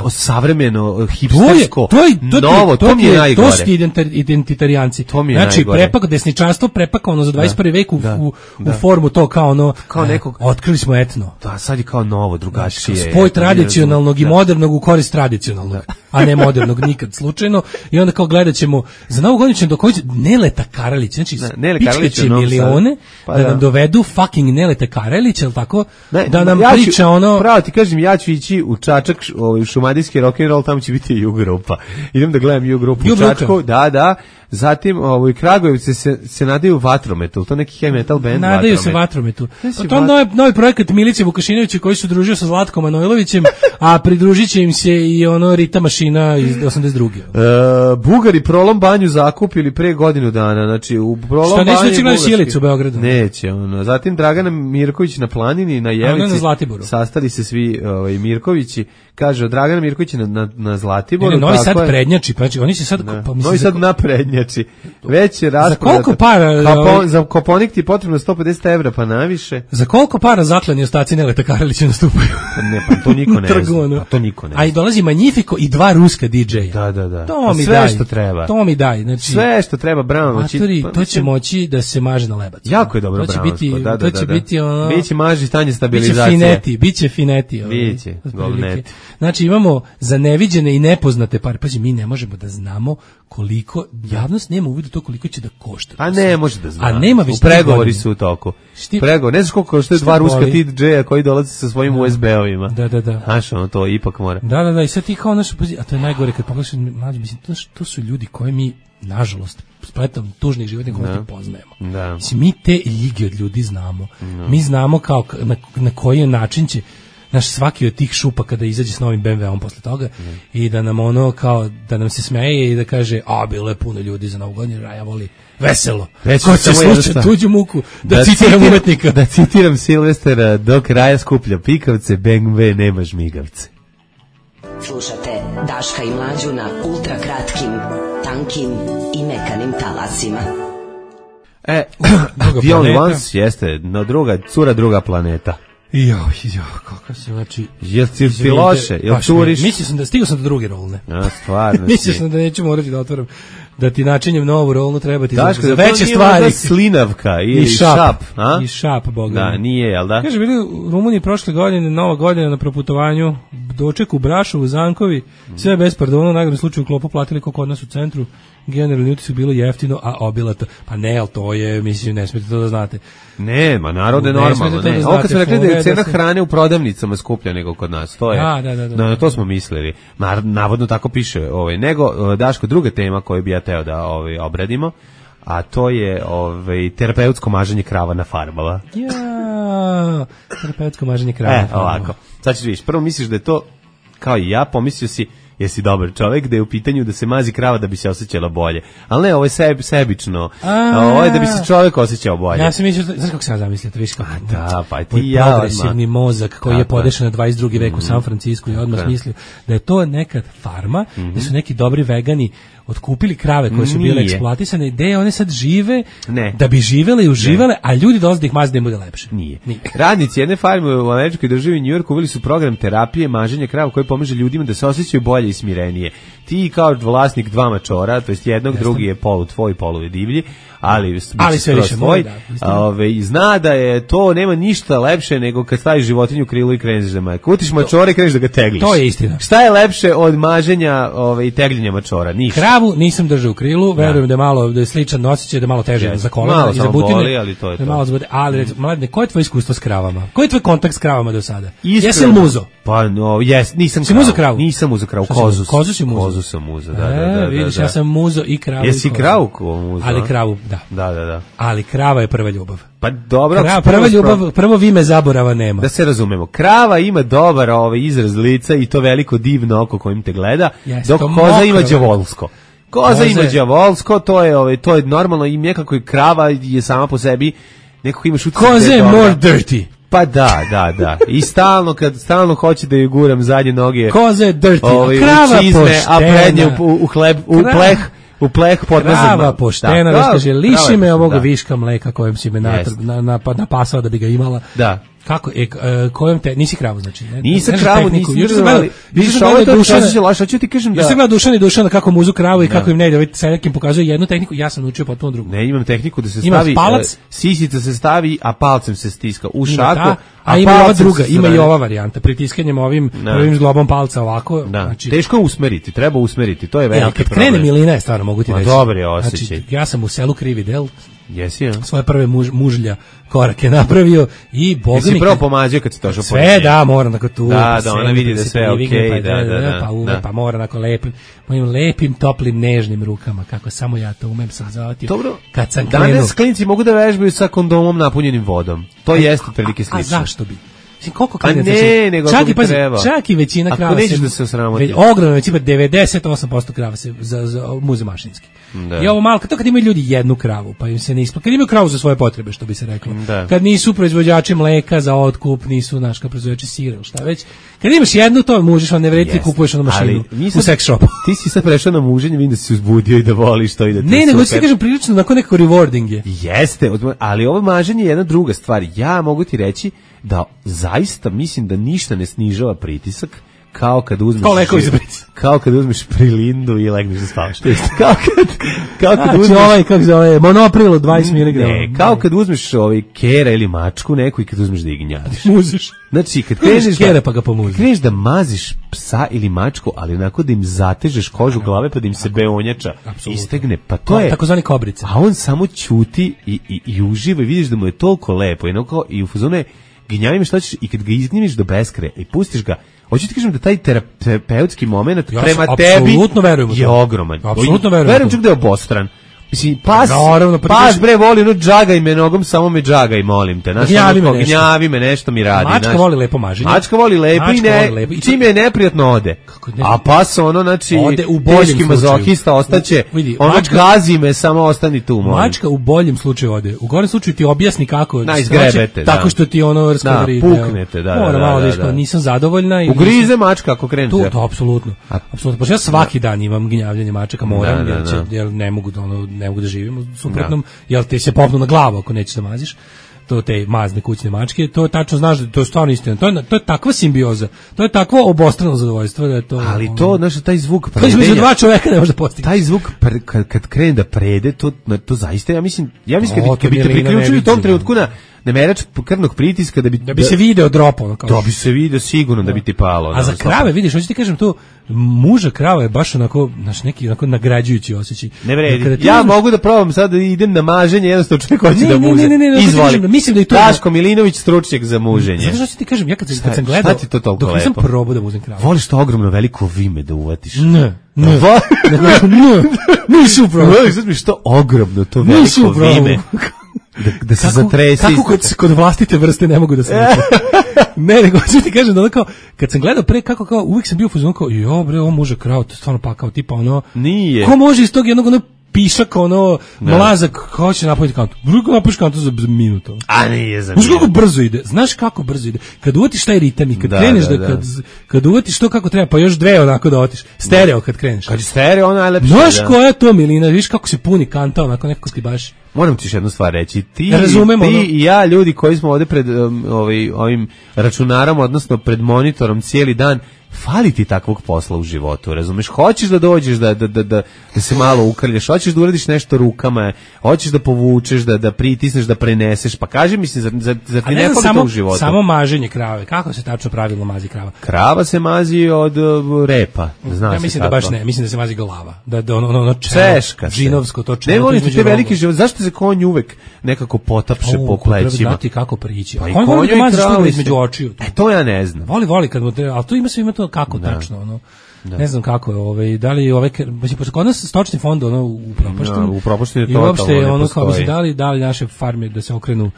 savremeno, hipstersko, novo, to mi je najgore. To su identitarijanci. Znači, desničarstvo prepakano za 21. vek u formu to kao nekog, otkrili smo etno. Da, sad je kao novo, drugačije. Spoj tradicionalnog i modernog u korist tradicionalnog, a ne modernog nikad slučajno. I onda kao gledat ćemo, za Novu godinu ćemo dokođe Neleta Karalić, znači pičkaće milione da nam dovedu fucking Neleta Karalić, jel tako? Da nam priča Pravo ti kažem, ja ću ići u Čačak, u šumadijski rock'n'roll, tamo će biti U-grupa. Idem da gledam U-grupu u Čačku, da. Zatim u Kragujevcu se nadaju Vatrometu, to neki heavy metal band. Nadaju se Vatrometu. To je novi projekat Milice Vukašinovića koji su družio sa Zlatkom Manojlovićem, a pridružit će im se i Rita Mašina iz 82. Bugari Prolom banju zakupili pre godinu dana, znači u Prolom banju... Što neće gledati Sjelicu u Beogradu? Neće, Zatim Dragana Mirković na Planini, na Jelici, sastali se svi Mirkovići, kaže Dragana Mirković na Zlatiboru. Novi Sad prednjači, pa oni se sad... Novi Sad naprednjači. Već je raspored. Za koliko para... Za Koponik ti je potrebno 150 evra, pa naviše. Za koliko para zaklani ostaci Neleta Karalića nastupaju? Ne, pa to niko ne zna. To niko ne zna. A i dolazi Magnifico i 2 ruska DJ-a. Da. To mi sve daj. Što treba. To mi daj. Znači, sve što treba, Brown. To će moći da se maže na lebac. Jako je dobro Brown. To će biti Biće maži stanje stabilizacije. Biće fineti. Biće, golneti. Znači imamo za neviđene i nepoznate pare. Pazi, mi ne možemo da znamo koliko, javnost nema uvidu to koliko će da košta. A ne može da zna. A nema već pregovori su u toku. Pregovori, ne znaš koliko košta 2 ruska DJ-a koji dolaze sa svojim USB-ovima. Da. Znaš, to ipak mora. Da, i sad ti kao naš, a to je najgore kad pogledaš, mlađe, mislim, to su ljudi koje mi, nažalost, spletom tužnih životnih okolnosti poznajemo. Mislim, mi te ljige od ljudi znamo. Mi znamo kao na koji način će naš svaki od tih šupa kada izađe s novim BMW-om posle toga i da nam kao da nam se smeje i da kaže bilo je puno ljudi za Novu godinu, a ja voli veselo. Ko će slušati tuđu muku, da citiram umetnika. Da citiram Silvestera, do kraja skuplja pikavce, BMW nema žmigavce. Slušate Daška i Mlađu na ultra kratkim, tankim i mekanim talasima. The Only Ones jeste cura druga planeta. Jo, kako se, znači... Jel ti loše? Jel turiš? Mislio sam da stigao sam do druge rolne. Stvarno. Mislio sam da neću morati da otvoram, da ti načinjem novu rolnu treba ti za veće stvari. Slinavka ili šap. I šap, boga. Da, nije, jel da? Kaže, bili u Rumuniji prošle godine, Nova godina na proputovanju, doček u Brašovu, Zankovi, sve bez pardona, u najgorem slučaju klopu platili kao kod nas u centru. Generalni utisak bilo jeftino, a obilato. Pa ne, ali to je, mislim, ne smijete to da znate. Nema, narod je normalno. Ne. Ovo kad smo rekli da je cena hrane u prodavnicama skuplja nego kod nas, to je. Da. To smo mislili. Navodno tako piše. Nego, Daško, druga tema koju bi ja teo da obradimo, a to je terapeutsko maženje krava na farbama. Terapeutsko maženje krava na farbama. Ovako. Sad ćeš vidiš, prvo misliš da je to, kao i ja, pomislio si jesi dobar čovjek, da je u pitanju da se mazi krava da bi se osjećala bolje. Ali ne, ovo je sebično. Ovo je da bi se čovjek osjećao bolje. Ja sam mislio, znaš kako sam zamislio, to viš kako. Da, pa ti ja progresivni mozak koji je podešen na 22. vek u San Francisku i odmah mislio da je to nekad farma, da su neki dobri vegani otkupili krave koje su bile eksploatisane, gde one sad žive, da bi živele i uživale, a ljudi dolaze da ih maze da im bude lepše. Nije. Radnici jedne farme u američkoj državi u Njujorku uveli su program terapije maženja krava koji pomaže ljudima da se osjećaju bolje i smirenije. Ti kao vlasnik dva mačora, to jest jednog, drugi je polu tvoj, polu je divlji, ali sve više svoj, zna da je to, nema ništa lepše nego kad staviš životinju u krilu i kreneš da maje. Kutiš mačora i kreneš da ga tegliš. To je istina. Šta je lepše od maženja i tegljenja mačora? Ništa. Kravu nisam držao u krilu, verujem da je sličan osjećaj, da malo teže za kolena i za butine. Boli, ali to je to. Malo zbode, ali mladine, koje je tvoje iskustvo s kravama? Koji je tvoj kontakt s kravama do sada? Jesi li muzo? Pa nisam si muzo kravu. Nisam muzo kravu, kozu si muzo. Kozu sam muzo, da. Vidiš, ja sam muzo i kravu. Jesi kravu muzo? Ali kravu, da. Da. Ali krava je prva ljubav. Pa dobro. Prva ljubav, prvo vime zaborava nema. Da se razumemo. Krava ima dobar izraz lica i to veliko divno oko kojim te gleda, dok koza ima đavolsko. Koza ima đavolsko, to je normalno i nekako i krava je sama po sebi nekako imaš utisak. Koza je more dirty. Pa da. I stalno hoće da joj guram zadnje noge. Koza je dirty, krava poštena. A prednje u pleh podmazan. Krava poštena, da kaže, liši me ovoga viška mleka kojem si me napasao da bi ga imala. Da. Kako, kojom te, nisi kravu, znači? Nisam kravu, vidiš, ovo je to što se laša, ću ti kažem da... Ja sam gledao Dušana kako muzu kravu i kako im ne ide, sa nekim pokazuje jednu tehniku, ja sam naučio potpuno drugu. Ne, imam tehniku da se stavi, sisica se stavi, a palcem se stiska u šaku, a ima ova druga, ima i ova varijanta, pritiskanjem ovim zglobom palca ovako. Znači, teško je usmeriti, treba usmeriti, to je veliki problem. Kad krene milina je stvarno, mogu ti reći. Dobar je osjećaj. Znači, ja sam u selu Krivi del, jesi, ja? Svoje prve mužlja korake napravio i boga mi... Jesi prvo pomađao kad si došao po sve, da, moram nakon tu. Da, ona vidi da sve je okej, pa mora nakon mojim lepim, toplim, nežnim rukama, kako samo ja to umem sam zavatio. Dobro, kad sam krenuo... danas klinci mogu da vežbaju sa kondomom napunjenim vodom. To jeste prilike slično. A zašto bi? Koliko čak i većina krava se... Ako nećeš da se osramoti. Ogromna većina, 98% krava se muze mašinski. I ovo malo, kad imaju ljudi jednu kravu, pa im se ne isplati. Kad imaju kravu za svoje potrebe, što bi se reklo. Kad nisu proizvođači mleka za otkup, nisu proizvođači sira ili šta već. Kad imaš jednu, to mužiš, on ne vredi, ti kupuješ onu mašinu u sex shopu. Ti si sad prešao na muženje, vidim da si uzbudio i da voliš to i da ti ne, nego ti kažem prilično, onako nekako rewarding je. Jeste, ali ovo maženje je jedna druga stvar. Ja mogu ti reći da zaista mislim da ništa ne snižava pritisak kao kad uzmeš prilindu i legneš da spavaš. Kao kad uzmeš kako zove monopril 20 mg. Ne, kao kad uzmeš kera ili mačku neku i kad uzmeš da ih gnjadiš. Muziš. Znači kad kreneš da maziš psa ili mačku, ali onako da im zatežeš kožu glave pa da im se beonjača istegne, pa to je takozvani kobrice. A on samo ćuti i uživa i vidiš da mu je toliko lepo i u fazonu je gnjavim šta ćeš i kad ga izgnjemiš do beskraja i pustiš ga, hoću ti kažem da taj terapeutski moment prema tebi je ogroman. Apsolutno verujem čak da je obostran. Mislim, pas bre voli, no džagaj me nogom, samo me džagaj, molim te. Gnjavi me, nešto mi radi. Mačka voli lepo maženje. Mačka voli lepo i čim je neprijatno ode. A pas ono, znači, teški mazohista ostaće, ono gazi me, samo ostani tu, molim. Mačka u boljem slučaju ode. U gorem slučaju ti objasni kako izgrebete, tako što ti ono raskovri. Puknete, da. Nisam zadovoljna. Ugrize mačka ako krenete. To, apsolutno. Pošto ja svaki dan imam gnjavljanje mačaka, moram, jer ne mogu da živim u suprotnom, jel te se popnu na glavu ako nećeš da maziš, to te mazne kućne mačke, to tačno znaš da to je stvarno istina, to je takva simbioza, to je takvo obostrano zadovoljstvo da je to... Ali to, znaš, taj zvuk predenja... To između dva čoveka ne može da postigne. Taj zvuk, kad krene da prede, to zaista, ja mislim kad bi te priključili u tom trenutku na merač krvnog pritiska da bi se video dropo, da bi se video sigurno da bi ti palo. A za krave, vidiš, hoću ti kažem to, muža krava je baš onako, znaš, neki onako nagrađujući osjećaj. Ne vredi. Ja mogu da probam sad da idem na maženje, jednostavno čovjek hoće da muže. Izvoli. Mislim da je to Daško Milinović, stručnjak za muženje. Zato što ti kažem, ja kad sam gledao, dok nisam probao da muzem kravu. Voliš to ogromno veliko vime da uvatiš? Ne, nisu probao. Sad mi što ogromno to veliko vime. Da se zatresi. Kako kod vlastite vrste ne mogu da se ne, nego ću ti kažem da kao, kad sam gledao pre kako kao, uvijek sam bio u fazonu kao, jo bre, ovo muže krao, to je stvarno pakao, tipa ono, nije. Ko može iz tog jednog ono pišak, ono, mlazak, ko će napraviti kantu? Drugo napraviš kantu za minutu. A nije za minutu. Znaš kako brzo ide? Kad uvatiš taj ritam i kad kreneš kad uvatiš to kako treba, pa još dve onako da otiš. Stereo kad kreneš. Kad je stereo, ono najlepše. Znaš koja je to milina, viš kako se puni kanta, onako nekako sklibaš. Moram ti još jednu stvar reći. Ti i ja, ljudi koji smo ovde pred ovim računarom, odnosno pred monitorom cijeli dan, fali ti takvog posla u životu, razumeš? Hoćeš da dođeš da se malo ukrljaš, hoćeš da uradiš nešto rukama, hoćeš da povučeš, da pritisneš, da preneseš, pa kaži mi se, zar ti ne fali to u životu? Samo maženje krave, kako se tačno pravilno mazi krava? Krava se mazi od repa, zna ja se mislim kako. da baš ne, mislim da se mazi glava, da ono češka se. Džinovsko to čelo. Ne volite te veliki život, zašto se konj uvek nekako potapše po plećima? Treba znati kako prići. Pa konj voli da mazi što između očiju. To ja ne znam. Voli kad mu ali to ima to kako tačno, ono. Ne znam kako je, da li pošto kod nas stočni fond ono u propaštini i uopšte ono kao bi se dali naše farme da se okrenu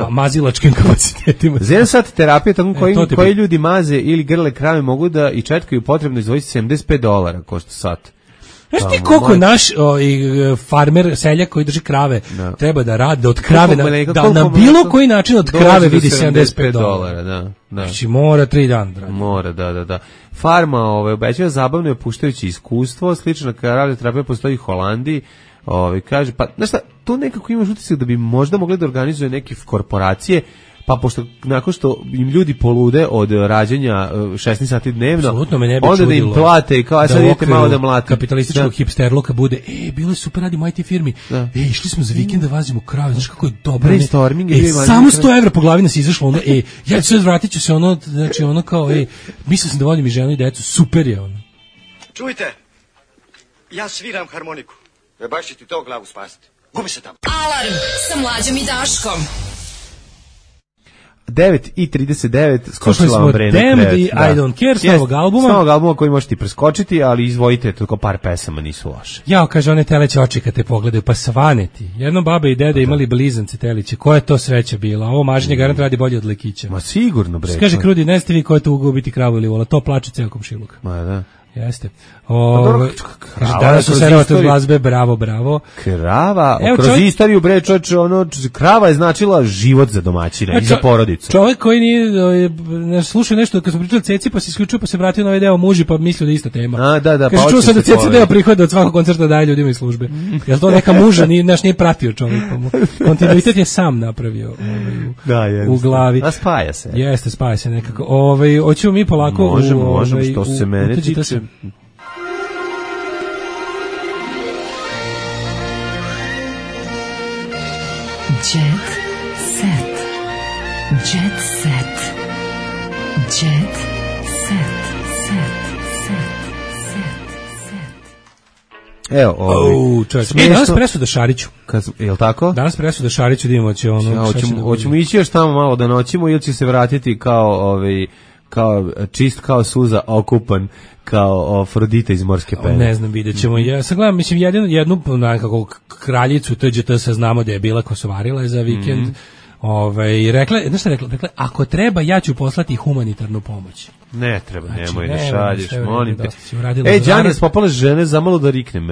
mazilačkim kapacitetima. Za jedan sat terapije tako koji ljudi maze ili grle krave mogu da i četkaju potrebno izdvojiti $75 košta sat. Znaš ti koliko naš farmer, seljak koji drži krave treba da radi od krave, da na bilo koji način od krave vidi $75. Da. Znači mora 3 dana. Mora, da. Farma obećava zabavno je puštajući iskustvo, slična radioterapija postoji u Holandiji. Kaže, pa znaš šta, tu nekako imaš utisak da bi možda mogli da organizuje neke korporacije, pa pošto nakon što im ljudi polude od rađenja 16 sati dnevno, onda da im plate i kao, sad idete malo da mlate. Kapitalističkog hipsterluka bude, bilo je super, radimo IT firmi, išli smo za vikend da vazimo krave, znaš kako je dobro. Brainstorming. Samo €100 po glavi nas izašlo, ono, ja ću se vratit ću se, ono, znači ono kao, mislio sam da volim i ženu i decu, super je ono. Čujte, ja sviram harmoniku. Baš će ti to glavu spasiti. Gubi se tamo. Alarm sa Mlađom i Daškom. 9:39 skočila vam Brena krevet. I don't care, s novog albuma. S novog albuma koji možete preskočiti, ali izvojite, toliko par pesama nisu loše. Jao, kaže, one teleće oči kad te pogledaju, pa svaneti. Jedno baba i deda imali blizance teliće. Koja je to sreća bila? Ovo maženje garant radi bolje od lekića. Ma sigurno, bre. Kaže Krudi, ne ste vi ko je to ugao biti kravu ili vola. To plače ceo komšiluk. Ma da. Jeste. Danas su serovate od glazbe, bravo. Krava, kroz istoriju, bre, čoče, krava je značila život za domaćina i za porodicu. Čovjek koji nije slušao nešto kad smo pričali Ceci, pa se isključio, pa se vratio na ovaj deo muži, pa mislio da je ista tema. Da. Kaže, čuo sam da Ceca deo prihoda od svakog koncerta daje ljudima iz službe. Jel to neka muža, nije pratio čovjek, pa mu kontinuitet je sam napravio u glavi. A spaja se. Jeste, spaja se nekako. Hoćemo mi polako možemo, što se mene tiče. Jet set. Jet set. Jet set. Evo, danas presuda Šariću. Jel tako? Danas presuda Šariću da imamo hoćemo ići još tamo malo da noćimo ili će se vratiti kao kao čist kao suza, okupan kao Afrodita iz Morske pene. Ne znam, vidjet ćemo. Ja sad gledam, mislim, jednu nekako kraljicu TGT znamo da je bila kosovarila je za vikend. Rekla, ako treba, ja ću poslati humanitarnu pomoć. Ne treba, nemoj da šalješ, molim te. Đani, spopale žene, zamalo da riknem.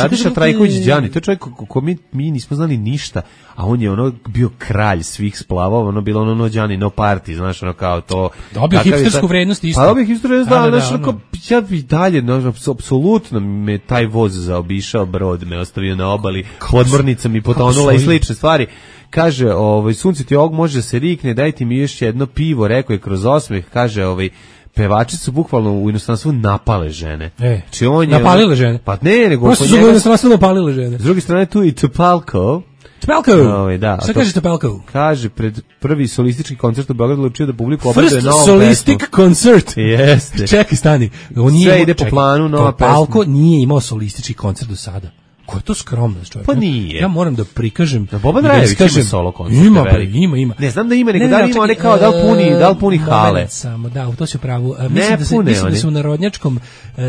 Radiša Trajković Đani, to je čovjek ko mi nismo znali ništa, a on je bio kralj svih splavova, ono bilo ono Đani, no party, znaš, ono kao to. Dobio hipstersku vrednost isto. Pa dobio hipstersku vrednost, znaš, ja bi dalje, apsolutno me taj voz zaobišao, brod me ostavio na obali, podmornica mi potonula i slične stvari. Kaže, sunce ti ovog može da se rikne, dajte mi još jedno pivo, rekao je kroz osmeh, kaže, pevači su bukvalno u inostranstvu napale žene. Napalile žene? Pa ne, nego... Prosto su u inostranstvu napalile žene. S druge strane tu i Topalko. Da, šta kaže Topalko? Kaže, pred prvi solistički koncert u Beogradu učio da publiku obraduje novom pesmu. First solistic concert. Jeste. Čekaj, stani. Sve ide po planu, nova pesma. Topalko nije imao solistički koncert do sada. Ko je to skromnost, čovjek? Pa nije. Ja moram da prikažem. Boban Drajević ima solo koncert. Ima. Ne znam da ima, nego da li ima kao da li puni hale. Samo, da, to se pravu. Mislim da su u narodnjačkom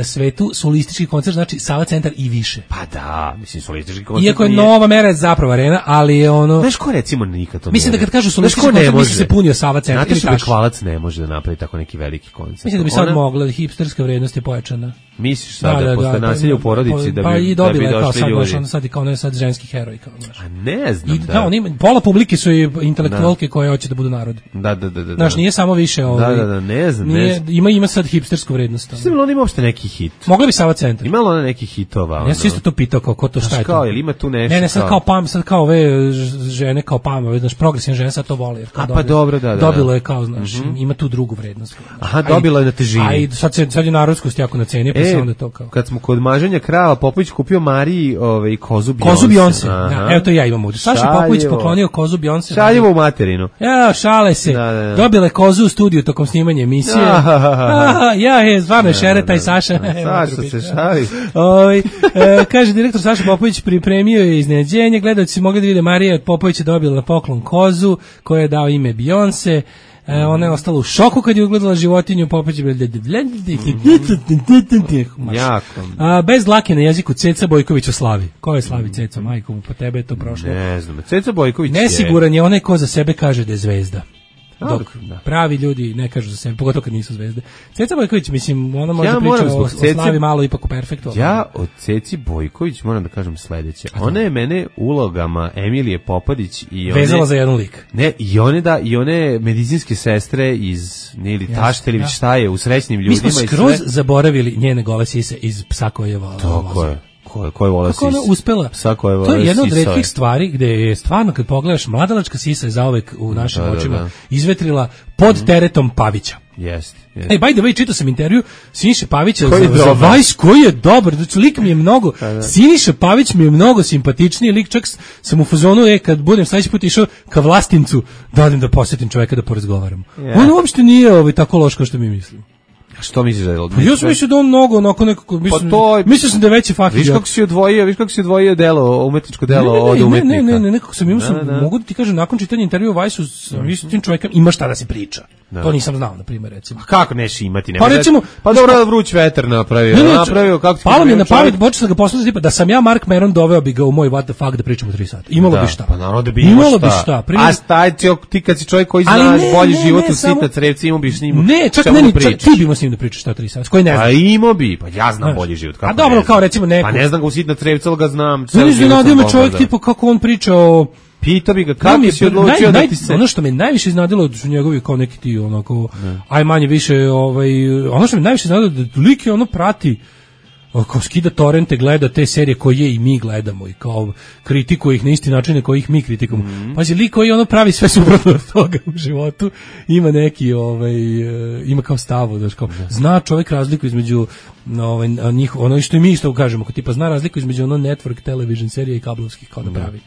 svetu solistički koncert, znači Sava centar i više. Pa da, mislim solistički koncert. Iako je Nova Mera zapravo arena, ali je ono... Znaš ko recimo nikad to ne... Mislim da kad kažu solistički koncert, misli se punio Sava centar. Znate što Bekvalac ne može da napravi tako neki veliki koncert? Mislim da bi sad mogla, hipsterska vrednost je pojačana. Misliš sada, posle nasilja u porodici da bi došli ljudi? Sad kao ne sad ženski heroj kao znaš. A ne znam. Da, oni pola publike su i intelektualke koje hoće da budu narod. Da. Znaš, nije samo više Da, ne znam. Ima sad hipstersku vrednost. Mislim li on ima uopšte neki hit? Mogla bi Sava centar. Imalo ona neki hitova. Ja sam isto to pitao kao ko to šta je to. Ili ima tu nešto. Ne, sad kao ove žene kao znaš, progresivne žene sad to vole. Pa dobro, da. Dobilo je kao, znaš, ima tu drugu vrednost. Aha, dobilo je na težini. A sad je narodskost jako na ceni, pa se onda to kao. Kad smo kod maženja krava, Popović kupio Mariji kozu Beyoncé. Da, evo to ja imam ovdje. Saša Popović poklonio kozu Beyoncé. Šaljivo u materinu. Ja, šale se. Dobile kozu u studiju tokom snimanja emisije. Stvarno je šereta i Saša. Saša se šali. Kaže direktor Saša Popović pripremio je iznenađenje. Gledalci su mogli da vide Marija Popović je dobila na poklon kozu koja je dao ime Beyoncé. Ona je ostala u šoku kad je ugledala životinju, Popović je bez dlake na jeziku. Ceca Bojković o slavi. Ko je slavi Ceca, majko mu, po tebe je to prošlo. Ne znam, Ceca Bojković nesiguran je onaj ko za sebe kaže da je zvezda. Dok pravi ljudi ne kažu za sebe, pogotovo kad nisu zvezde. Ceca Bojković, mislim, ona može da priča o slavi malo ipak u perfektu. Ja od Ceci Bojković moram da kažem sledeće. Ona je mene ulogama Emilije Popadić i vezala za jedan lik. Ne, i one medicinske sestre iz Nili Taštelić, šta je, u Srećnim ljudima. Mi smo skroz zaboravili njene gole sise iz Psa koje je volao. Tako je. Koje vole kako ona uspela? To je jedna od retkih stvari gde je stvarno kad pogledaš mladalačka sisa je zauvek u našim očima izvetrila pod teretom Pavića. Jeste. By the way, čitao sam intervju Siniše Pavića za Vice, koji je dobar, znači lik mi je mnogo, Siniša Pavić mi je mnogo simpatičniji lik, čak sam u fazonu, kad budem sledeći put išao ka Vlastincu, da odem da posjetim čoveka da porazgovaram. On uopšte nije tako loš kao što mi mislimo. Što misliš da je odlično? Ja sam mislio da on mnogo onako nekako, mislio sam da je veći fakir. Viš kako si odvojio delo, umetničko delo od umetnika. Ne, nekako sam imao, mogu da ti kažem, nakon čitanja intervjua u Vajsu, s tim čovjekom ima šta da se priča. To nisam znao, na primjer, recimo. A kako neš imati? Pa recimo... Pa dobro, vruć vetar napravio. Palo mi je na pamet, počeo sam ga poslati tipa, da sam ja Mark Maron doveo bi ga u moj What the fuck da pričamo 3 sata. Imalo bi šta. Pa naravno da bi imalo šta. A staj ti kad si čovjek koji zna bolji život u sitna crevci, imao bi s njim. Ne, čak ti bi imao s njim da pričaš ta 3 sata. Koji ne znam. A imao bi, pa ja znam bolji život. A dobro, kao recimo neko. Pa ne znam ga u sitna crevca, ali ga znam. Ne znam me čovjek tipa kako on priča o... Pitao bi ga kako si odlučio da ti se... Ono što me najviše iznadilo su njegovi kao neki ti onako, aj manje više, ono što me najviše iznadilo da lik je ono prati, kao skida torrente, gleda te serije koje i mi gledamo i kao kritikuje ih na isti način na koji ih mi kritikujemo. Pazi, lik koji ono pravi sve suprotno od toga u životu, ima neki, ima kao stavu, da kao, zna čovjek razliku između njih, ono što i mi isto kažemo, kao tipa zna razliku između ono network television serije i kablovskih kao da pravi.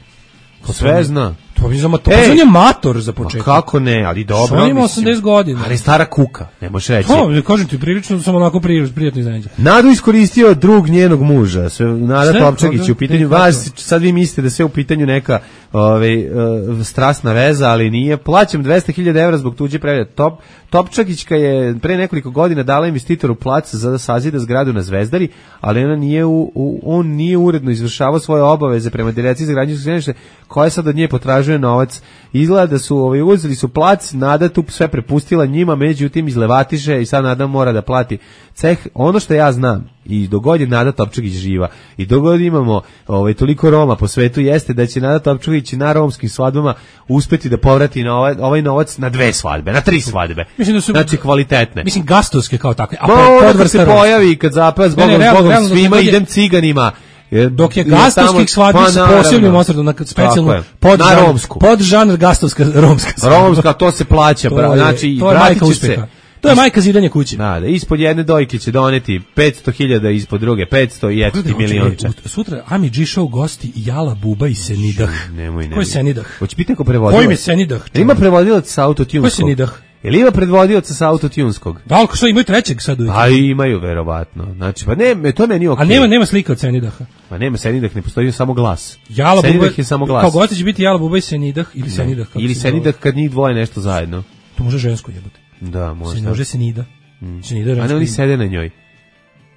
Sve zna. on je mator za početak. Kako ne, ali dobro. On ima 80 godina. Ali stara kuka, ne možeš reći. Kažem ti, prilično sam onako prijatno iznenađen. Nadu iskoristio drug njenog muža. Nada Topčagić u pitanju. Sad vi mislite da sve u pitanju neka strasna veza, ali nije. Plaćam 200.000 evra zbog tuđe prevede. Topčagićka je pre nekoliko godina dala investitoru plac za da sazida zgradu na Zvezdari, ali on nije uredno izvršavao svoje obaveze prema Direkciji za građevinsko zemljište, koja sad od nje potražuje novac. Izgleda da su uzeli su plac, Nada tu sve prepustila njima, međutim izlevatiše i sad Nada mora da plati ceh. Ono što ja znam, i dogod je Nada Topčagić živa, i dogod imamo toliko Roma po svetu, jeste da će Nada Topčagić na romskim svadbama uspeti da povrati na ovaj novac na 2 svadbe, na 3 svadbe. Znači kvalitetne. Mislim gastovske kao takve. A podvrsta se pojavi kad zapad zbogom svima idem ciganima. Dok je gastovskih svadbi sa posebnim osredom na specijalnu podžanr gastovska romska. Romska, to se plaća, znači to je majka uspeha. To je majka zidanja kuće. Da, ispod jedne dojke će doneti 500.000, ispod druge 500 i eto ti milionče. Sutra Ami G Show gosti Jala Buba i Senidah. Nemoj. Ko je Senidah? Hoće biti neko prevodilac. Ko im je Senidah? Ima prevodilac sa autotunskog. Ko je Senidah? Jel ima predvodioca sa autotunskog? Da, ali što imaju trećeg sad uvijek? A imaju, verovatno. Znači, pa ne, to meni okej. A nema slika od Senidaha? Pa nema Senidah, ne postoji samo glas. Senidah je samo glas. Kao gosti će biti Jala Buba i Senidah ili Senidah. Ili Senidah kad njih dvoje nešto zajedno. To može žensko jebote. Da, možda. Može Senida. A ne, oni sede na njoj.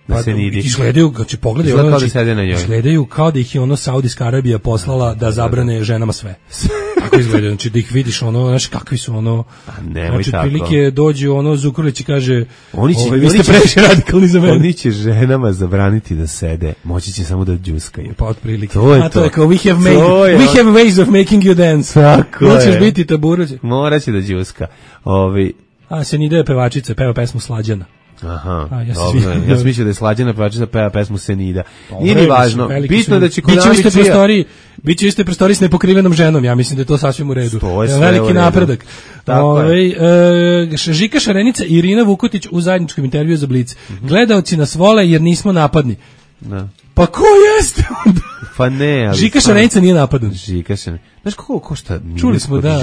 Da se nidi. Izgledaju, znači pogledaju, kao da sede na njoj. Izgledaju kao da ih je Saudijska Arabija poslala da zabrane ženama sve. Tako izgledaju, znači da ih vidiš znaš kakvi su znači prilike dođu Zukorlić i kaže vi ste previše radikalni za mene. Oni će ženama zabraniti da sede, moći će samo da džuskaju. Pa otprilike. To je kao we have ways of making you dance. Tako je. Hoćeš biti taburođe. Moraće da džuska. Senida je pevačica, peva pesmu Slađana. Aha, ja sam mislio da je Slađana pevačica peva pesmu Senida. Nije ni važno, bitno je da će biće u istoj prostoriji s nepokrivenom ženom, ja mislim da je to sasvim u redu. Veliki napredak. Žika Šarenica i Irina Vukotić u zajedničkom intervjuu za Blic. Gledaoci nas vole jer nismo napadni. Da. Pa ko jeste onda? Pa ne, ali... Žika Šarenica nije napadan. Žika Šarenica. Znaš koliko košta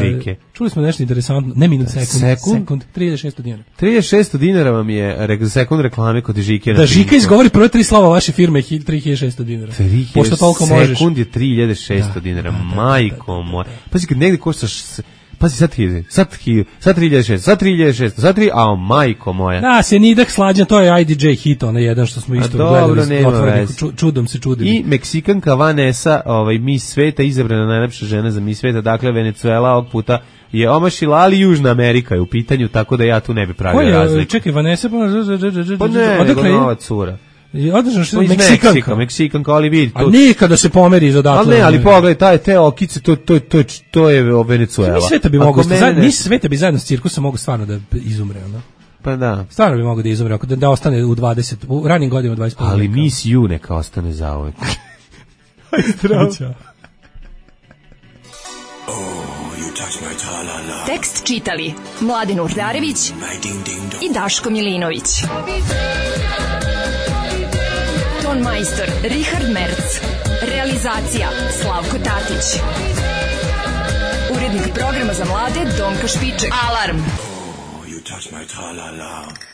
Žike? Čuli smo nešto interesantno. Ne minut, sekund. 3600 dinara. 3600 dinara vam je sekund reklame kod Žike. Da, Žika izgovori prve 3 slova vaše firme 3600 dinara. Pošto toliko možeš. Sekund je 3600 dinara. Majko moja. Pazi, kad negdje koštaš... Pazi, sad 3600, sad 3, a majko moja. Da, Senidah Slađan, to je IDJ hit, onaj jedan što smo isto gledali, čudom se čudili. I Meksikanka Vanessa, Miss Sveta, izabrana najlepša žena za Miss Sveta, dakle Venezuela ovog puta je omašila, ali Južna Amerika je u pitanju, tako da ja tu ne bi pravio razliku. Čekaj, Vanessa, pa ne, nego nova cura. Održano što je Meksikanka, ali vidi. A nikada se pomeri iz odatle. Ali pogledaj, te okice, to je Venezuela. Miss Sveta bi zajedno s cirkusom mogu stvarno da izumre, Pa da. Stvarno bi mogo da izumre, da ostane u 20, u ranim godinama 25. Ali Miss You neka ostane za uvek. Tekst čitali Mladen Urdarević i Daško Milinović. Ton majstor Richard Merc. Realizacija Slavko Tatić. Urednik programa za mlade Donka Špiček. Alarm! You touch my tra-la-la.